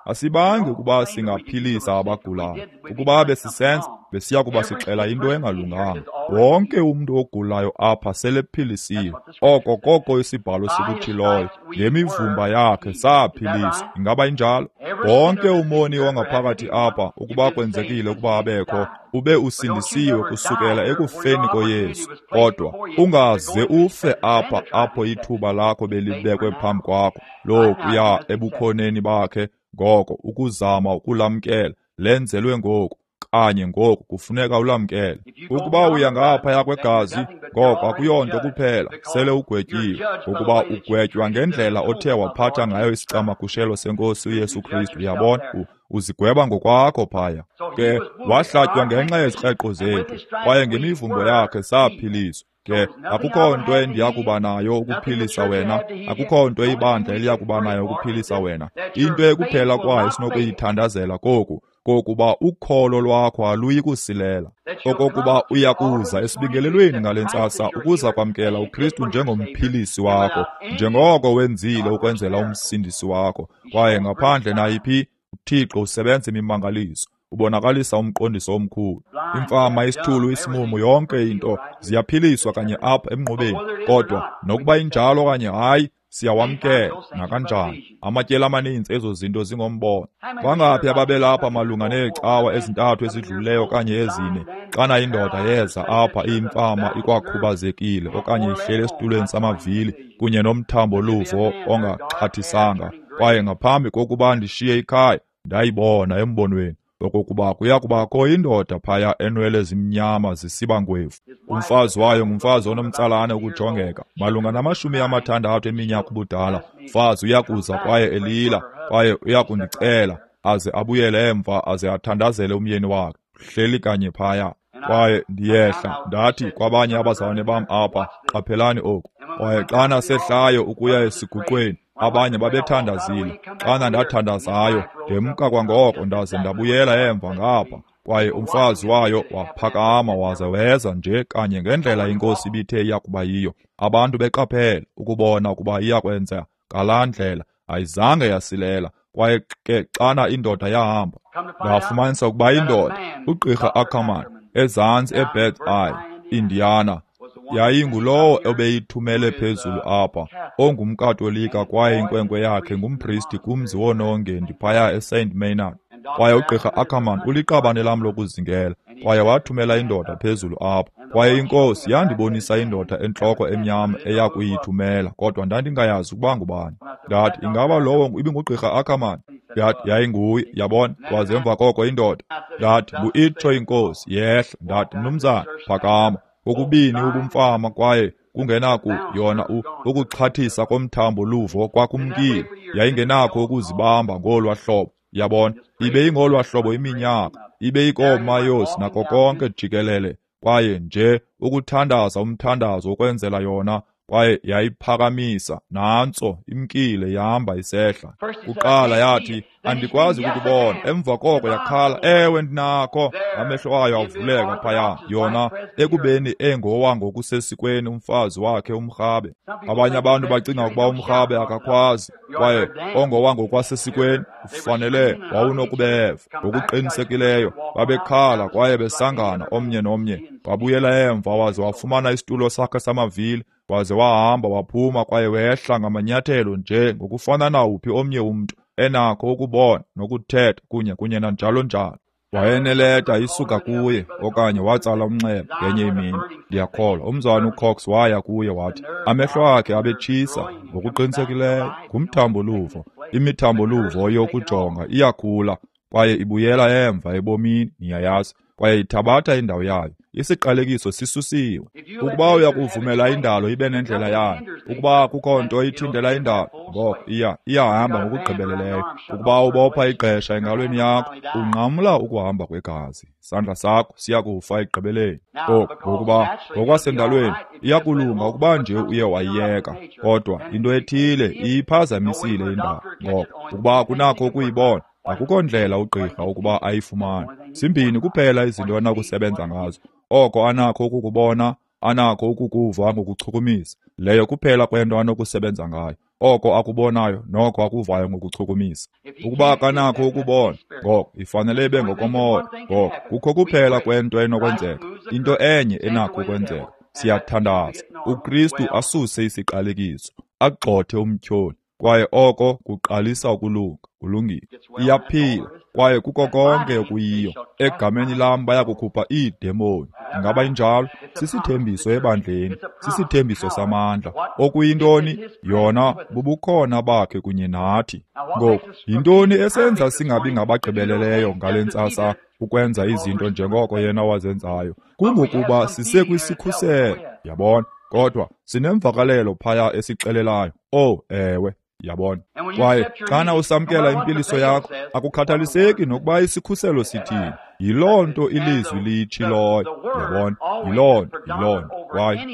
Asibangi ukuba singaphilisa abagulayo. Ukuba besisenza, besiya kuba sixela into engalunganga. Wonke umntu ogulayo apha selephilisiwe. Oko koko isibhalo sikutshiloyo. Ngemivumba yakhe saphiliswa. Ingaba injalo? Wonke umoni wangaphakathi apha, ukuba kwenzekile ukuba abekho, ube usindisiwe kusukela ekufeni koYesu. Kodwa ungaze ufe apha apho ithuba lakho belibekwe phambi kwakho lokuya ebukhoneni bakhe. Ngoko ukuzama ukulamkela lenzelwe ngoku, kanye ngoku kufuneka ulamkele. Ukuba uya ngaphaya kwegazi, ngoko akuyonto kuphela, sele ugwetyiwe, ngokuba ugwetywa ngendlela othe waphatha ngayo isicamagushelo senkosi uYesu Kristu. Uyabona, uzigweba ngokwakho phaya. Ke wahlatywa ngenxa yezikreqo zethu, kwaye ngemivumbo yakhe saphiliswa. Ke akukho nto endiyakuba nayo ukuphilisa wena, akukho nto ibandla eliyakuba nayo ukuphilisa wena. Into ekuphela kwayo esinokuyithandazela koku, kokuba ukholo lwakho aluyi kusilela, okokuba uya kuza esibingelelweni ngale ntsasa ukuza kwamkela uKristu njengomphilisi wakho, njengoko wenzile ukwenzela umsindisi wakho. Kwaye ngaphandle nayiphi, uThixo usebenza imimangaliso, ubonakalisa umqondiso omkhulu. Imfama, isithulu, isimumu, yonke into ziyaphiliswa kanye apha emnqubeni. Kodwa nokuba injalo okanye hayi, siyawamkela nakanjani. Amatyeli amaninzi ezo zinto zingombono. Bangaphi ababelapha malunga neecawa ezintathu ezidlulileyo okanye ezine, xana indoda yeza apha iyimfama ikwakhubazekile okanye ihleli esitulweni samavili kunye nomthambo luvo ongaxhathisanga, kwaye ngaphambi kokuba ndishiye ikhaya ndayibona embonweni okokuba kuya kubakho indoda phaya enwele zimnyama zisiba ngwevu. Umfazi wayo ngumfazi onomtsalane ukujongeka, malunga nama-60 eminyaka ubudala. Mfazi uyakuza kwaye elila, kwaye uyakundicela aze abuyele emva aze athandazele umyeni wakhe. Hleli kanye phaya. Kwaye ndiyehla, ndathi kwabanye abazalwane bam apha, qaphelani oku. Kwaye xana sehlayo ukuya esiguqweni, abanye babethandazile. Xana ndathandazayo, ndemka kwangoko ndaze ndabuyela emva ngapha. Kwaye umfazi wayo waphakama waze weza nje kanye ngendlela inkosi ibithe iyakuba yiyo. Abantu beqaphele ukubona ukuba iyakwenza ngalaa ndlela, ayizange yasilela. Kwaye ke xana indoda yahamba, ndafumanisa ukuba indoda, uGqirha Ackerman, ezantsi eBird Eye, Indiana, yayingulowo obeyithumele phezulu apha, ongumKatolika, kwaye inkwenkwe yakhe ngumpristi kumzi woonongendi phaya eSaint Maynard. Kwaye uGqirha Ackerman uliqabane lam lokuzingela, kwaye wathumela indoda phezulu apha. Kwaye inkosi yandibonisa indoda entloko emnyama eya kuyithumela, kodwa ndandingayazi ukuba ngubani. Ndathi, ingaba lowo ibinguGqirha Ackerman? Yathi, yayinguye, yabona. Kwaze emva koko indoda, ndathi, ngu-itsho inkosi, yehla. Ndathi, mnumzana, phakama. Kokubini ubumfama kwaye kungenaku yona ukuxhathisa komthambo luvo kwakumkile. Yayingenakho ukuzibamba ngolwa hlobo, yabona. Ibe ingolwa hlobo iminyaka, ibe ikoomayosi nako konke jikelele. Kwaye nje ukuthandaza umthandazo ukwenzela yona, Kwaye yayiphakamisa, nantso imkile ihamba isehla. Kuqala yathi, andikwazi ukukubona. Emva koko yakhala, ewe ndinakho. Amehlo ayo avuleka phaya, yona ekubeni engowa ngokusesikweni umfazi wakhe umrhabe. Abanye abantu bacinga ukuba umrhabe akakwazi, kwaye ongowa ngokwasesikweni ufanele wawunokubeva. Ngokuqinisekileyo babekhala kwaye besangana omnye nomnye. Wabuyela emva waze wafumana isitulo sakhe samavili, waze wahamba waphuma kwaye wehla ngamanyathelo nje ngokufana nawuphi omnye umntu, enakho ukubona nokuthetha kunye nanjalo njalo. Wayeneleta isuka kuye okanye watsala umnxeba ngenye imini. Ndiyakholwa umzalwana uCox waya kuye wathi amehlo akhe abetshisa ngokuqinisekileyo ngumthambo-luvo. Imithambo-luvo yokujonga iyakhula kwaye ibuyela emva ebomini, niyayazi, kwaye ithabatha indawo yayo. Isiqalekiso sisusiwe. Ukuba uyakuvumela indalo ibe nendlela yayo, ukuba kukho nto ithintela indalo, ngoko iyahamba ngokugqibeleleyo. Ukuba ubopha igqesha engalweni yakho, unqamla ukuhamba kwegazi. Isandla sakho siyakufa ekugqibeleni. Oku ngokuba ngokwasendalweni iyakulunga ukuba nje uye wayiyeka, kodwa into ethile iyiphazamisile indalo. Ngoko ukuba kunakho ukuyibona, akukho ndlela ugqirha ukuba ayifumane. Zimbini kuphela izinto anakusebenza ngazo. Oko anakho ukukubona, anakho ukukuva ngokuchukumisa. Leyo kuphela kwento anokusebenza ngayo. Oko akubonayo noko akuvayo ngokuchukumisa. Ukuba akanakho ukubona, ngoko ifanele ibe ngokomoya. Ngoko kukho kuphela kwento enokwenzeka, into enye enakho ukwenzeka. Siyathandaza uKristu asuse isiqalekiso, agxothe umtyholi, kwaye oko kuqalisa ukulunga. Kulungile. Iyaphila kwaye kuko konke okuyiyo. Egameni lam bayakukhupha iidemoni. Ingaba injalo? Sisithembiso ebandleni, sisithembiso samandla. Okuyintoni? Yona bubukhona bakhe kunye nathi. Ngoku, yintoni esenza singabi ngabagqibeleleyo ngale ntsasa ukwenza izinto njengoko yena wazenzayo? Kungokuba sisekwisikhuselo, yabona. Kodwa sinemvakalelo phaya esixelelayo. Oh, ewe. Yabona. Kwaye xana usamkela impiliso yakho, akukhathaliseki nokuba isikhuselo sithini. Yiloo nto ilizwi liyitshiloyo. Yabona, yiloo nto. Kwaye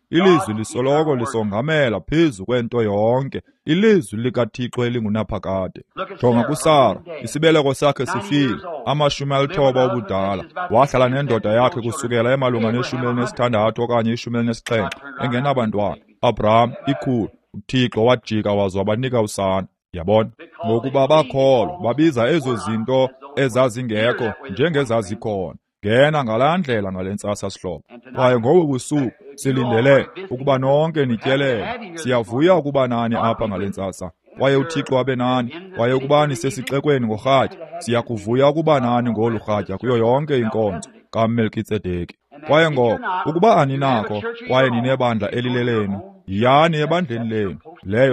ilizwi lisoloko lisongamela phezu kwento yonke. Ilizwi likaThixo elingunaphakade. Jonga kuSara, isibeleko sakhe sifile, 90 ubudala. Wahlala nendoda yakhe kusukela emalunga ne-16 okanye 17, engenabantwana. Abraham ikhulu. uThixo wajika waze wabanika usana. Yabona, ngokuba bakholwa babiza ezo zinto ezazingekho njengezazikhona. Ngena ngalaa ndlela ngale ntsasa, sihlobo. Kwaye ngobu busuku silindele ukuba nonke nityelele. Siyavuya ukuba nani apha ngale ntsasa. Kwaye uThixo abe nani. Kwaye ukuba nisesixekweni ngorhatya, siyakuvuya ukuba nani ngolu rhatya kuyo yonke inkonzo kaMelkitsedeki. Kwaye ngoko ukuba aninakho kwaye ninebandla elilelenu, yiyani ebandleni lenu.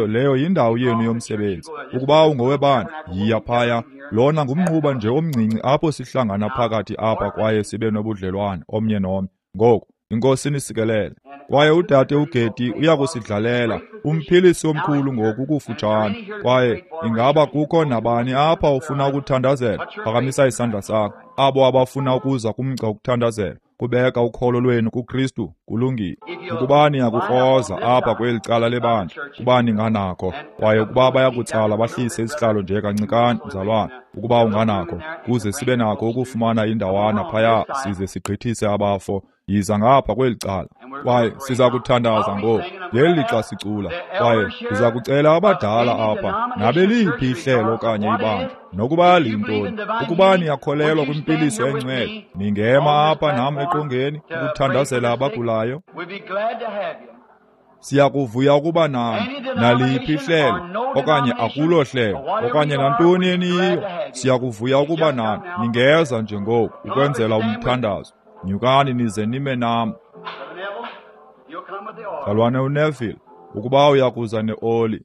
Leyo yindawo yenu yomsebenzi. Ukuba ungowebandla, yiya phaya. Lona ngumnquba nje omncinci apho sihlangana phakathi apha kwaye sibe nobudlelwane omnye nomnye. Ngoku, iNkosi inisikelele. Kwaye udade uGeti uyakusidlalela, umphilisi omkhulu ngoku kufutshane. Kwaye ingaba kukho nabani apha ufuna ukuthandazela? Phakamisa isandla sakho. Abo abafuna ukuza kumgca ukuthandazela, kubeka ukholo lwenu kuKristu, kulungile. Ukuba niyakukroza apha kweli cala lebandla, kuba ninganakho. Kwaye ukuba bayakutsala bahlise isihlalo nje kancikane, mzalwane, ukuba unganakho, kuze sibe nakho ukufumana indawana phaya size sigqithise abafo. Yiza ngapha kweli cala. Kwaye siza kuthandaza ngoku ngeli lixa sicula. Kwaye ndiza kucela abadala apha nabeliphi ihlelo okanye ibandla, nokuba liyintoni, ukuba niyakholelwa kwimpiliso engcwele, ningema apha nam eqongeni ukuthandazela abagulayo. Siyakuvuya ukuba nani naliphi ihlelo okanye akulo hlelo okanye nantoni eniyiyo. Siyakuvuya ukuba nani. Ningeza nje ngoku ukwenzela umthandazo. Nyukani nize nime nam. Mzalwane uNeville, ukuba uyakuza neoli.